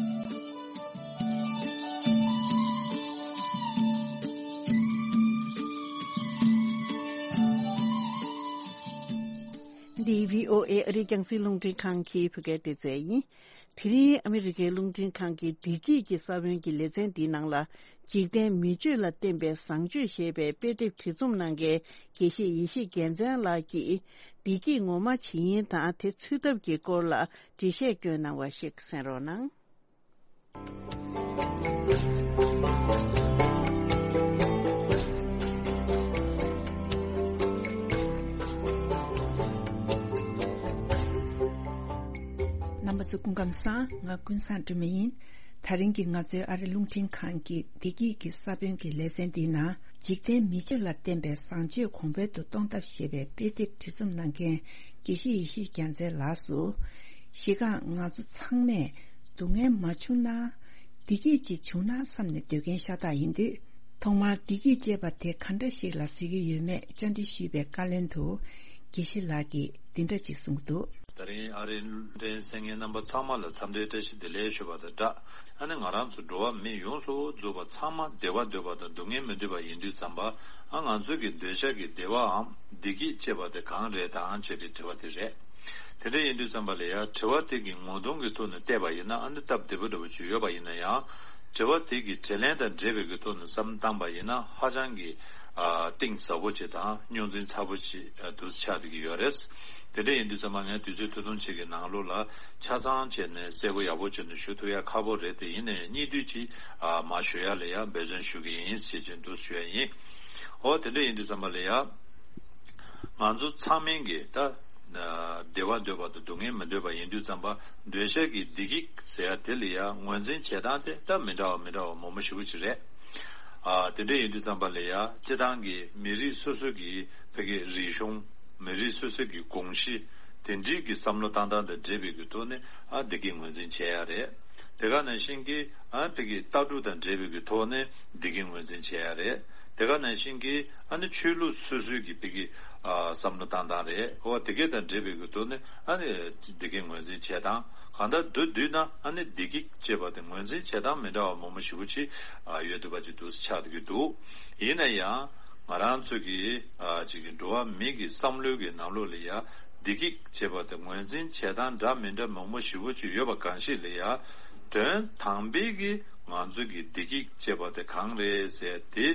འདི་བྷི་ཨོ་ཨེ་ཨ་རིའི་རྒྱང་སྲིང་རླུང་འཕྲིན་ཁང་གི་བོད་སྐད་སྡེ་ཚན་ཡིན། དེ་རིང་ཨ་མི་རི་ཀའི་རླུང་འཕྲིན་ཁང་གི་བདེ་སྐྱིད་ཀྱི་ས་བོན་གྱི་ལེ་ཚན་འདིའི་ནང་ལ། འཇིག་རྟེན་མི་ཆོས་ལ་བརྟེན་པའི་བཟང་སྤྱོད་ཞེས་པའི་དཔེ་དེབ་བྲིས་རྩོམ་གནང་མཁན་དགེ་བཤེས་ཡེ་ཤེས་རྒྱལ་མཚན་ལགས་ཀྱིས། བདེ་སྐྱིད་ངོ་མ་ཇི་ཡིན་དང་། དེ་འཚོལ་ཐབས་ཀྱི་སྐོར་ལ་འགྲེལ་བཤད་བསྐྱོན་གནང་བ་ཞིག་གསན་རོགས་གནང་། རྣམ་པ་ཚོ་སྐུ་ཁམས་བཟང་། ང་ཀུན་བཟང་སྒྲོལ་མ་ཡིན། དེ་རིང་གི་ང་ཚོའི་ཨ་རི་རླུང་འཕྲིན་ཁང་གི་བདེ་སྐྱིད་ཀྱི་ས་བོན་གྱི་ལེ་ཚན་འདིའི་ནང་། འཇིག་རྟེན་མི་ཆོས་ལ་བརྟེན་པའི་བཟང་སྤྱོད་གོང་འཕེལ་དུ་གཏོང་ཐབས་ཞེས་པའི་དཔེ་དེབ་བྲིས་རྩོམ་གནང་མཁན་དགེ་བཤེས་ཡེ་ཤེས་རྒྱལ་མཚན་ལགས་སུ། གཞི་རྐང་ང་ཚོ་ཚང་མས་སྡུག་བསྔལ་མ་བྱུང་ན། བདེ་སྐྱིད་ཅིག་བྱུང་ན་བསམ་ནས་སྡོད་མཁན་ཤ་སྟག་ཡིན་དུས། ཐོག་མར་བདེ་སྐྱིད་ཅེས་པ་དེ་ག་འདྲ་ཞིག་ལ་ཟེར་གྱི་ཡོད་མེད་བཅར་འདྲི་ཞུས་པའི་བཀའ་ལན་དུ། དགེ་བཤེས་ལགས་ཀྱིས་འདི་འདྲ་ཅིག་གསུངས་འདུག། ད་རིང་ཨ་རིའི་རླུང་འཕྲིན་གསན་མཁན་རྣམ་པ་ཚང་མ་ལ་འཚམས་འདྲིའི་བཀྲ་ཤིས་བདེ་ལེགས་ཞུ་བ་དང་སྦྲགས། ཨ་ནི་ང་རང་ཚོ་འགྲོ་བ་མི་ཡོངས་སུ་རྫོགས་པ་ཚང་མ་བདེ་བ་འདོད་པ་དང་སྡུག་བསྔལ་མི་འདོད་པ་ཡིན་དུས་ཙམ་པ། ཨ་ང་ཚོ་གི་འདོད་ཆགས་ཀྱི་བདེ་བའམ་བདེ་སྐྱིད་ཅེས་པ་དེ་གང་རེད་དམ་ཅེས་པའི་དྲི་བ་དེ་རེད། དེ་འདྲ་ཡིན་དུས་ཙམ་པ་ལ་ཡང་དྲི་བ་དེ་གི་ངོ་གདོང་གི་ཐོག་ནས་བལྟས་པ་ཡིན་ན། ཨ་ནི་སྟབས་བདེ་པོ་འདྲ་པོ་ཅིག་ཡོད་པ་ཡིན་ན་ཡང་། དྲི་བ་དེ་གི་དྲིས་ལན་དང་འབྲེལ་བའི་གི་ཐོག་ནས་བསམ་བློ་བཏང་པ་ཡིན་ན། ཧ་ཅང་གི་ཨ་གཏིང་ཟབ་པོ་ཅིག་དང་རྙོག་འཛིང་ཚ་པོ་ཅིག་ཨ་འདུག་ཆགས་བསྡད་ཀྱི་ཡོད་རེད། དེ་འདྲ་ཡིན་དུས་ཙམ་པ་ངས་དུས་ཚོད་ཐུང་ཐུང་ཅིག་གི་ནང་ལོགས་ལ་ཆ་ཚང་བྱས་ནས་གསལ་པོ་ཡག་པོ་བྱས་ནས་ཞུ་ཐུབ་ཡ་ཁག་པོ་རེད། དེ་ཡིན་ནའི་སྙིང་བསྡུས་ཅིག་ཨ་མར་ཞུ་ཡ་ལ་ཡང་འབད་བརྩོན་ཞུ་གི་ཡིན་ཞེས་བྱས་འདུག་ཞུ་ཡ་ཡིན། འོ་དེ་འདྲ་ཡིན་དུས་ཙམ་པ་ལ་ཡང་། ང་ཚོ་ཚང་མས་ཀྱི་ད་བདེ་བ་འདོད་པ་དང་སྡུག་བསྔལ་མི་འདོད་པ་ཡིན་དུས་ཙམ་པ། འདོད་ཆགས་ཀྱི་བདེ་སྐྱིད་ཟེར་ཡ་དེ་ལ་ཡང་ངོས་འཛིན་བྱེད་སྟངས་དེ་ད་མི་འདྲ་བ་མི་འདྲ་བ་མང་པོ་ཞེ་པོ་ཅིག་རེད། ཨ་དེ་འདྲ་ཡིན་དུས་ཙམ་པ་ལ་ཡང་སྤྱིར་བཏང་གི་མི་རིགས་སོ་སོ་གི་ཕ་གི་རིག་གཞུང་། མི་རིགས་སོ་སོ་གི་གོམས་གཤིས། དེ་འདྲའི་གི་བསམ་བློ་བཏང་སྟངས་དང་འབྲེལ་བའི་གི་ཐོག་ནས་ཨ་བདེ་སྐྱིད་ངོས་འཛིན་བྱེད་ཡ་རེད། དེ་ག་ནང་བཞིན་གྱི་ཨ་ཕ་གི་ལྟ་གྲུབ་དང་འབྲེལ་བའི་གི་ཐོག་ནས་བདེ་སྐྱིད་ངོས་འཛིན་བྱེད་ཡ་རེད། དེ་ག་ནང་བཞིན་གྱི་ཨ་ནི་ཆོས་ལུགས་སོ་སོའི་གི་ཕ་གི་ཨ་བསམ་བློ་བཏང་སྟངས་རེད། འོ་དེ་ག་དང་འབྲེལ་བའི་གི་ཐོག་ནས་ཨ་ནི་བདེ་སྐྱིད་ངོས་འཛིན་བྱེད་སྟངས། གང་ལྟར་མདོར་བསྡུས་ན་ཨ་ནི་བདེ་སྐྱིད་ཅེས་པ་དེ་ངོས་འཛིན་བྱེད་སྟངས་མི་འདྲ་བ་མང་པོ་ཞེ་པོ་ཅིག་ཨ་ཡོད་འདུག་པ་ཅིག་འདུག་ཆགས་འདུག་གི་འདུག། ཡིན་ན་ཡང་ང་རང་ཚོ་གི་ཨ་ཅིག་གི་འགྲོ་བ་མི་གི་བསམ་བློའི་གི་ནང་ལོགས་ལ་ཡ་བདེ་སྐྱིད་ཅེས་པ་དེ་ངོས་འཛིན་བྱེད་སྟངས་འདྲ་མི་འདྲ་མང་པོ་ཞེ་པོ་ཅིག་ཡོད་པ་གང་ཞིག་ལ་ཡ། དོན་དམ་པའི་གི་ང་ཚོ་གི་བདེ་སྐྱིད་ཅེས་པ་དེ་གང་རེད་ཟེར་དེ་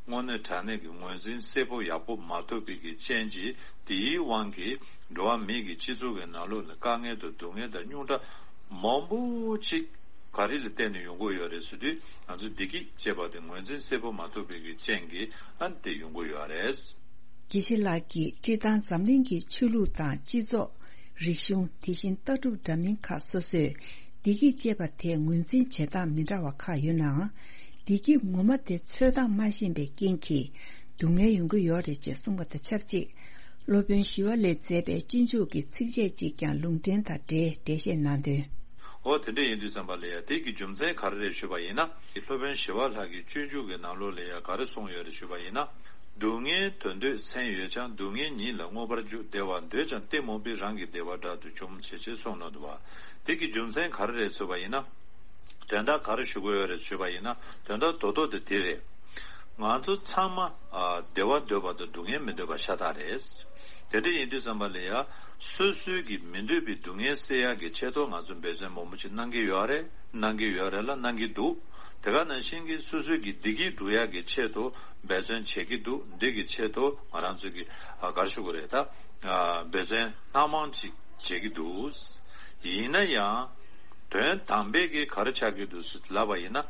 དངོས་གནས་དྲང་གནས་ཀྱི་ངོས་འཛིན་གསལ་པོ་ཡག་པོ་མ་ཐུབ་པའི་གི་རྐྱེན་གྱིས། དེའི་དབང་གིས་འགྲོ་བ་མི་གི་སྤྱི་ཚོགས་ཀྱི་ནང་ལོགས་ལ་དཀའ་ངལ་དང་སྡུག་བསྔལ་དང་རྙོག་དྲ་མང་པོ་ཅིག་ག་རེ་ལ་བརྟེན་ནས་ཡོང་གི་ཡོད་རེད་ཟེར་དུས། ང་ཚོ་བདེ་སྐྱིད་ཅེས་པ་དེ་ངོས་འཛིན་གསལ་པོ་མ་ཐུབ་པའི་གི་རྐྱེན་གྱིས་ཨ་ནི་དེ་ཡོང་གི་ཡོད་རེད། དགེ་བཤེས་ལགས་ཀྱིས་སྤྱིར་བཏང་འཛམ་གླིང་གི་ཆོས་ལུགས་དང་སྤྱི་ཚོགས། རིག་གཞུང་། དེ་བཞིན་ལྟ་གྲུབ་འདྲ་མིན་ཁག་སོ་སོས་བདེ་སྐྱིད་ཅེས་པ་དེ་ངོས་འཛིན་བྱེད་སྟངས་མི་འདྲ་བ་ཁག་ཡོད་ནའང་། བདེ་སྐྱིད་ངོ་མ་དེ་འཚོལ་སྟངས་མ་ཤེས་པའི་རྐྱེན་གྱིས་སྡུག་བསྔལ་ཡོང་གི་ཡོད་རེད་ཅེས་གསུངས་པ་དང་ཆབས་ཅིག། སློབ་དཔོན་ཞི་བ་ལྷས་མཛད་པའི་སྤྱོད་འཇུག་གི་ཚིགས་བཅད་ཅིག་ཀྱང་ལུང་འདྲེན་དང་འབྲེལ་འགྲེལ་བཤད་གནང་དོན། འོ་དེ་འདྲ་ཡིན་དུས་ཙམ་པ་ལ་ཡ་དེ་གི་རྒྱུ་མཚན་ག་རེ་རེད་ཞུས་པ་ཡིན་ན། སློབ་དཔོན་ཞི་བ་ལྷ་གི་སྤྱོད་འཇུག་གི་ནང་ལོགས་ལ་ཡ་ག་རེ་གསུངས་ཡོད་རེད་ཞུས་པ་ཡིན་ན། སྡུག་བསྔལ་དོན་འདོད་སེམས་ཡོད་ཀྱང་། སྡུག་བསྔལ་ཉིད་ལ་མངོན་པར་རྒྱུ། བདེ་བ་འདོད་ཀྱང་གཏི་མུག་པའི། རང་གི་བདེ་བ་དགྲ་དུ་འཇོམས། ཞེས་བྱས་གསུངས་གནང་འདུག་པ། དེ་གི་རྒྱུ་མཚན་ག་རེ་རེད་ཟེར་བ་ཡིན་ན། དོན་དག་ག་རེ་ཞུ་དགོས་ཡོད་རེད་ཞུས་པ་ཡིན་ན། དོན་དག་རྡོག་རྡོག་དེ་དེ་རེད། ང་ཚོ་ཚང་མ་ཨ་བདེ་བ་འདོད་པ་དང་སྡུག་བསྔལ་མི་འདོད་པ་ཤ་སྟག་རེད། དེ་འདྲ་ཡིན་དུས་ཙམ་པ་ལ་ཡ། སོ་སོའི་གི་མི་འདོད་པའི་སྡུག་བསྔལ་སེལ་ཡག་གི་ཆེད་དུ་ང་ཚོ་འབད་བརྩོན་མང་པོ་ཞིག་གནང་གི་ཡོད་རེད། གནང་གི་ཡོད་རེད་ལ་གནང་གི་འདུག་དེ་ག་ནང་བཞིན་གྱི་སོ་སོའི་གི་བདེ་སྐྱིད་སྒྲུབ་ཡག་གི་ཆེད་དུ་འབད་བརྩོན་བྱེད་ཀྱི་འདུག་འདི་གི་ཆེད་དུ་ང་རང་ཚོ་གི་ཨ་ག་རེ་ཞུ་དགོས་རེད་ད། ཨ་འབད་བརྩོན་སྣ་མང་ཅིག་བྱེད་ཀྱི་འདུག་ཡིན་ན་ཡང་། དོན་དམ་པའི་གི་ག་རེ་ཆགས་ཀྱི་འདུག་ཟེར་ལབ་པ་ཡིན་ན།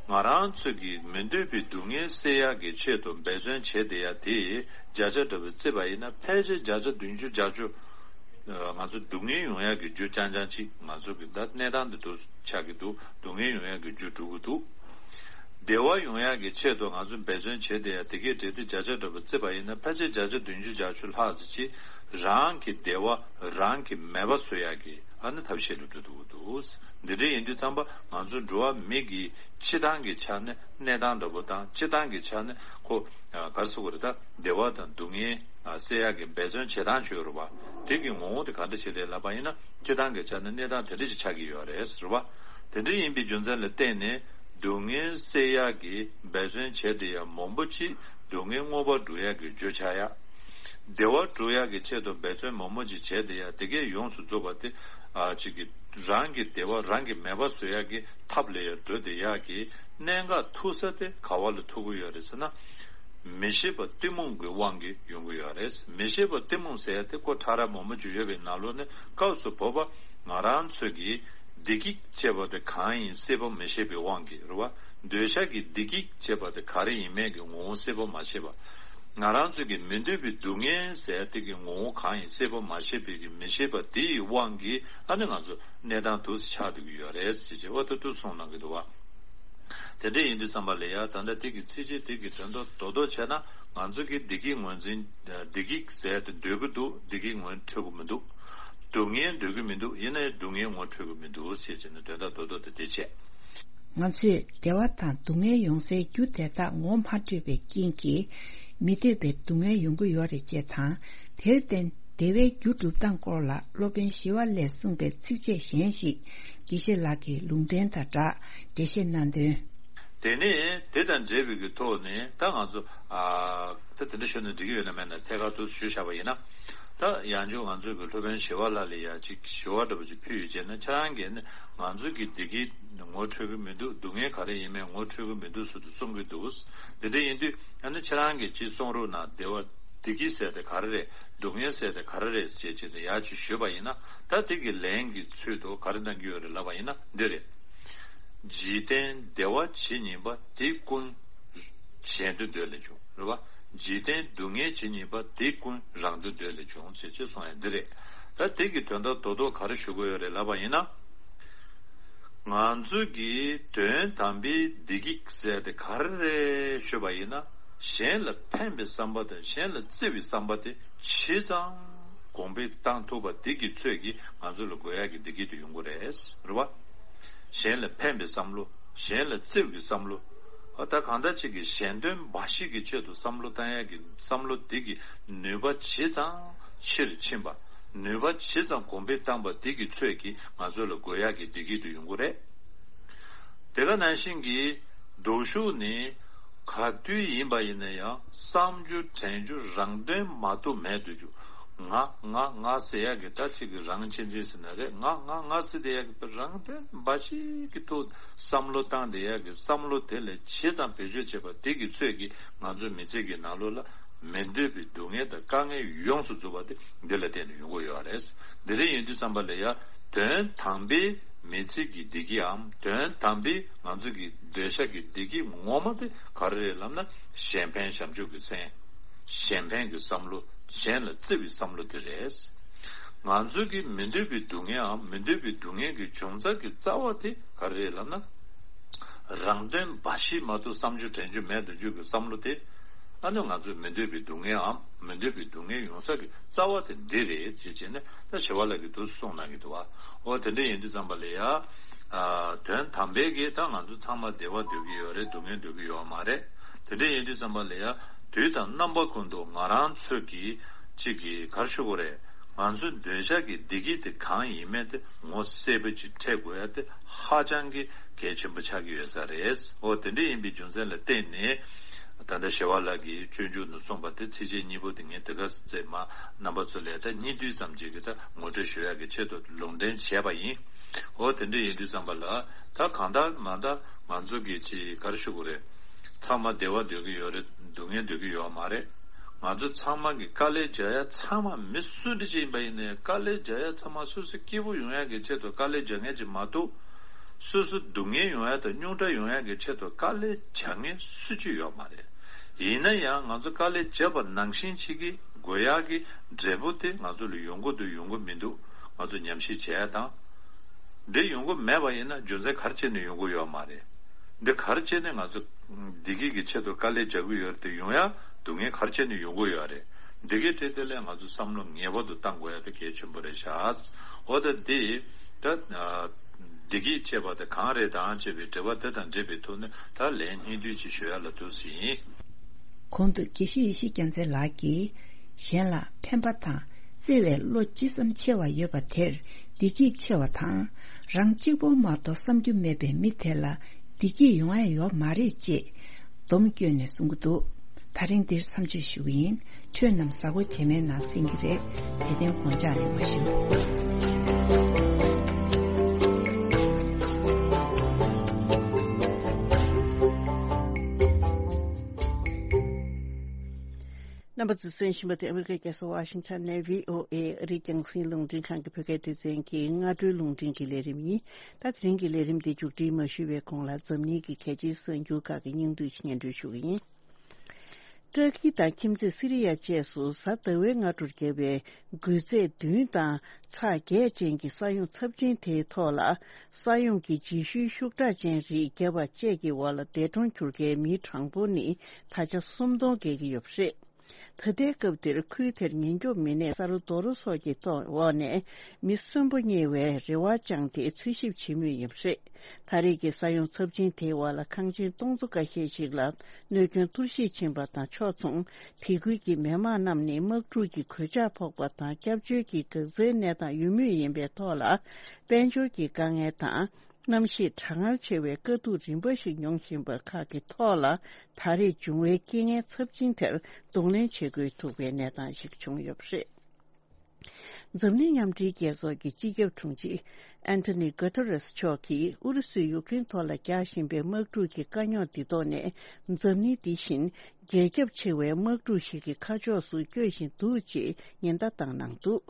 ང་རང་ཚོ་གི་མི་འདོད་པའི་སྡུག་བསྔལ་སེལ་ཡག་གི་ཆེད་དུ་འབད་བརྩོན་བྱེད་བསྡད་ཡ་དེ་བརྒྱ་ཆ་འདྲ་པོ་བརྩིས་པ་ཡིན་ན། ཕལ་ཆེར་བརྒྱ་ཆ་བདུན་ཅུ་བརྒྱད་ཅུ་ང་ཚོ་སྡུག་བསྔལ་ཡོང་ཡག་གི་རྒྱུ་རྐྱང་རྐྱང་ཅིག་ང་ཚོ་གི་ད་གནས་སྟངས་འདི་འདུག་ཆགས་ཀྱི་འདུག་སྡུག་བསྔལ་ཡོང་ཡག་གི་རྒྱུ་འགྲུབ་ཀྱི་འདུག་བདེ་བ་ཡོང་ཡག་གི་ཆེད་དུ་ང་ཚོ་འབད་བརྩོན་བྱེད་བསྡད་ཡ་དེ་གའི་གྲས་དེ་བརྒྱ་ཆ་འདྲ་པོ་བརྩིས་པ་ཡིན་ན། ཕལ་ཆེར་བརྒྱ་ཆ་བདུན་ཅུ་བརྒྱད་ཅུ་ལྷག་ཙམ་ཅིག་རང་གི་བདེ་བ་རང་གིས་མེད་པ་བཟོ་ཡག་གི་ཨ་ནི་ཐབས་ཤེས་ལ་འགྲོ་ཐུབ་ཀྱི་འདུག་འདི་འདྲ་ཡིན་དུས་ཙམ་པ་ང་ཚོ་འགྲོ་བ་མི་གི་སྤྱི་བཏང་གི་ཆ་ནས་གནས་སྟངས་འདྲ་པོ་དང་། སྤྱི་བཏང་གི་ཆ་ནས་ཁོ་ཨ་ག་རེ་ཟེར་དགོས་རེད་ད། བདེ་བ་དང་སྡུག་བསྔལ་ཨ་སེལ་ཡག་གི་འབད་བརྩོན་བྱེད་སྟངས་བྱོས་རུ་བ། དེ་གི་ངོ་བོ་དེ་ག་འདྲ་ཞིག་རེད་ལབ་པ་ཡིན་ན། སྤྱི་བཏང་གི་ཆ་ནས་གནས་སྟངས་དེ་འདྲ་ཞིག་ཆགས་ཀྱི་ཡོད་རེད་ཟེར་བ། དེ་འདྲ་ཡིན་པའི་རྒྱུ་མཚན་ལ་བརྟེན་ནས་སྡུག་བསྔལ་སེལ་ཡག་གི་འབད་བརྩོན་བྱས་བསྡད་ཡ་མང་པོ་ཅིག་སྡུག་བསྔལ་མངོན་པར་འགྲུབ་ཡག་གི་རྒྱུ་ཆགས་ཡ། བདེ་བ་སྒྲུབ་ཡག་གི་ཆེད་དུ་འབད་བརྩོན་མང་པོ་ཅིག་བྱས་བསྡད་ཡ་དེ་གས་ཡོངས་སུ་རྫོགས་པ་དེ་ཨ་ཅིག་གི་རང་གི་བདེ་བ་རང་གིས་མེད་པ་བཟོ་ཡག་གི་ཐབས་ལ་ཡ་འགྲོ་བསྡད་ཡག་གི་གནད་འགག་ཐུག་ས་དེ་ག་བ་ལ་ཐུག་གི་ཡོད་རེད་ཟེར་ན། མི་ཤེས་པ་གཏི་མུག་གི་དབང་གིས་ཡོང་གི་ཡོད་རེད། མི་ཤེས་པ་གཏི་མུག་ཟེར་ཡ་དེ་ཁོ་ཕྲ་རགས་མང་པོ་ཅིག་ཡོད་པའི་ནང་ལོགས་ནས་སྐབས་སུ་བབ་པ་ང་རང་ཚོ་གི་བདེ་སྐྱིད་ཅེས་པ་དེ་གང་ཡིན་སྲིད་པ་མི་ཤེས་པའི་དབང་གིས་རེད་བ། འདོད་ཆགས་ཀྱི་བདེ་སྐྱིད་ཅེས་པ་དེ་ག་རེ་ཡིན་མིན་གྱི་ངོ་བོ་སྲིད་པ་མ་ཤེས་པ། ང་རང་ཚོ་གི་མི་འདོད་པའི་སྡུག་བསྔལ་ཟེར་ཡ་དེ་གི་ངོ་བོ་གང་ཡིན་སྲིད་པ་མ་ཤེས་པའི་གི་མི་ཤེས་པ་དེ་ཡི་དབང་གིས་ཨ་ནི་ང་ཚོ་གནས་སྟངས་འདུག་སེ་ཆགས་བསྡད་ཀྱི་ཡོད་རེད་ཟེར་བྱས་འོ་ད་དུ་གསུངས་གནང་གི་འདུག་བ། དེ་འདྲ་ཡིན་དུས་ཙམ་པ་ལ་ཡ་ད་ལྟ་དེ་གི་ཚིགས་བཅད་དེ་གི་དོན་དག་རྡོག་རྡོག་བྱས་ན་ང་ཚོ་གི་བདེ་སྐྱིད་ངོས་འཛིན་བདེ་སྐྱིད་ཟེར་དེ་འདོད་ཀྱི་འདུག་བདེ་སྐྱིད་ངོ་འཕྲོད་ཀྱི་མི་འདུག་སྡུག་བསྔལ་འདོད་ཀྱི་མི་འདུག་ཡིན་ནའི་སྡུག་བསྔལ་ངོ་འཕྲོད་ཀྱི་མི་འདུག་ཟེར་བྱས་ནས་དོན་དག་རྡོག་རྡོག་དེ་དེ་བྱས། ང་ཚོས་བདེ་བ་དང་སྡུག་བསྔལ་ཡོང་སའི་རྒྱུ་དེ་དག་ངོ་མ་འཕྲོད་པའི་རྐྱེན་གྱིས་མི་འདོད་པའི་སྡུག་བསྔལ་ཡོང་གི་ཡོད་རེད་ཅེས་དང་། དེར་བརྟེན་བདེ་བའི་རྒྱུ་སྒྲུབ་སྟངས་སྐོར་ལ་སློབ་དཔོན་ཞི་བ་ལྷས་གསུངས་པའི་ཚིགས་བཅད་གཞན་ཞིག་དགེ་བཤེས་ལགས་ཀྱིས་ལུང་འདྲེན་དང་སྦྲགས་འགྲེལ་བཤད་གནང་དོན། དེ་ནས་དེ་དང་འབྲེལ་བའི་གི་ཐོག་ནས་ད་ང་ཚོ་ཨ་ད་དེ་འདྲ་ཞུས་ན་འགྲིག་གི་ཡོད་ན་མེད་ན་ཐད་ཀར་དུ་ཞུས་བཞག་པ་ཡིན་ན། ད་ཡང་བསྐྱར་ང་ཚོ་གི་སློབ་དཔོན་ཞི་བ་ལྷ་ལ་ཡ་ཅིག་ཞུ་བ་འདྲ་པོ་ཅིག་ཕུལ་ཡོད་ཅེ་ན། ཁྱེད་རང་གིས་ནི་ང་ཚོ་གི་བདེ་སྐྱིད་ངོ་འཕྲོད་ཀྱི་མི་འདུག་སྡུག་བསྔལ་ག་རེ་ཡིན་མིན་ངོ་འཕྲོད་ཀྱི་མི་འདུག་ཟེར་དུ་གསུང་གི་འདུག་འདི་འདྲ་ཡིན་དུས་ཨ་ནི་ཁྱེད་རང་གིས་ཅིག་གསུང་རོགས་གནང་། བདེ་བ་བདེ་སྐྱིད་ཟེར་དེ་ག་རེ་རེད། སྡུག་བསྔལ་ཟེར་དེ་ག་རེ་རེད་ཅེས་བྱས་ཏེ་ཡར་ཅིག་ཞུས་པ་ཡིན་ན། ད་དེ་གི་ལན་གྱི་ཚུལ་དུ་ག་རེ་གནང་གི་ཡོད་རེད་ལབ་པ་ཡིན་ན་འདི་རེད། འཇིག་རྟེན་བདེ་བ་ཇི་སྙེད་པ། དེ་ཀུན་གཞན་དོན་འདོད་ལས་བྱུང་། རེད་བ། འཇིག་རྟེན་སྡུག་བསྔལ་ཇི་སྙེད་པ། དེ་ཀུན་རང་དོན་འདོད་ལས་བྱུང་ཟེར་ཅེས་གསུངས་ཡ་འདི་རེད། ད་དེ་གི་དོན་དག་རྡོག་རྡོག་ག་རེ་ཞུ་དགོས་ཡོད་རེད་ལབ་པ་ཡིན་ན། ང་ཚོ་གིས་དོན་དམ་པའི་བདེ་སྐྱིད་ཟེར་དེ་ག་རེ་རེད་ཞུས་པ་ཡིན་ན། གཞན་ལ་ཕན་པའི་བསམ་པ་དང་གཞན་ལ་བརྩེ་བའི་བསམ་པ་དེ་ཇི་ཙམ་གོང་འཕེལ་བཏང་ཐུབ་པ་དེ་གི་ཚོད་ཀྱིས་ང་ཚོ་ལ་དགོས་ཡག་གི་བདེ་སྐྱིད་དེ་ཡོང་གི་རེད། རེད་བ། གཞན་ལ་ཕན་པའི་བསམ་བློ། གཞན་ལ་བརྩེ་བའི་བསམ་བློ། ཨ་ད་གང་ལྟར་ཅིག་གི་གཞན་དོན་འབའ་ཞིག་གི་ཆེད་དུ་བསམ་བློ་བཏང་ཡག་གི་བསམ་བློ་དེ་གི་ནུས་པ་ཇི་ཙམ་ཆེར་ཕྱིན་པ། ནུས་པ་ཇི་ཙམ་གོང་འཕེལ་བཏང་པ་དེ་གི་ཚོད་ཀྱིས་ང་ཚོ་ལ་དགོས་ཡག་གི་བདེ་སྐྱིད་དེ་ཡོང་གི་རེད། དེ་ག་ནང་བཞིན་གྱི་སྡུག་ཤོས་ནི་ག་དུས་ཡིན་པ་ཡིན་ན་ཡང་བསམ་རྒྱུ་དྲན་རྒྱུ་རང་དོན་མ་གཏོགས་མེད་དུ་འཇུག་ང་ང་ང་ཟེར་ཡག་གི་ད་ཅིག་གི་རང་གཅེས་འཛིན་ཟེར་ན་རེད། ང་ང་ང་ཟེར་བསྡད་ཡག་གི་རང་དོན་འབའ་ཞིག་གི་ཐོག་བསམ་བློ་བཏང་བསྡད་ཡག་གི་བསམ་བློ་དེ་ལས་ཇི་ཙམ་བེད་སྤྱོད་བྱེད་པ་དེ་གི་ཚོད་ཀྱིས་ང་ཚོའི་མི་ཚེ་གི་ནང་ལོགས་ལ་མི་འདོད་པའི་སྡུག་བསྔལ་དང་དཀའ་ངལ་ཡོངས་སུ་རྫོགས་པ་དེ་འདི་ལ་བརྟེན་ནས་ཡོང་གི་ཡོད་རེད། འདི་འདྲ་ཡིན་དུས་ཙམ་པ་ལ་ཡ་དོན་དམ་པའི་མི་ཚེ་གི་བདེ་སྐྱིད་འམ་དོན་དམ་པའི་ང་ཚོ་གི་འདོད་ཆགས་ཀྱི་བདེ་སྐྱིད་ངོ་མ་དེ་ག་རེ་རེད་ལབ་ན། གཞན་ཕན་བྱམས་སྐྱོང་གི་སེམས། གཞན་ཕན་གྱི་བསམ་བློ། གཞན་ལ་བརྩེ་བའི་བསམ་བློ་དེ་རེད། ང་ཚོ་གི་མི་འདོད་པའི་སྡུག་བསྔལ་འམ་མི་འདོད་པའི་སྡུག་བསྔལ་གྱི་འབྱུང་རྩ་གི་རྩ་བ་དེ་ག་རེ་རེད་ལབ་ན། རང་དོན་འབའ་ཞིག་མ་གཏོགས་བསམ་རྒྱུ་དྲན་རྒྱུ་མེད་དུ་འཇུག་གི་བསམ་བློ་དེ། ཨ་ནི་ང་ཚོས་མི་འདོད་པའི་སྡུག་བསྔལའམ་མི་འདོད་པའི་སྡུག་བསྔལ་ཡོང་ས་གི་རྩ་བ་དེ་འདི་རེད་ཅེས་བྱས་ནས་ད་ཞི་བ་ལྷ་གིས་འདུག་གསུངས་གནང་གི་འདུག་བ། འོ་དེ་འདྲ་ཡིན་དུས་ཙམ་པ་ལ་ཡ། ཨ་དོན་དམ་པའི་གི་ད་ང་ཚོ་ཚང་མ་བདེ་བ་འདོད་ཀྱི་ཡོད་རེད། སྡུག་བསྔལ་འདོད་ཀྱི་ཡོད་མ་རེད། དེ་འདྲ་ཡིན་དུས་ཙམ་པ་ལ་ཡ། དུས་དང་རྣམ་པ་ཀུན་ཏུ་ང་རང་ཚོས་ཀྱི་གཅིག་གི་གར་ཞུ་དགོས་རེད། ང་ཚོའི་འདོད་ཆགས་ཀྱི་བདེ་སྐྱིད་དེ་གང་ཡིན་མིན་དེ་ངོ་གསལ་པོ་ཅིག་འཕྲད་དགོས་ཡ་དེ་ཧ་ཅང་གི་གལ་ཆེན་པོ་ཆགས་ཀྱི་ཡོད་ས་རེད། འོ་དེ་འདྲ་ཡིན་པའི་རྒྱུ་མཚན་ལ་བརྟེན་ནས་ད་ལྟ་ཞི་བ་ལྷ་གིས་སྤྱོད་འཇུག་ནང་གསུངས་པ་དེ་ཚིགས་བཅད་གཉིས་པོ་དེ་ངས་དེ་ག་ཚོད་མ་རྣམ་པ་ཚོ་ལ་ད་སྙིང་བསྡུས་ཙམ་ཅིག་གི་ད་ངོ་སྤྲོད་ཞུ་ཡ་གི་ཆེད་དུ་ལུང་འདྲེན་བྱས་པ་ཡིན། འོ་དེ་འདྲ་ཡིན་དུས་ཙམ་པ་ལ་ད་གང་ལྟར་མ་ད་ང་ཚོ་གི་ཅིག་གར་ཞུ་དགོས་རེད། ཚང་མ་བདེ་བ་འདོད་ཀྱི་ཡོད་རེད། སྡུག་བསྔལ་འདོད་ཀྱི་ཡོད་མ་རེད། ང་ཚོ་ཚང་མ་གི་དཀའ་ལས་རྒྱག་ཡ་ཚང་མ་མི་སུ་འདྲ་ཅིག་ཡིན་པ་ཡིན་ནའི་དཀའ་ལས་རྒྱག་ཡ་ཚང་མ་སོ་སོ་སྐྱིད་པོ་ཡོང་ཡ་གི་ཆེད་དུ་དཀའ་ལས་རྒྱག་མཁན་ཅིག་མ་གཏོགས། སོ་སོ་སྡུག་བསྔལ་ཡོང་ཡ་དང་རྙོག་དྲ་ཡོང་ཡ་གི་ཆེད་དུ་དཀའ་ལས་རྒྱག་མཁན་སུ་གཅིག་ཡོད་མ་རེད། ཡིན་ན་ཡང་ང་ཚོ་དཀའ་ལས་བརྒྱབ་པ་ནང་བཞིན་ཅིག་གི་དགོས་ཡ་གི་འབྲས་བུ་དེ་ང་ཚོ་ལ་ཡོང་གི་འདུག་ཡོང་གི་མི་འདུག་ང་ཚོ་ཉམས་ཞིབ་བྱས་ཡ་དང་། འདི་ཡོང་གི་མེད་པ་ཡིན་ན་རྒྱུ་མཚན་ག་རེ་བྱས་ནས་ཡོང་གི་ཡོད་མ་རེད། འདི་ག་རེ་བྱས་ནས་ང་ཚོ་བདེ་སྐྱིད་ཀྱི་ཆེད་དུ་དཀའ་ལས་རྒྱག་གི་ཡོད་རེད་དེ་ཡོང་ཡ་སྡུག་བསྔལ་ག་རེ་བྱས་ནས་ཡོང་གི་ཡོད་རེད། འདི་གའི་ཐད་དེ་ལས་ང་ཚོ་བསམ་བློ་ངེས་པར་དུ་བཏང་དགོས་ཡ་དེ་གལ་ཆེན་པོ་རེད་ཤག་འོ་ད་འདི་ད་བདེ་སྐྱིད་ཅེས་པ་དེ་གང་རེད་དང་ཅེས་པའི་དྲི་བ་དེ་དང་འབྲེལ་བའི་ཐོག་ནས་ད་ལན་སྙིང་བསྡུས་ཅིག་ཞུ་ཡ་ལ་འདུག་ཟིན། གོང་དུ་དགེ་བཤེས་ཡེ་ཤེས་རྒྱལ་མཚན་ལགས་ཀྱིས། གཞན་ལ་ཕན་པ་དང་བརྩེ་བའི་བློ་ཅི་ཙམ་ཆེ་བ་ཡོད་པ་དེར་བདེ་སྐྱིད་ཆེ་བ་དང་། རང་གཅིག་པོ་མ་གཏོགས་བསམ་རྒྱུ་མེད་པའི་མི་དེ་ལ་བདེ་སྐྱིད་ཡོང་ཡ་ཡོད་མ་རེད་ཅེས་སྡོམ་བསྐྱོན་ནས་གསུང་གི་འདུག་ད་རིང་འདིར་མཚམས་གཅོད་ཞུ་གི་ཡིན། ཁྱོད་རྣམས་གཟའ་འཁོར་རྗེས་མའི་ནང་གསན་གྱི་རེད། དེ་དོན་དགོངས་འཇགས་ཡོང་བ་ཞུ། རྣམ་པ་ཚོས་གསན་བཞིན་པ་དེ་ཨ་མི་རི་ཀའི་རྒྱལ་ས་ཝ་ཤིང་ཊོན་ནས་བྷི་ཨོ་ཨེ་ཨ་རིའི་རྒྱང་སྲིང་རླུང་འཕྲིན་ཁང་གི་བོད་སྐད་སྡེ་ཚན་གྱི་སྔ་དྲོའི་རླུང་འཕྲིན་གྱི་ལས་རིམ་ཡིན། ད་དེ་རིང་གི་ལས་རིམ་འདི་མཇུག་སྒྲིལ་མ་ཞུས་པའི་གོང་ལ་འཛམ་གླིང་གི་གལ་ཆེའི་གསར་འགྱུར་ཁག་གི་སྙིང་བསྡུས་སྙན་སྒྲོན་ཞུ་གི་ཡིན། ཏུར་ཀི་དང་ཁྱིམ་མཚེས་སི་རི་ཡ་བཅས་སུ་གཟའ་ཟླ་བའི་སྔ་དྲོར་བརྒྱབ་པའི་འགུལ་རྫས་བདུན་དང་ཚེག་བརྒྱད་ཅན་གྱི་ས་ཡོམ་ཚབས་ཆེན་དེའི་ཐོག་ལ། ས་ཡོམ་གྱི་རྗེས་ཤུལ་ཤུགས་དྲག་ཅན་རིགས་བརྒྱབ་པ་བཅས་ཀྱི་འོག་ལ་འདས་གྲོངས་གྱུར་མཁན་མིའི་གྲངས་འབོར་ནི་ད་ཆ་སུམ་སྟོང་བརྒལ་གྱི་ཡོད་པ་རེད། ད་ལྟའི་སྐབས་འདིར་ཁུལ་དེར་ཉེན་སྐྱོབ་མི་སྣས་ས་རུ་རྡོ་རོ་སོགས་ཀྱི་ཐོག་འོག་ནས་མི་གསོན་པོ་རྙེད་པའི་རེ་བ་བཅངས་ཏེ་འཚོལ་ཞིབ་བྱེད་མུས་ཡིན་པ་རེད། ད་རེས་ཀྱི་ས་ཡོམ་ཚབས་ཆེན་དེའི་འོག་ལ་ཁང་ཆེན་སྟོང་ཚོ་འགའ་ཤས་ཤིག་ལ་གནོད་སྐྱོན་གཏོར་བཤིག་ཕྱིན་པ་དང་ཕྱོགས་མཚུངས། དེ་ཁུལ་གྱི་མི་མང་རྣམས་ནི་དམག་འཁྲུག་གི་གོད་ཆག་ཕོག་པ་དང་སྐྱབས་བཅོལ་གྱི་འགག་རྩའི་གནས་སྟངས་ཡོད་མུས་ཡིན་པའི་ཐོག་ལ། དཔལ་འབྱོར་གྱི་དཀའ་ངལ་དང་། གནམ་གཤིས་གྲང་ངར་ཆེ་བའི་དཀའ་སྡུག་རིམ་པ་ཞིག་མྱོང་བཞིན་པ་ཁག་གི་ཐོག་ལ། ད་རེས་བྱུང་བའི་རྐྱེན་ངན་ཚབས་ཆེན་དེར་གདོང་ལེན་བྱེད་དགོས་ཐུག་པའི་གནས་སྟངས་ཤིག་བྱུང་ཡོད་པ་རེད། འཛམ་གླིང་མཉམ་འབྲེལ་རྒྱལ་ཚོགས་ཀྱི་སྤྱི་ཁྱབ་དྲུང་ཆེ་ཨན་ཐོ་ནི་གྷོ་ཐེ་རེས་མཆོག་གིས་ཨུ་རུ་སུས་ཡུཀ་རེན་ཐོག་ལ་རྒྱག་བཞིན་པའི་དམག་འཁྲུག་གི་དཀའ་རྙོག་འདི་ཐོག་ནས། འཛམ་གླིང་འདི་བཞིན་རྒྱ་ཁྱབ་ཆེ་བའི་དམག་འཁྲུག་ཞིག་གི་ཁ་ཕྱོགས་སུ་བསྐྱོད་བཞིན་འདུག་ཅེས་ཉེན་བརྡ་བཏང་གནང་འདུག་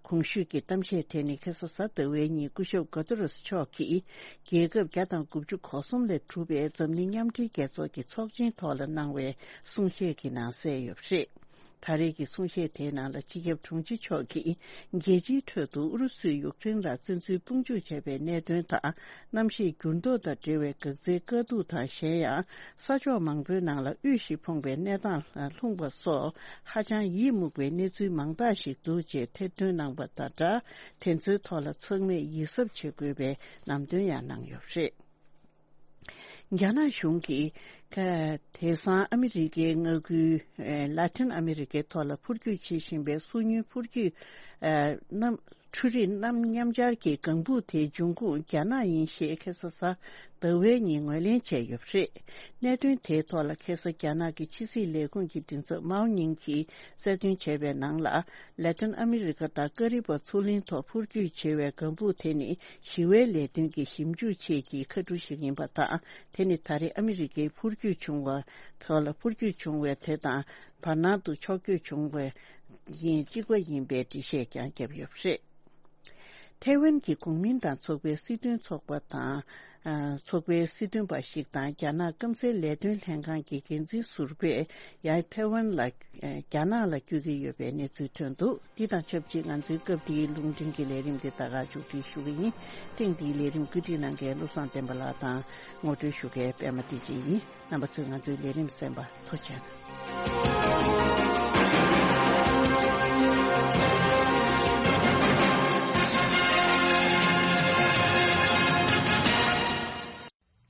གོང་ཞུས་ཀྱི་གཏམ་བཤད་དེ་ནི་ཁ་སང་གཟའ་ཟླ་བའི་ཉིན་སྐུ་ཞབས་གྷོ་ཐེ་རེས་མཆོག་གིས་རྒྱལ་ཁབ་བརྒྱ་དང་དགུ་བཅུ་གོ་གསུམ་ལས་གྲུབ་པའི་འཛམ་གླིང་མཉམ་འབྲེལ་རྒྱལ་ཚོགས་ཀྱི་ཚོགས་ཆེན་ཐོག་ལ་གནང་བའི་གསུང་བཤད་ཀྱི་ནང་གསལ་ཡོད་པ་རེད། ད་རེས་ཀྱི་གསུང་བཤད་དེའི་ནང་ལ་སྤྱི་ཁྱབ་དྲུང་ཆེ་མཆོག་གིས་རྒྱལ་སྤྱིའི་ཁྲོད་དུ་ཨུ་རུ་སུས་ཡུཀ་རེན་ལ་བཙན་འཛུལ་དཔུང་འཇུག་བྱས་པའི་གནད་དོན་དང་གནམ་གཤིས་འགྱུར་ལྡོག་དང་འབྲེལ་བའི་འགག་རྩའི་དཀའ་སྡུག་དང་གཞན་ཡང་ས་ཕྱོགས་མང་པོའི་ནང་ལ་དབུལ་ཞིང་ཕོངས་པའི་གནས་སྟངས་ལ་ལྷུང་པ་སོགས་ཧ་ཅང་ཡིད་མུག་པའི་གནས་ཚུལ་མང་དག་ཞིག་འདུག་ཅེས་ཐེར་འདོན་གནང་པ་དང་སྦྲགས། དེ་ཚོའི་ཐོག་ལ་ཚང་མས་ཡིད་གཟབ་བྱེད་དགོས་པའི་ལམ་སྟོན་ཡང་གནང་ཡོད་པ་རེད། རྒྱ་ནག་གཞུང་གིས་ཁ་དེང་སང་ཨ་མི་རི་ཀའི་མངའ་ཁུལ་ལ་ཏིན་ཨ་མི་རི་ཀའི་ཐོག་ལ་འཕུར་སྐྱོད་བྱེད་བཞིན་པའི་སོ་ཉུལ་འཕུར་སྐྱོད་གནམ་འཕྲུལ་རིག་གནམ་མཉམ་སྦྱར་གྱི་ལྒང་བུ་དེའི་འབྱུང་ཁུངས་རྒྱ་ནག་ཡིན་ཞེས་ཁ་སང་གཟའ་ཟླ་བའི་ཉིན་ངོས་ལེན་བྱས་ཡོད་པ་རེད། གནད་དོན་དེའི་ཐོག་ལ་ཁ་སང་རྒྱ་ནག་གི་ཕྱི་སྲིད་ལས་ཁུངས་ཀྱི་མགྲིན་ཚབ་མའོ་ཉིང་གིས་གསལ་སྟོན་བྱས་པའི་ནང་ལ། ལ་ཏིན་ཨ་མི་རི་ཀ་དང་ཀ་རི་པ་མཚོ་གླིང་ཐོག་འཕུར་སྐྱོད་བྱེད་པའི་ལྒང་བུ་དེ་ནི་ཞི་བའི་ལས་དོན་གྱི་ཞིབ་འཇུག་ཆེད་ཀྱི་མཁའ་གྲུ་ཞིག་ཡིན་པ་དང་། དེ་ནི་ད་རེས་ཨ་མི་རི་ཀའི་འཕུར་སྐྱོད་བྱུང་བ་ཐོག་ལ་འཕུར་སྐྱོད་བྱུང་བའི་དེ་དང་བར་སྣང་དུ་ཕྱོགས་བསྐྱོད་བྱུང་བའི་ཡིན་གཅིག་པ་ཡིན་པའི་འགྲེལ་བཤད་ཀྱང་བརྒྱབ་ཡོད་པ་རེད། ཐའེ་ཝན་གྱི་གོང་མིན་ཏང་ཚོགས་པའི་སྲིད་དོན་ཚོགས་པ་དང་། ཨ། ཚོགས་པའི་སྲིད་དོན་པ་ཞིག་དང་རྒྱ་ནག་སྐམ་སའི་ལས་དོན་ལྷན་ཁང་གི་འགན་འཛིན་ཟུར་པས་ཡང་ཐའེ་ཝན་ལ། ཨ། རྒྱ་ནག་ལ་བསྐྱོད་ཀྱི་ཡོད་པའི་གནས་ཚུལ་ཐོན་འདུག་འདི་དང་ཆབས་ཅིག་ང་ཚོའི་སྐབས་འདིའི་རླུང་འཕྲིན་གྱི་ལས་རིམ་འདི་ད་ག་མཇུག་སྒྲིལ་ཞུ་གི་ཡིན། ཐེངས་འདིའི་ལས་རིམ་བཀོད་སྒྲིག་གནང་མཁན་བློ་བཟང་བསྟན་པ་ལགས་དང་ངོ་སྤྲོད་ཞུ་མཁན་པད་མ་བདེ་ཆེན་ཡིན། རྣམ་པ་ཚོས་ང་ཚོའི་ལས་རིམ་གསན་པ་ཐུགས་རྗེ་ཆེ།